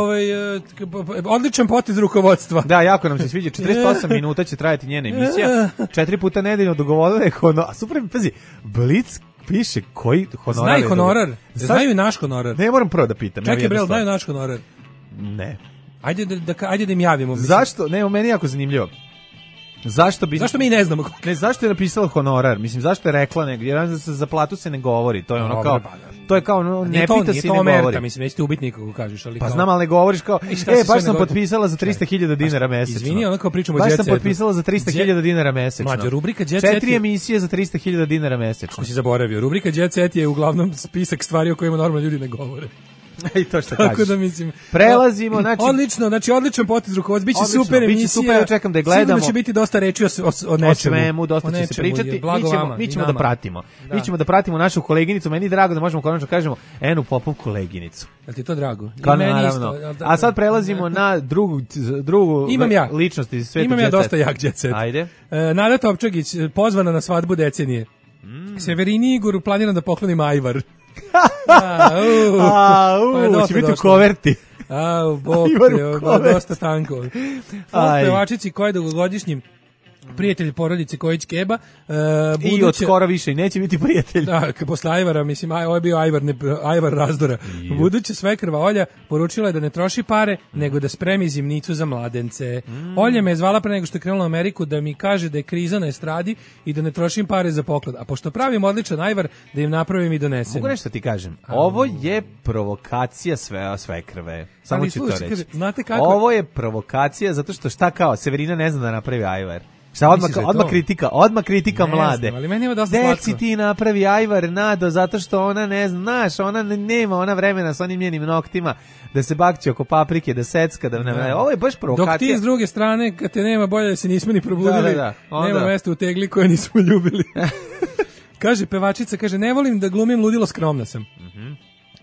Odličan potez rukovodstva. Da, jako nam se sviđa. 48 minuta će trajati njena emisija. 4 puta nedeljno dogovorila je super, pazi, Blic piše koji honorar. Znaju honorar. Znaju i naš honorar. Ne, moram prvo da pitam. Čekaj, Brel, znaju naš honorar. Ne. Ajde da im javimo. Zašto? Ne, meni je jako zanimljivo. Zašto mi ne znamo? Ne, zašto je napisala honorar? Mislim, zašto je rekla nego? Jer za platu se ne govori. To je ono kao... To je kao, ne pita se i ne govori. Mislim, nećete ubiti nikoga, kažeš. Pa znam, ali ne govoriš kao, baš sam potpisala za 300.000 dinara mesečno. Izvini, ono kao pričamo o Jet Setu. Baš sam potpisala za 300.000 dinara mesečno. Mlađo, rubrika Jet Set 4 emisije za 300.000 dinara mesečno. Ako si zaboravio, rubrika Jet Set je uglavnom spisak stvari o kojima normalno ljudi ne govore. I to što kažeš. Tako da mislim. Prelazimo, odličan potez rukovodac, biće super emisija. Biće super, ja čekam da je gledamo. Sigurno će biti dosta reči o nečemu. O svemu, dosta će se pričati. Mi ćemo da pratimo. Mi ćemo da pratimo našu koleginicu. Meni je drago da možemo konačno kažemo Enu Popov koleginicu. Jel ti to drago? Naravno. A sad prelazimo na drugu ličnost iz sveta Jet Seta. Imam ja dosta jak Jet Set. Ajde. Nada Topčagić pozvana na svadbu decenije. Severini Igoru planira da pokloni majvar. Će biti u koverti. Bog, dosta tanko. Pevačici koja je dugogodišnjim prijatelj porodice Kojić Keba. I od skoro više i neće biti prijatelj. Da, posle Ajvara, mislim, ovo je bio Ajvar razdora. Buduća svekrva Olja poručila je da ne troši pare, nego da spremi zimnicu za mladence. Olja me je zvala pre nego što je krenula u Ameriku da mi kaže da je kriza na estradi i da ne trošim pare za poklad. A pošto pravim odličan Ajvar, da im napravim i donesem. Mogu nešto ti kažem? Ovo je provokacija svekrve. Samo ću to reći. Kaže, znate kako? Ovo je provokacija zato što šta kao, Severina ne zna da napravi Ajvar. Šta odmah kritika mlade. Ali meni je dosta slatko. Deci ti napravi Ajvar, Nado, zato što ona ne znaš, ona nema ona vremena sa onim njenim noktima da se bakće oko paprike, da secka, ovo je baš provokacija. Dok ti s druge strane, kad te nema, bolje da se nismo ni probudili, onda. Nema mesta u tegli koje nismo ljubili. Kaže pevačica, kaže, ne volim da glumim ludilo, skromna sam.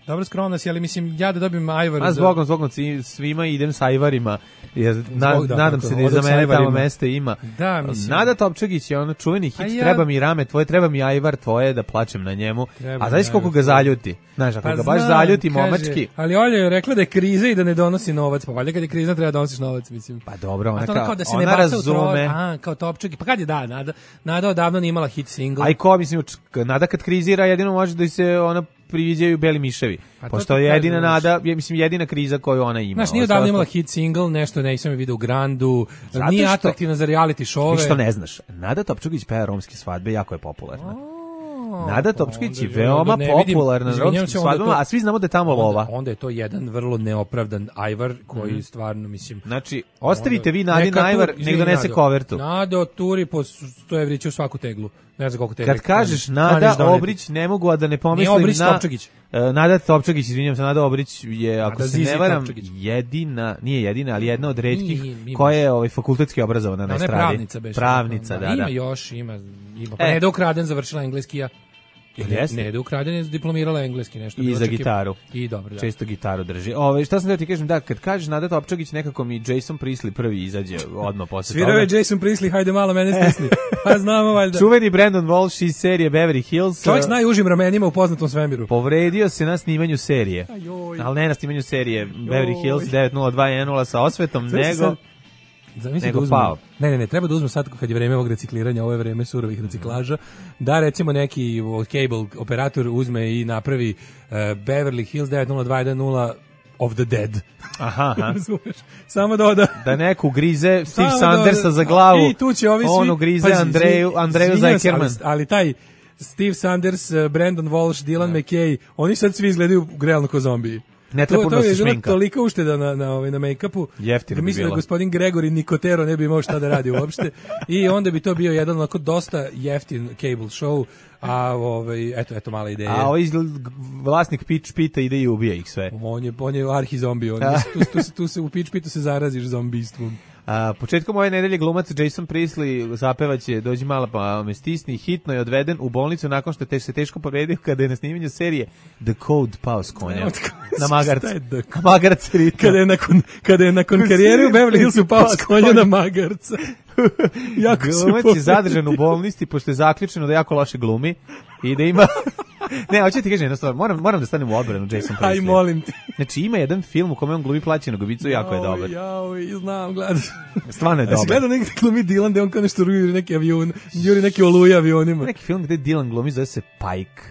Dobro, skromna si, ali mislim, ja da dobijem Ajvar... A zbogom svima idem sa Ajvarima, jer nadam se da za mene tamo mesta ima. Da, mislim. Nada Topčagić je ono čuveni hit, treba mi rame tvoje, treba mi Ajvar tvoje, da plačem na njemu. A znaš koliko ga zaljuti? Znaš, ako ga baš zaljuti momački... Ali Olja je rekla da je kriza i da ne donosi novac. Pa valjda kad je kriza treba da donosiš novac, mislim. Pa dobro, ona razume. Kao Topčagić. Pa kad je Nada odavno nije imala hit single. Aj ko, mislim, Nada kad krizira jedino može da se ona priviđaju beli miševi. Pošto je jedina Nada, mislim, jedina kriza koju ona ima. Znaš, nije odavno imala hit single, nešto nisam je vidio u Grandu, nije atraktivna za reality show-ove. Ništa ne znaš. Nada Topčagić peva romske svadbe, jako je popularna. Nada Topčagić je veoma popularna na romskim svadbama, a svi znamo da je tamo lova. Onda je to jedan vrlo neopravdan Ajvar koji stvarno, mislim... Znači, ostavite vi Nadin Ajvar, nek donese kovertu. Nado turi po 100 evrića u svaku teglu. Ne znam koliko teglu. Kad kažeš Nada Obrić, ne mogu a da ne pomislim na... Nada Topčagić, izvinjam se, Nada Obrić je, ako se ne varam, nije jedina, ali jedna od retkih koja je fakultetski obrazovana na estradi. Pravnica, beš. Pravnica, da. Ima još, ima. Pa Neda Ukraden završila engleski, ja. Neda Ukraden je diplomirala engleski nešto. I za gitaru. I dobro, da. Često gitaru drži. Šta sam da ti kažem, da, kad kažeš Nada Topčagić, nekako mi Jason Priestley prvi izađe odmah posle toga. Svirao je Jason Priestley, hajde malo mene stisni. Pa znamo valjda. Čuveni Brandon Walsh iz serije Beverly Hills. Čovjek s najužim ramenima u poznatom svemiru. Povredio se na snimanju serije. Ali ne na snimanju serije Beverly Hills 90210 sa osvetom, nego pao. Ne, treba da uzmem sad kad je vreme ovog recikliranja, ovo je vreme surovih reciklaža, da recimo neki cable operator uzme i napravi Beverly Hills 90210 of the dead. Aha. Samo doda. Da neku grize Steve Sandersa za glavu. I tu će ovi svi. Ono grize Andreju Zajkerman. Ali taj Steve Sanders, Brandon Walsh, Dylan McKay, oni sad svi izgledaju realno kao zombiji. Ne treba puno se šminka. To je bilo toliko ušteda na make-upu. Jeftino bi mislim bilo. Da gospodin Gregory Nicotero ne bi imao šta da radi uopšte. I onda bi to bio jedan onako dosta jeftin cable show. A eto mala ideja. A vlasnik Pitch Pita ide i ubija ih sve. On je arhi-zombi. Tu se u Pitch Pitu se zaraziš zombistvom. Početkom ove nedelje glumac Jason Priestley zapevaće Dođi mala pa me stisni, hitno je odveden u bolnicu nakon što se teško povredio kada je na snimanju serije The Code pao s konja na magarc. Magarac ritma. Kada je nakon karijere u Beverly Hillsu pao s konja na magarca. Glumac je zadržan u bolnici pošto je zaključeno da jako loše glumi i da ima... Ne, hoću ti kažem jednu stvar, moram da stanem u odbranu Jason Priestley. Aj, molim ti. Znači, ima jedan film u kome on glumi plaćenog ubicu, jako je dobar. Znam, gledam. Stvarno je dobar. A si gledao neki glumi Dylan, gde on kao nešto juri neki avion, juri neki oluje avionima. Neki film gde Dylan glumi, zove se Pike.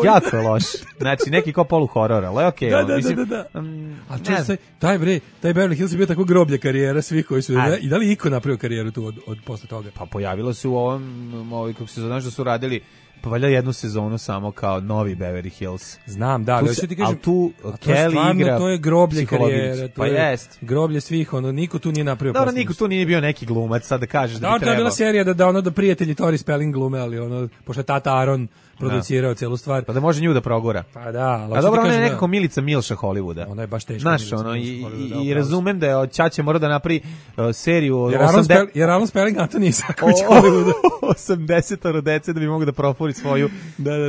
Jako je loš. Znači, neki kao polu-horor, ali okej. Da. Ali taj Beverly Hills je bio tako groblje karijera svih koji su... I da li iko napravio karijeru tu od posle toga? Pa pojavilo se u ovom kako se znaš da su radili pa valjda jednu sezonu samo kao novi Beverly Hills. Znam, da, ali hoću ti kažem, tu Kelly igra. To je groblje karijere, pa jest. Groblje svih, niko tu nije napravio. Dobro, niko tu nije bio neki glumac, sad da kažeš da bi trebao. To je bila serija da prijatelji Tori Spelling glume, ali pošto je tata Aaron producirao celu stvar. Pa da može nju da progura. Pa da, a dobro, ona je nekako Milica Milša Hollywooda. Ona je baš teška. Znaš, i razumem da je Ćaće mora da napravi seriju o jer Aaron Spelling Anthony Isaković Hollywooda. 80 dece da bi mogu da profuri svoju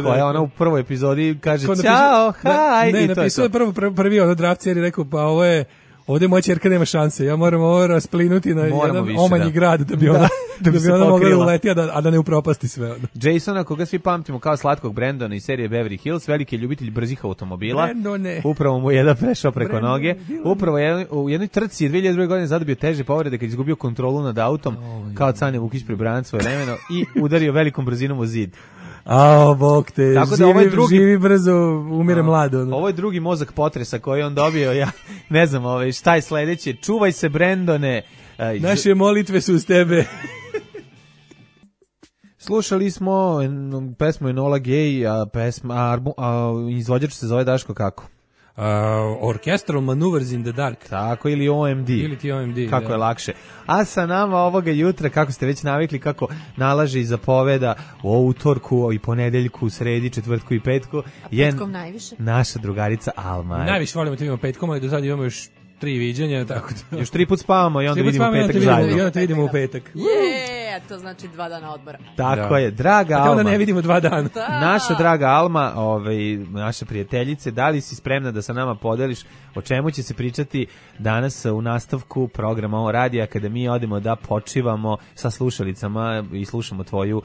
koja ona u prvoj epizodi kaže ćao, haj. Ne, napisao je prvi draft seriji, rekao pa ovo je ovdje moja ćerka nema šanse, ja moram ovo rasplinuti na jedan više, omanji grad da bi ona, da bi ona mogla da uleti, a da ne upropasti sve. Jasona, koga svi pamtimo kao slatkog Brandona iz serije Beverly Hills, veliki ljubitelj brzih automobila. Brandone. Upravo mu je jedan prešao preko noge. Upravo u jednoj trci je 2002. godine zadobio teže povrede kad izgubio kontrolu nad autom, kao Cane Vukić Prebranac svoje vremeno i udario velikom brzinom u zid. Bog te, tako da živi brzo, umire mlado. Ovo je drugi mozak potresa koji on dobio, ja ne znam šta je sledeće. Čuvaj se, Brandone. Naše molitve su uz tebe. Slušali smo pesmu Enola Gay, a izvođač se zove Daško kako? Orchestral Maneuvers in the Dark. Tako, ili OMD. Ili ti OMD. Kako je lakše. A sa nama ovoga jutra, kako ste već navikli, kako nalaže i zapoveda u utorku i ponedeljku, sredi, četvrtku i petku. Petkom najviše. Naša drugarica Alma. Najviše volimo da imamo petkom, ali do sada imamo još 3 viđenja, tako da... Još 3 put spavamo i onda vidimo petak zajedno. I onda te vidimo u petak. To znači 2 dana odmora. Tako je, draga Alma. Onda ne vidimo 2 dana. Naša draga Alma, naša prijateljice, da li si spremna da sa nama podeliš o čemu će se pričati danas u nastavku programa o radija kada mi odemo da počivamo sa slušalicama i slušamo tvoju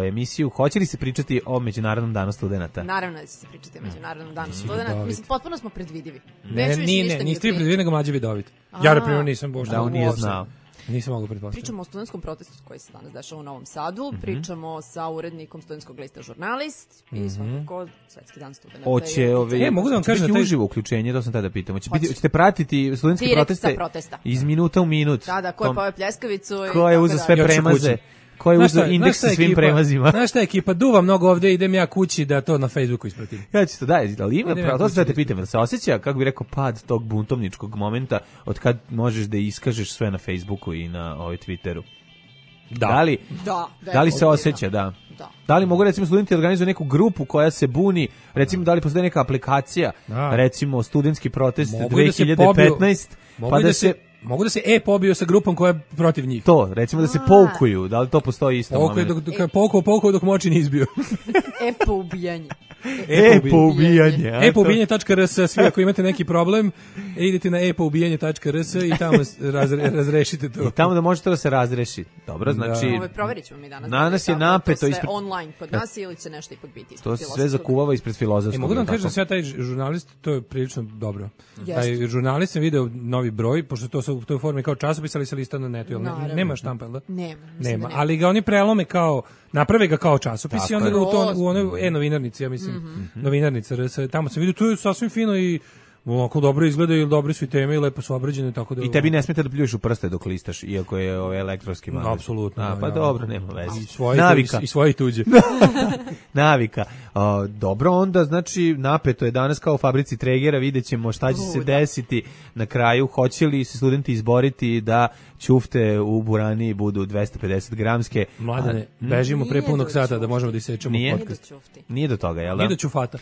emisiju. Hoće li se pričati o Međunarodnom danu studenata? Naravno da će se pričati o Međunarodnom danu studenata. Mislim, potpuno smo predvidivi. Niste vi predvidjeli, nego Mlađe Vidovit. Ja, na primjer, nisam bošta. Da, on nije znao. Nisam mogu pretpostaviti. Pričamo o studentskom protestu koji se danas dešava u Novom Sadu, pričamo sa urednikom studentskog lista Žurnalist i svakako Svetski dan studenata. Mogu da vam kažem da uživo uključenje, to sam tada pitao. Hoćete pratiti studentske proteste iz minuta u minut? Da, ko je pao pljeskavicu i ko je uzeo sve premaze? Ko je uzeo indeks sa svim premazima? Znaš šta ekipa, duva mnogo ovde, idem ja kući da to na Facebooku ispratim. Ja ću to ali ima pravo, to se da te pitam, da se osjeća, kako bi rekao, pad tog buntovničkog momenta od kad možeš da iskažeš sve na Facebooku i na Twitteru? Da li se osjeća, da? Da li mogu, recimo, studenti organizuju neku grupu koja se buni, recimo, da li postoji neka aplikacija, recimo, studentski protest 2015, pa da se... Mogu da se pobiju sa grupom koja je protiv njih. To, recimo da se poukuju, da li to postoji isto moment? Poukuju dok moći nije izbio. Poubijanje. Poubijanje.rs, svi ako imate neki problem, idete na poubijanje.rs i tamo razrešite to. I tamo da možete da se razreši. Dobro, znači... Proverit ćemo mi danas. Danas je napeto. To sve online kod nas ili će nešto ipak biti. To se sve zakuvava ispred Filozofskog. Mogu da vam kažem da sve taj žurnalist, to je prilično dobro. Taj žurnalist sam video novi broj, pošto to su u toj formi kao časopis, ali se lista na netu. Nema štampa, da? Nema. Ali ga oni prelome kao, naprave ga kao časopis i onda ga u onoj novinarnici, ja mislim, novinarnica, tamo sam vidio, tu je sasvim fino i ovako dobro izgleda i dobri su i teme i lepo su obrađene, tako da... I tebi ne smeta da pljuješ u prste dok listaš, iako je elektronski magazin. Apsolutno. Pa dobro, nema veze. Navika. I svoje tuđe. Navika. Dobro, onda, znači, napeto je danas kao u fabrici Tregera, vidjet ćemo šta će se desiti na kraju. Hoće li se studenti izboriti da ćufte u Burani budu 250 gramske? Mladene, bežimo pre punog sata da možemo da isečemo podcast. Nije do toga, jel da? Nije do ćufata.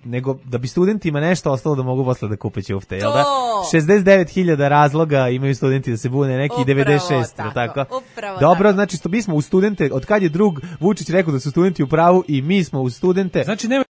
Nego da bi studentima nešto ostalo da mogu posle da kupe ćufte, jel da? 69.000 razloga imaju studenti da se bune, neki 96, tako? Dobro, znači, mi smo u studente, od kad je drug Vučić rekao da su studenti u pravu i mi smo u studente. Znači, nema